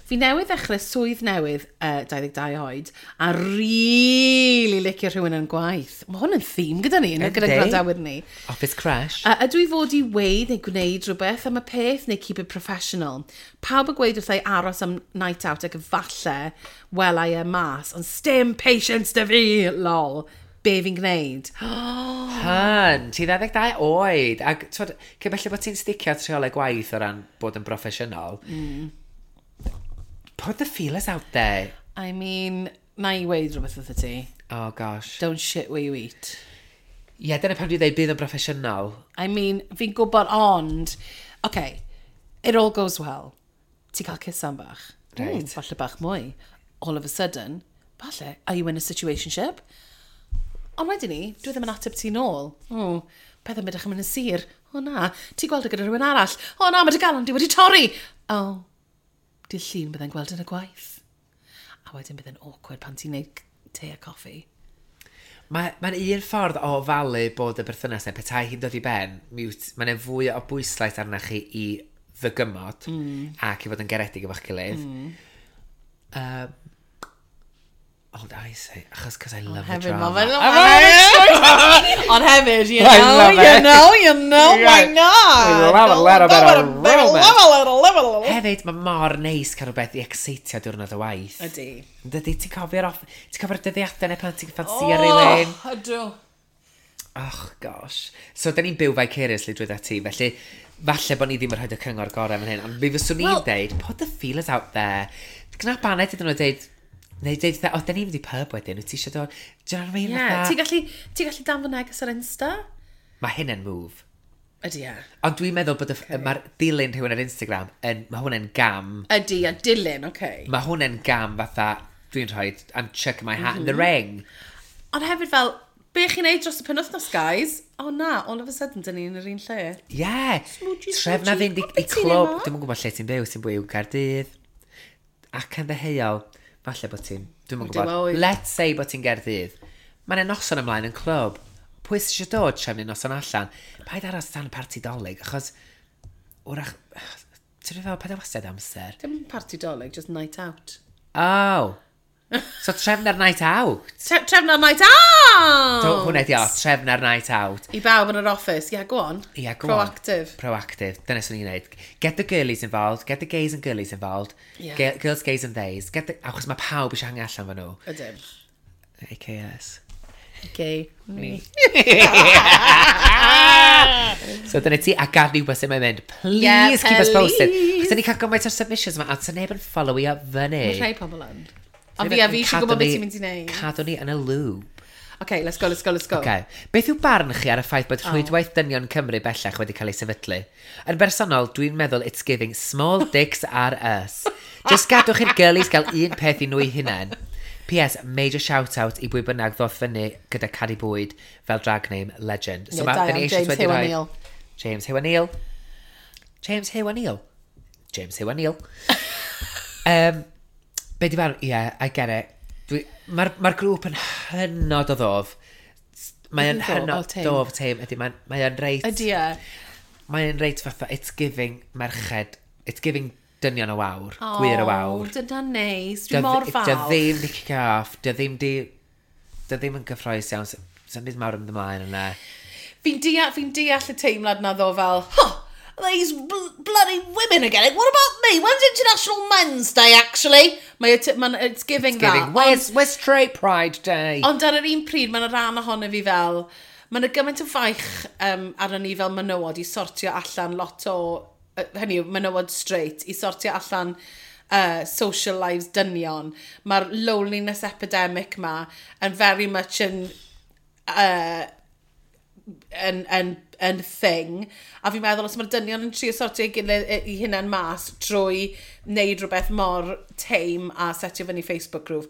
Fi newydd ddechrau swydd newydd, uh, dau ddeg dau oed, a really licio rhywun yn gwaith. Mae hwn yn theme gyda ni, gyda Yndi. gwrandawyr ni. Office Crash. A ydw i fod i weud neu gwneud rhywbeth am y peth neu keep it professional? Pawb yn gweud wrtha i aros am night out ac falle wela i e mas, ond stim patience 'da fi, lol. Be fi'n gwneud? Hun, ti ddau ddeg dau oed. Ac, twod, cyn belled bod ti'n sticio at rheolau gwaith o ran bod yn broffesiynol, mm. put the feelers out there. I mean, na i weud rhywbeth wrtho ti. Oh, gosh. Don't shit where you eat. Ie, yeah, dyna pam dwi'n dweud bydd yn broffesiynol. I mean, fi'n gwybod ond, okay, it all goes well. Ti cael kiss am bach. Right. Mm, falle bach mwy. All of a sudden, falle, are you in a situationship? Ond wedyn ni, dwi ddim yn ateb ti nôl. O, pethau mynd yn mynd yn sur. O na, ti gweld e gyda rhywun arall. O na, mae dy galon di wedi torri. O, dydd Llun byddai'n gweld yn y gwaith. A wedyn bydd yn awkward pan ti'n neud te a coffi. Mae'n ma un ffordd o ofalu bod y berthynas neu petai hi'n dod i ben, mae'n fwy o bwyslais arna chi i ddygymod mm. ac i fod yn garedig efo'ch gilydd. Mm. Um, ond I say, achos cos I love the Hefyd, drama. ma' fe'n... Ond hefyd, you I know, love you it. know, you know, why Yeah. not? We love a little bit of romance. romance. Hefyd, mae mor neis cael rhywbeth i excitio diwrnod o waith. Ydy. Dydy, ti'n cofio'r off... Ti'n cofio'r dyddiadau neu pan ti'n ffansio rhywun? Ydw. Oh, gosh. So, da ni'n byw vicariously drwy ti, felly falle bod ni ddim yn rhoi y cyngor gorau fan hyn, ond mi fyswn i'n Wel- deud, put the feelers out there. Gwna baned iddyn nhw deud, neu deud, o, da ni'n mynd i pub wedyn, wyt ti eisiau dod? Do you know what I mean? Yeah, Fatha- ti'n gallu, ti'n gallu danfon neges ar Insta? Mae hyn yn move. Ydy, e. Ond dwi'n meddwl bod y, okay. mae'r dilyn rhywun ar Instagram, yn, mae hwn yn gam. Ydy, a dilyn, oce. Okay. Mae hwn yn gam fatha, dwi'n rhoi, I'm chucking my hat mm -hmm. in the ring. Ond hefyd fel, be chi'n neud dros y penwythnos, guys? O na, all of a sudden, dyn ni'n yr un lle. Ie. Yeah. Smoochie, Trefna smoochie. fynd i, O, i be ti'n clwb. neud 'ma? Dwi'm yn gwybod lle ti'n byw, ti'n byw Gaerdydd. Ac yn ddeheuol, falle bod ti'n, dwi'm yn Dim gwybod. oed. Let's say bod ti'n Gaerdydd. Mae'n noson ymlaen yn clwb. Pwy sydd eisiau dod trefnu noson allan? Paid aros tan parti Dolig, achos wrach, ti'n rhaid fel, paid â wastad amser. Dim party Dolig, just night out. Oh, So trefn ar night out. Tre trefn ar night out! So, hwnna di o, trefn ar night out. I bawb yn yr office. Yeah, go on. Yeah, go on. Proactive. Proactive. Dyna swn i'n neud. Get the girlies involved, get the gays and girlies involved. Yeah. Ge- girls, gays and theys. Get the... Achos mae pawb eisiau hangu allan fo nhw. Ydyn. A K S. Gay. Me. So dyna ti, a gad ni wybod sut mae'n mynd. Please Yeah, keep us posted. please. Chos da ni cael gymaint o'r submissions yma, a sa neb yn followio fyny. Mae rhai pobl yn. Ond fi a fi eisiau gwybod beth ti'n mynd i wneud. Cadw ni yn y loop. Okay, let's go, let's go, let's go. Okay. Beth yw barn chi ar y ffaith bod Rhwydwaith Dynion Cymru bellach wedi cael ei sefydlu? Yn bersonol, dwi'n meddwl it's giving small dicks are us. Just gadwch i'r girlies gael un peth i nhw eu hunain. P S. Major shout-out i bwy bynnag ddoth fyny gyda Cadi Bwyd fel drag name legend. Yeah, da ma- da ni iawn, eisoes James wedi Huw rhoi- O'Neill. James Huw O'Neill. James Huw O'Neill. James Huw O'Neill. um, be di barn? Yeah, I get it. Mae'r ma grŵp yn hynod o ddof. Mae'n Ydi ddof? hynod O, tame. dof tame. Ydy, mae'n mae o'n reit... Ydy e. Mae'n reit fatha, it's giving merched, it's giving dynion y wawr, gwir y wawr. Dyna neis. Dwi mor Dy falch. ddim di kick off, dy ddim di... Dy ddim yn gyffroes iawn, sy'n byd mawr yn mynd ymlaen yna. Fi'n deall, fi'n deall y teimlad na ddo fel, "Huh, these bl bloody women are getting, what about me? When's International Men's Day, actually?" Mae, it, man, it's giving It's giving, that. where's, where's Straight Pride Day? Ond ar yr un pryd, mae'n rhan ohono fi fel, mae'n gymaint o faich um, arno ni fel menywod i sortio allan lot o, uh, hynny yw, menywod straight, i sortio allan uh, social lives dynion. Mae'r loneliness epidemic ma yn very much yn uh, yn, yn, yn thing. A fi'n meddwl os mae'r dynion yn trio sortio ei gilydd i hunain mas drwy wneud rhywbeth mor tame a setio fyny Facebook group,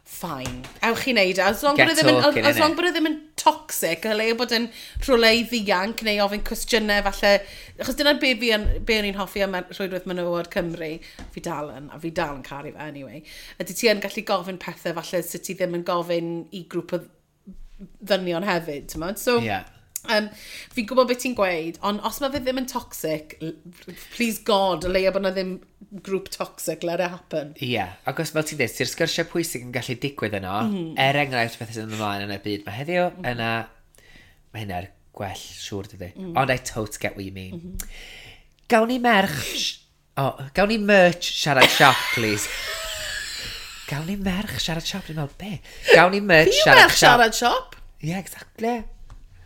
fine. Ewch i wneud e. As long Get bod e ddim yn, talking, as long innit? bod e ddim yn toxic, a leia bod yn rhywle i ddianc neu ofyn cwestiynau falle. Achos dyna be fi yn, be o'n i'n hoffi am Rhwydwaith Menywod Cymru. Fi dal yn, a fi dal yn caru fe anyway. Ydy ti yn gallu gofyn pethau falle sydd ti ddim yn gofyn i grŵp o ddynion hefyd, ti'n modd? So, Yeah. um, fi'n gwybod beth ti'n gweud, ond os mae fe ddim yn toxic, l- please God, o leia bod na ddim grŵp toxic, let it happen. Ie, yeah. Ac os fel ti'n dweud, ti'r sgyrsiau pwysig yn gallu digwydd yno, mm -hmm. er enghraifft beth sy'n mynd ymlaen yn y byd mae heddiw, mm -hmm. yna, mae hynna'r gwell, siŵr dydy. Mm. Ond I totally get what you mean. Mm -hmm. Gawn ni merch... Oh, gawn ni merch siarad siop, please. Gawn ni merch siarad siop, dwi'n meddwl, be? Gawn ni merch Fi yw siarad merch siarad siop. Yeah, exactly.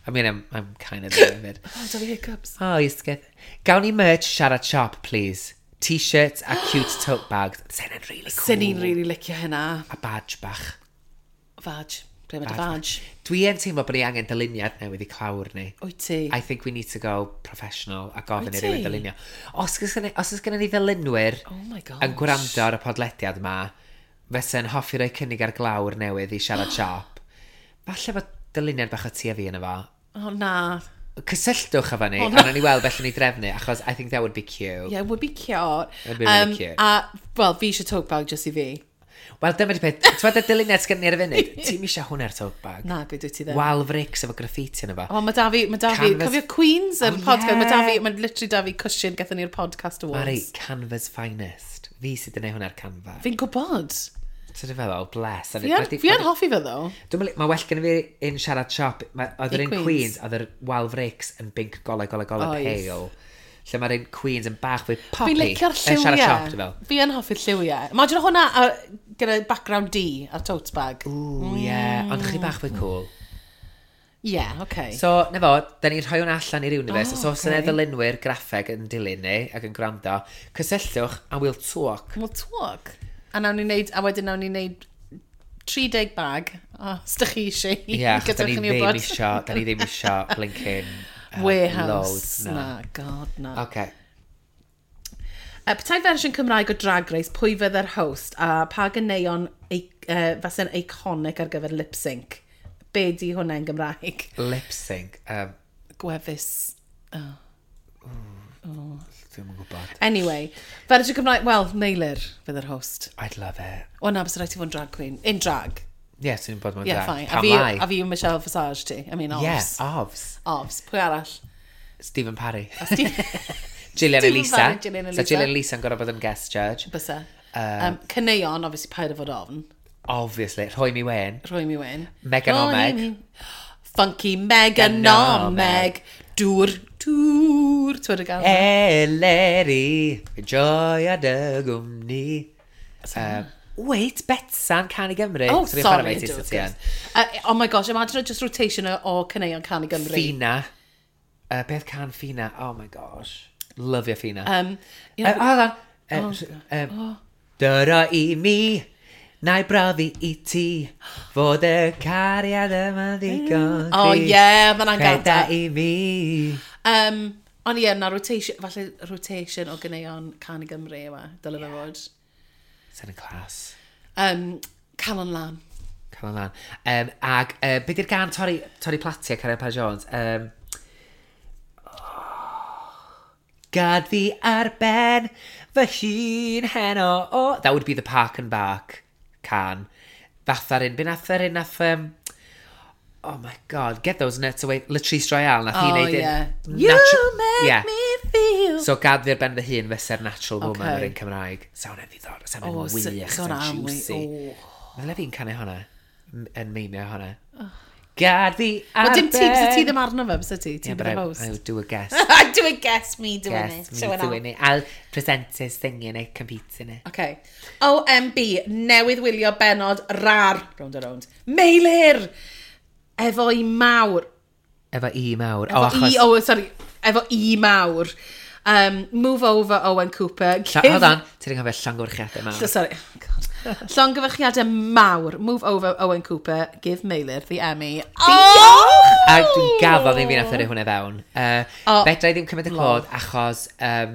I mean, I'm, I'm kind of there hefyd. Oh, da fi hiccups. Oh, Ysgedd. Gawn ni merch siarad siop, please. T-shirts a cute tote bags. Sy'n really cool. Sy'n ni'n really licio hynna. A badge bach. Fadge. Ble mae dy Badge fadge? Dwi yn teimlo bod ni angen dyluniad newydd i clawr ni. Wyt ti? I think we need to go professional a gofyn Wyt i rywun ti? dylunio. Os oes gynna- os oes gennym ni ddylunwyr Oh my gosh. yn gwrando ar y podlediad yma, fysa'n hoffi roi cynnig ar glawr newydd i siarad siop, falle bod dyluniad bach o ti a fi yna fo. Oh, na. Cysylltwch efo ni, Oh, a na. nawn ni weld beth ni drefnu, achos I think that would be cute. Yeah, it would be cute. It'd be really cute. A, wel, fi eisiau tote bag just i fi. Wel, dyma di peth, ti'n y dyluniad sgan ni ar y funud, ti'n eisiau hwnna'r tote bag? Na, gwe dwi ti ddim. Wal frics efo graffiti yna fo. O, mae da fi, mae da fi, Canvas- cofio Queens, yr Oh, podcast, mae da fi, yeah. mae literally da fi cushion gathon ni'r podcast awards. Mari, Canvas finest. Fi sydd yn ei hwnna'r Canva. Fi'n gwybod. Ti'n feddwl, bless. Fi yn, fi yn hoffi fe ddo. Dwi'n meddwl, mae well gen i fi un siarad siop. Ma- Oedd yr I un Queens. Queens, oedd yr Wal Frics yn binc golau, golau, golau Oedd. pale. Lle mae'r un Queens yn bach fwy poppy. Fi'n licio'r Yn siarad siop, lliwiau. dwi'n fel. Fi yn hoffi'r lliwiau. Imagine hwnna a, gyda background D ar tote bag. Ooh, yeah. Ond chydig bach fwy cool. Yeah, okay. So, na fo, da ni'n rhoi hwnna allan i'r universe. Oh, So, os yna okay. ddylunwyr graffeg yn dilyn ni ac yn gwrando, cysylltwch a we'll talk. We'll talk. A nawn ni wneud, a wedyn nawn ni wneud tri deg bag. O, os dych chi eisiau. Ie, yeah, achos da ni Gadewch i ni ddim wybod. isio, da ni ddim isio blinking uh, Warehouse. loads, Na. na. God, na. Okay. Uh, petai fersiwn Cymraeg o Drag Race, pwy fydde'r host a pa ganeuon ei- uh, fase'n iconic ar gyfer lip sync? Be di hwnna yn Gymraeg? Lip sync. Um, Gwefus. Oh. Dwi'm yn gwybod. Anyway, fersiwn Cymraeg, wel, Meilir fydde'r host. I'd love it. O na, bysa rhaid ti fod yn drag queen. In drag. Ie, yeah, sy'n bod mewn Yeah, drag. fine. A Pam fi, lai? a fi yw Michelle Visage ti. I mean, Yeah, obs. obs. Obs. Pwy arall? Stephen Parry. Steve- Gillian Stephen Elisa. Parry, Gillian So Elisa. Gillian Elisa yn gorfod bod yn guest judge. Bysa. Um, caneuon, obviously, paid o fod ofn. Obviously. Rhoi mi wen. Rhoi mi wen. Meganomeg. Funky Meganomeg. Dŵr, dŵr. Ti'n gael? Eleri, joia dy gwmni. Uh, wait, Betsan, Can i Gymru. Oh, sorry. Uh, oh my gosh, imagine just rotation o, o caneuon Can i Gymru. Fina. Uh, beth can Fina? Oh my gosh. Lyfio Fina. Um, you know, uh, hold on. Uh, oh, um, oh. Dyro i mi, na i brofi i ti, fod y cariad yma ddigon. Oh yeah, mae hwnna'n Creda gada. i mi. Um, ond ie, na rotation, falle rotation o ganeuon Can i Gymru yma, dyle fe fod. Sy'n y clas. Um, Calon Lan. Calon Lan. Um, ag, uh, be di'r gan Torri, Torri Platia, Caria Pa Jones? Um, oh, Gad fi ar ben fy hun heno. Oh, that would be the Park and Bark can. Fatha'r un, be nath yr un nath... Um, oh my god, get those nuts away. Latrice Royale, nath hi Oh, neud un yeah. You natu- make yeah. me feel... So gad fi ar ben fy hun fysa'r natural woman Okay. o'r un Cymraeg. Sa hwnna'n ddiddorol, sa hwnna'n Oh, wych, sa- sa sa hwnna'n hwnna'n juicy. wy- oh. Meddylia fi'n canu hwnna, m- yn meimio hwnna. Gad fi ar Wel, dim ti, ben... bysa ti ddim arno fe, bysa ti? Yeah, Ti'n but bydd I, y host. I would do a guess. I do a guess me doing guess it. me Showing doing off. it. I'll present it, singing it, competing it. Okay. O M B, newydd wylio benod rar, round a round, Meilir! Efo i mawr. Efo i mawr. Efo O, achos... i, oh, sorry, efo i mawr. Um, move over, Owen Cooper. Lla, Give- hold on, ti'n anghofio llongyfarchiadau mawr. Sorry. Oh, God. Llongyfarchiadau mawr. Move over, Owen Cooper. Give Meilir the Emmy. Oh! A dwi'n gaddo ddim fi nath yrru hwnna fewn. Uh, O, Fedra i ddim cymryd y clod achos um,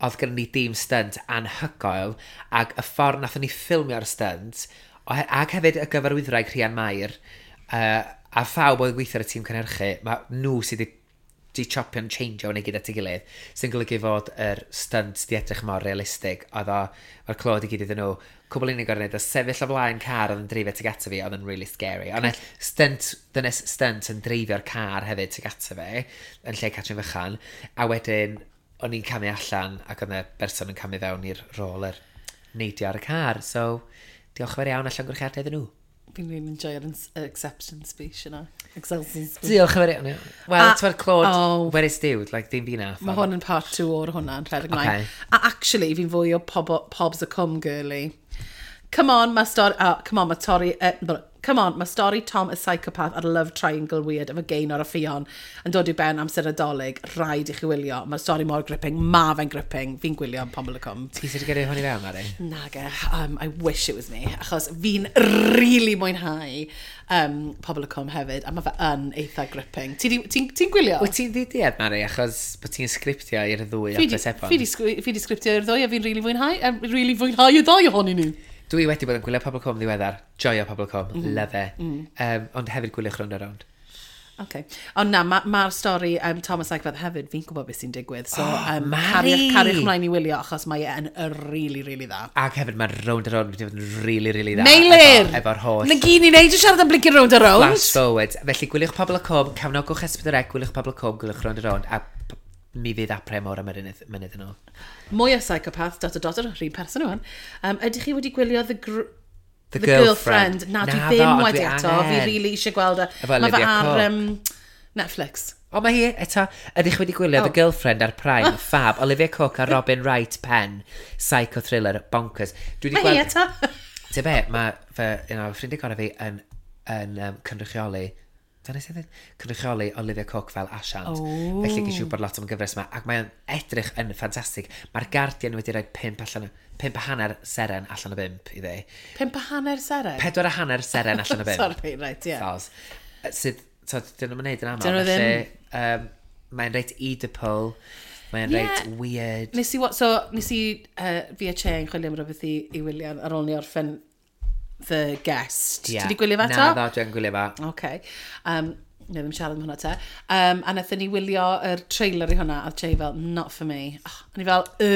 oedd gen ni dîm stunt anhygoel ac y ffordd nathon ni ffilmio'r stunt ohe- ac hefyd y gyfarwyddwraig Rhian Mair uh, a phawb oedd yn gweithio ar y tîm cynhyrchu, mae nhw sydd wedi di chopio'n changeio hwnna i gyd at ei gilydd, sy'n golygu fod yr stunt di edrych mor realistig. Oedd o, mae'r clod i gyd iddyn nhw. Cwbl unig o'r wneud, o sefyll o flaen car oedd yn dreifio tuag ato fi, oedd yn really scary. Ond y stunt, dynes stunt yn dreifio'r car hefyd tuag ato fi, yn lle Catrin Fychan. A wedyn, o'n i'n camu allan ac oedd yna berson yn camu fewn i'r rôl yr neidio ar y car. So, diolch yn fawr iawn a llongyfarchiadau iddyn nhw. Fi'n really enjoyo'r ins- acceptance speech yna. Acceptance speech. Diolch yn fawr iawn. Wel, A- ti'n clod, oh. where is due? Like, dim fi nath. Mae hwn yn part two o'r hwnna'n rhedeg ymlaen. Okay. A actually, fi'n fwy o pob, Pobs y Cwm girly. Come on, mae stori... Oh, come on, mae Tori... Uh, come on, mae stori Tom y psychopath a'r love triangle weird efo Gaynor a Ffion yn dod i'w ben amser Nadolig. Rhaid i chi wylio. Mae'r stori mor gripping. Ma fe'n gripping. Fi'n gwylio am Pobl y Cwm. Ti sydd wedi gyrru hwn i fewn, Mari? Nage, um, I wish it was me, achos fi'n really mwynhau um, Pobl y Cwm hefyd, a mae fe yn eitha gripping. Ti'n ti, ti gwylio? Wyt ti'n ddiduedd, Mari, achos bod ti'n sgriptio i'r ddwy Fi di, o'r sebon? fi di, sgri- fi di sgriptio i'r ddwy a fi'n really fwynhau, a really fwynhau y ddau ohonyn nhw. Dwi wedi bod yn gwylio Pobl y Cwm ddiweddar. Joio Pobl y Cwm. Mm. Love it. Mm. Um, ond hefyd gwyliwch Rownd a Rownd. Okay. Ond na, mae'r ma ma'r stori um, Thomas Eichfeld hefyd, fi'n gwybod beth sy'n digwydd. So, Oh, um, Mari! cariwch, cariwch mlaen i wylio, achos mae e'n really, really dda. Ac hefyd mae Rownd a Rownd wedi bod yn really, really dda. Meilir! Efo, efo'r holl Na gyd ni'n neud i siarad am blinking Rownd a Rownd. flash forward. Felly gwyliwch Pobl y Cwm, cefnogwch S pedwar C, gwyliwch Pobl y Cwm, gwyliwch Rownd a Rownd, a p- mi fydd apre mor am yr unydd- mynydd yn ôl. Mwy o psychopath, dot dot dot, yr un person yw hwn. Um, ydych chi wedi gwylio The, gr The The Girlfriend? Girlfriend. Na, dwi Naddo, ddim ond wedi dwi eto. Fi angen. really eisiau gweld e. Efo Mae fe Olivia ar Cooke. um, Netflix. O, mae hi eto. Ydych chi wedi gwylio Oh. The Girlfriend ar Prime, Fab, Olivia Cooke a Robin Wright Penn, psycho thriller, bonkers. Dwi wedi Mae hi gweld... eto. Ti'n be, mae fy, un o ffrindiau gorau fi yn, yn um, cynrychioli, dyna sydd yn cynrychioli Olivia Cooke fel asiant. Oh. Felly ges i wybod lot am y gyfres yma, ac mae'n edrych yn ffantastig. Mae'r Guardian wedi rhoi pump, allan, o- pump a hanner seren allan o bump iddi. Pump a hanner seren. Pedwar a hanner seren allan o bump. Sorry, right, yeah. Soz. Sydd, so, dyn nhw'n gwneud yn aml. Dyn nhw ddim. Felly, um, mae'n reit Oedipal, mae'n Ie. reit weird. Nes i, wa- so, nes i uh, fi a Che yn chwilio am rhywbeth i, i wylio ar ôl ni orffen The Guest. Ie. Ti wedi gwylio fe eto? Na, ddo, dwi'n gwylio fe. Okay. Um, ne ddim siarad am hwnna te. Um, a nathon ni wylio yr trailer i hwnna, a Che fel, not for me. Oh, a ni fel, y,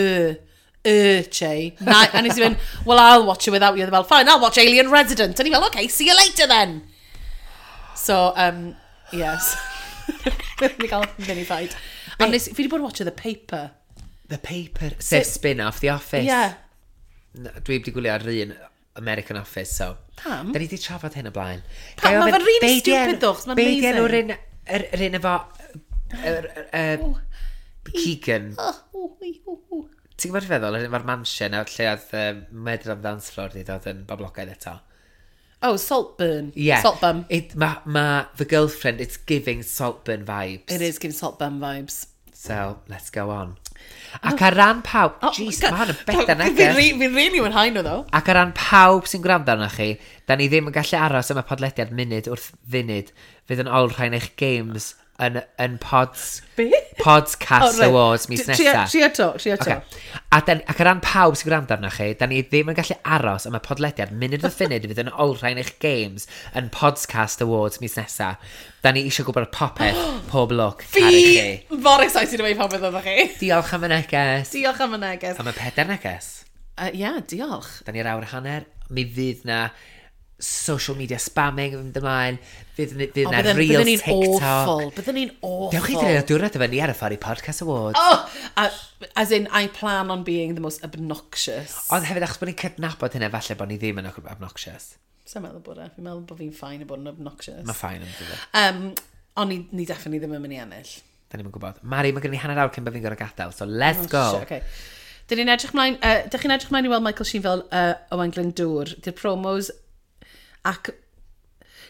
y, Che. Na, a nes i fynd, well, I'll watch it without you. A fel, fine, I'll watch Alien Resident. A ni fel, okay, see you later then. So, um, yes. Ni gael mini fight. A nes, fi wedi bod yn watch The Paper. The Paper. Sef spin-off The Office. Yeah. Na, dwi wedi gwylio ar un American Office, so... Pam? Da ni wedi trafod hyn o blaen. Pam? Ga i Ma' ofyn, fe'n really be 'di stupid enw- though, 'chos ma'n Be 'di amazing. enw'r un, yr, yr un efo... Yr, yr, yr, Keegan. Oh, ww, ww, ww. Ti'n gwybod beth feddwl? Yr un efo'r mansion a lle oedd um, Murder on the Dance Floor wedi dod yn boblogaidd eto. Oh, Saltburn. Yeah. Saltburn. It, ma, ma The Girlfriend, it's giving Saltburn vibes. It is giving Saltburn vibes. So, let's go on. Ac ar ran pawb... Oh, Jeez, God. mae hwn yn better Fi'n neges. re- Fi'n really mwynhau nhw, though. Ac ar ran pawb sy'n gwrando arnoch chi, da ni ddim yn gallu aros am y podlediad munud wrth funud fydd yn olrhain eich games yn, yn pods, Be? Podcast Oh, reit. Awards mis T- tria- nesa. Tria to, tria to. Okay. A dan, ac ar ran pawb sy'n gwrando arnoch chi, da ni ddim yn gallu aros am y podlediad munud wrth funud fydd yn olrhain eich games yn Podcast Awards mis nesa. Da ni eisiau gwybod popeth, pob lwc, caru chi. Fi mor excited am ei popeth oeddech chi. Diolch am y neges. Diolch am y neges. Am y pedair neges. Uh, yeah, diolch. Da ni'r awr hanner. Mi fydd na social media spamming yn mynd ymlaen. Fydd, fydd O, na bydden- reels bydden ni'n TikTok. awful. Bydden ni'n awful. Dewch i dreulio diwrnod efo ni ar y ffordd i Podcast Awards. Oh, uh, as in, I plan on being the most obnoxious. Ond hefyd, achos bod ni'n cydnabod hynna, falle bod ni ddim yn obnoxious. Sa'n meddwl bod e. Fi'n meddwl bod fi'n fine i bod yn obnoxious. Mae fine yn dod. Um, ond ni, ni definitely ddim yn mynd i ennill. Da ni'n gwybod. Mari, mae gen i hanner awr cyn bod fi'n gorfod gadael, so let's go. Oh, Shit, okay. Dyn ni'n edrych mlaen, uh, dych chi'n edrych mlaen i weld Michael Sheen fel uh, Owain Glyndŵr. Di'r promos ac...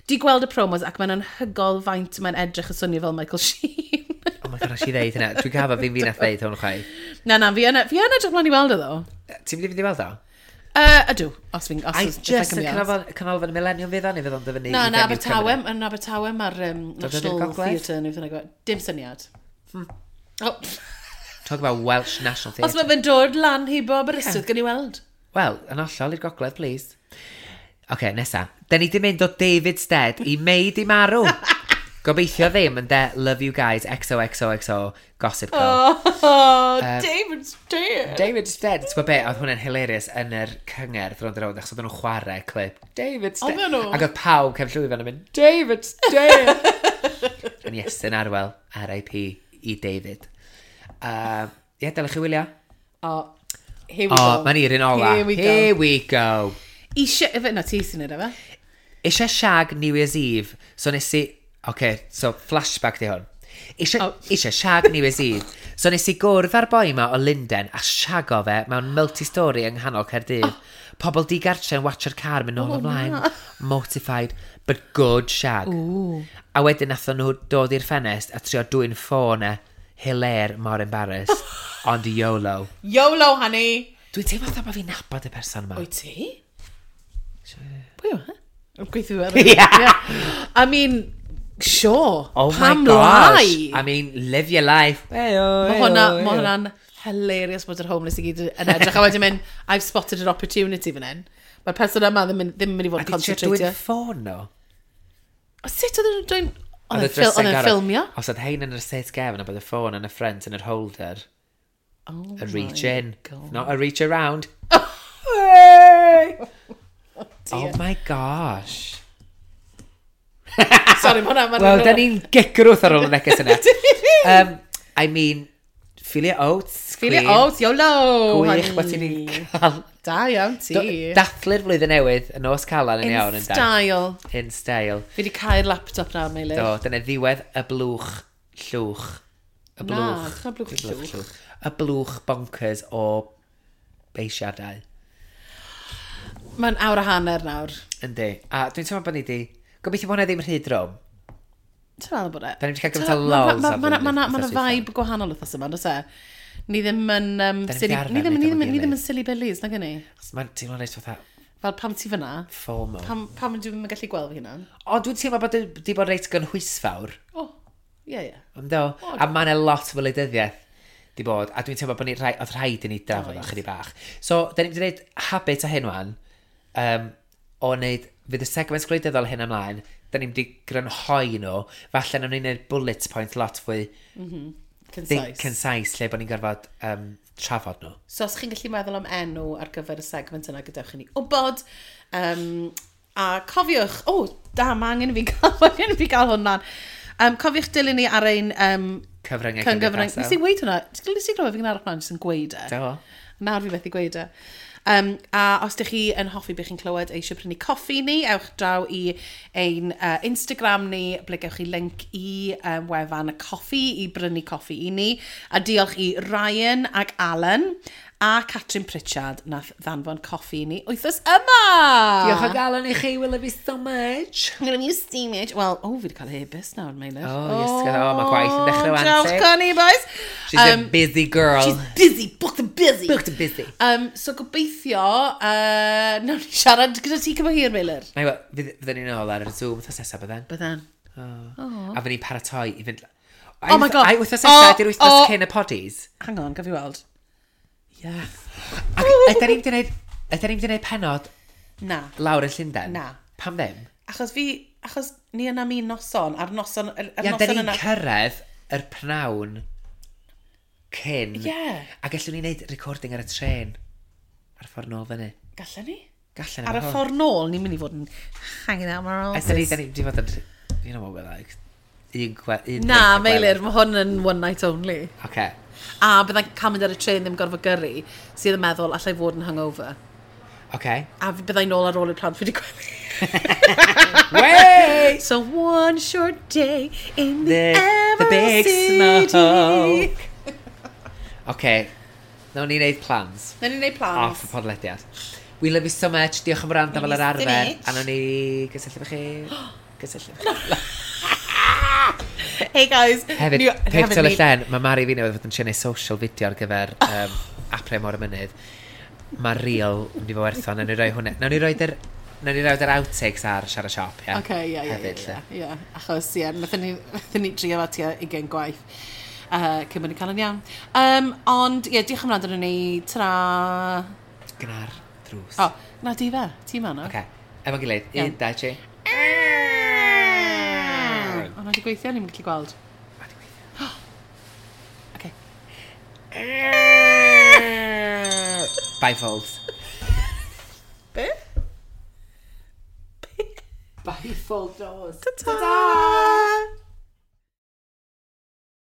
Di gweld y promos ac mae'n anhygoel faint mae'n edrych yn swnio fel Michael Sheen. Oh my god, nes i ddeud hynna. Dwi'n gafo fi'n fi nath ddeud hwn chwaith. Na, na, fi yn, fi yn edrych mlaen i weld o ddo. Ti'n mynd i fynd i weld o? Uh, ydw, os fi'n... Os, Ai, if I just can yn be honest. canolfan, canolfan y Millennium fydd o, neu fydd o'n dyfynu Na, i yn Venue Abertawe, Cymru? yn Abertawe mae'r um, Dod i'r National gogledd? Theatre neu beth bynnag. Dim syniad. Oh. Talk about Welsh National Os Theatre. mae fe'n dod lan hibo Aberystwyth, yeah. gan i weld. Wel, yn hollol i'r gogledd, please. Oce, okay, nesa. Da ni di mynd o David's Dead i Mei di marw. Gobeithio ddim yn de Love You Guys X O X O X O Gossip Girl. Oh, David's dead. David's Dead. Ti'n gwybod be, oedd hwnna'n hilarious yn yr cyngerdd rownd a rownd, achos oedden nhw'n chwarae clip. David's Dead. Oedden nhw? Ac oedd pawb cefn llwyfan yn mynd, "David's Dead." Yn Iestyn Arwel, R I P i David. Uh, Ie, yeah, dylech chi wylio. Oh, here we O, go. mae'n i'r un ola. Here we go. Here we go. Eisiau... Efe, na, ti sy'n neud efe. Eisiau shag New Year's Eve, so nes i... Okay, so flashback di hwn. Eisiau, Oh. eisiau shag New Year's Eve. So nes i gwrdd â'r boi ma o Lunden a shago fe mewn multi-story yng nghanol Caerdydd. Oh. Pobl digartre yn watcho'r car mynd nôl Oh, ymlaen. na. Mortified, but good shag. Ooh. A wedyn nathon nhw dod i'r ffenest a trio dwyn ffôn e. Hilaire, mor embarrassed. Ond YOLO. YOLO, honey! Dwi'n teimlo fatha bod fi'n nabod y person yma. Wyt ti? Pwy yw e? Gweithio fe. Yeah. I mean, sure. Oh my Pam gosh. lai? I mean, live your life. Heyo, Mae hwnna, heyo, ma heyo. hwnna'n hilarious bod yr homeless i gyd yn edrych a wedyn mynd, "I've spotted an opportunity fan hyn." Mae'r person yma ddim, yn- ddim yn mynd i fod A yn di trio dwyn concentratio. ffôn nhw? O, sut oedd yn dwyn... Oedd y e'n ffil- drysau'n oedd e'n gorau. ffilmio? Os oedd hein yn yr seat gefn a bod y ffôn yn y front yn yr holder. Oh A reach my in. God. Not a reach around. Hey! Oh my gosh. Sorry, mae hwnna... ma' Wel, hwnna- da ni'n gigrwth ar ôl y neges yna. um, I mean, feel your oats, Feel your queen. oats, YOLO! Gwych bod honey. ti'n cael Da iawn ti. Do- dathlu'r flwyddyn newydd, y nos Calan yn In iawn yn da. style. In style. Fi wedi cael laptop nawr, Meilir. Do, dyna ddiwedd y blwch llwch. Y Na, blwch. dyna blwch llwch. Y blwch bonkers o beisiadau. Mae'n awr a hanner nawr. Yndi. A dwi'n teimlo bod ni di... Gobeithio bod hwnna ddim rhy drwm. Ti'n meddwl bod e? Da ni wedi cael gymaint o Ma- lols ma- ar ma- flwyddyn Ma' na ma' na wythnos dwytha. vibe gwahanol wythnos yma, does e? Ni ddim yn... Um, Da ni silly, wedi arfer ni ddim, neud ni efo'n ddim, ni ddim gilydd. yn silly billies, nag ni? Mae'n teimlo'n reit fatha Fel pam ti fyna? FOMO. Pam, pam dwi'n yn gallu gweld fy hunan? O, dwi'n teimlo bod di bod reit gynhwysfawr. O, ie, ie. Ynddo? A mae'n lot o wleidyddiaeth di bod, a dwi'n teimlo bod ni rhai, oedd rhaid i ni drafod o Oedd. chydig bach. So, da ni'n mynd i wneud habit o hyn wan, um, o wneud, fydd y segment gwleidyddol hyn ymlaen, da ni'n mynd i grynhoi nhw, falle nawn ni wneud bullet point lot fwy Concise. think concise, lle bod ni'n gorfod um, trafod nhw. So os chi'n gallu meddwl am enw ar gyfer y segment yna, gadewch i ni wybod. Um, a cofiwch, o, oh, da, mae angen i fi gael, mae angen i fi gael hwn lan. Um, cofiwch dilyn ni ar ein um, Cyfryngau cyfryngau. cymdeithasol. Nes i weud hwnna? Nes i glywed fi'n arall mlaen jyst yn gweud e? Do. Nawr fi methu gweud e. Um, a os ydych chi yn hoffi beth chi'n clywed eisiau prynu coffi ni, ewch draw i ein uh, Instagram ni, ble gewch chi link i um, wefan y coffi, i brynu coffi i ni. A diolch i Ryan ac Alan a Catrin Pritchard nath ddanfon coffi i ni wythnos yma! Diolch o galon i chi, we love you so much. I'm gonna use steam it. Wel, o, fi wedi cael e-byst nawr, Meilir. Oh, yes, oh, mae gwaith yn dechrau wan, Diolch, ti. Connie, boys. She's um, a busy girl. She's busy, booked and busy. Booked and busy. Um, so gobeithio, uh, nawn ni siarad gyda ti cyfo hir, Meilir. Na i wel, fydd- fydden ni'n ôl ar y Zoom wythnos nesaf bydden. Bydden. Oh. A fydden ni'n paratoi i fynd... Oh my God. Ai, wythnos nesaf, Oh, di'r wythnos oh. cyn y poddies. Hang on, gaf i weld. Yeah. Ac ydyn ni'n gwneud... Ydyn ni'n gwneud penod Na. lawr yn Llundain? Na. Pam ddim? Achos fi, achos ni yna mi noson, a'r noson, yr, yr Ia, noson dyn ni'n yna. cyrraedd yr pnawn cyn. Ie. A gallwn ni wneud recording ar y tren. Ar y ffordd nôl fyny. Gallen ni? Gallen Ar y ffordd nôl, ni'n mynd i fod yn hanging out my A dyn ni, dyn ni, di fod yn... You know what we're like. Un gwe... Un Na, drink a Meilir, gwely. mae hwn yn one night only. Oce. A byddai'n cael mynd ar y tren ddim gorfod gyrru, sydd yn meddwl allai fod yn hungover. Oce. A byddai nôl ar ôl i'r plant fi wedi gwely. Wey! So one short day in the, The, the big Emerald City. smoke. Oce. Nawn ni wneud plans. Nawn ni wneud plans. Off y podlediad. We love you so much. Diolch am wrando fel yr Love you so arfer. much. A nawn ni gysylltu efo chi. Gysylltu efo chi. Hey guys. Hefyd, ni- pip hefyd tel y ni- llen, mae Mari fi newydd fod yn trio neud social video ar gyfer um, Apre Môr y Mynydd. Mae real yn mynd i fod werth o. Nawn ni roi hwnna. Nawn ni roi'r nawn ni roi'r outtakes ar Siarad Siop, ie. Oce, ie, ie, Hefyd, ie, lle. ie. Achos, ie, nathon ni, nathon ni drio fo tua ugain gwaith. Uh, cyn bod ni'n cael yn iawn. Um, ond, ie, diolch am wrando arnon ni. Ta. Gna'r drws. O, na di fe. Ti ma na. Oce. Efo'n gilydd. Iawn. Un, dau, tri. O, na di gweithio, ni'n gallu gweld. Ma' 'di gweithio. Oce. Bifolds. Be? Bifold doors. Ta-ta!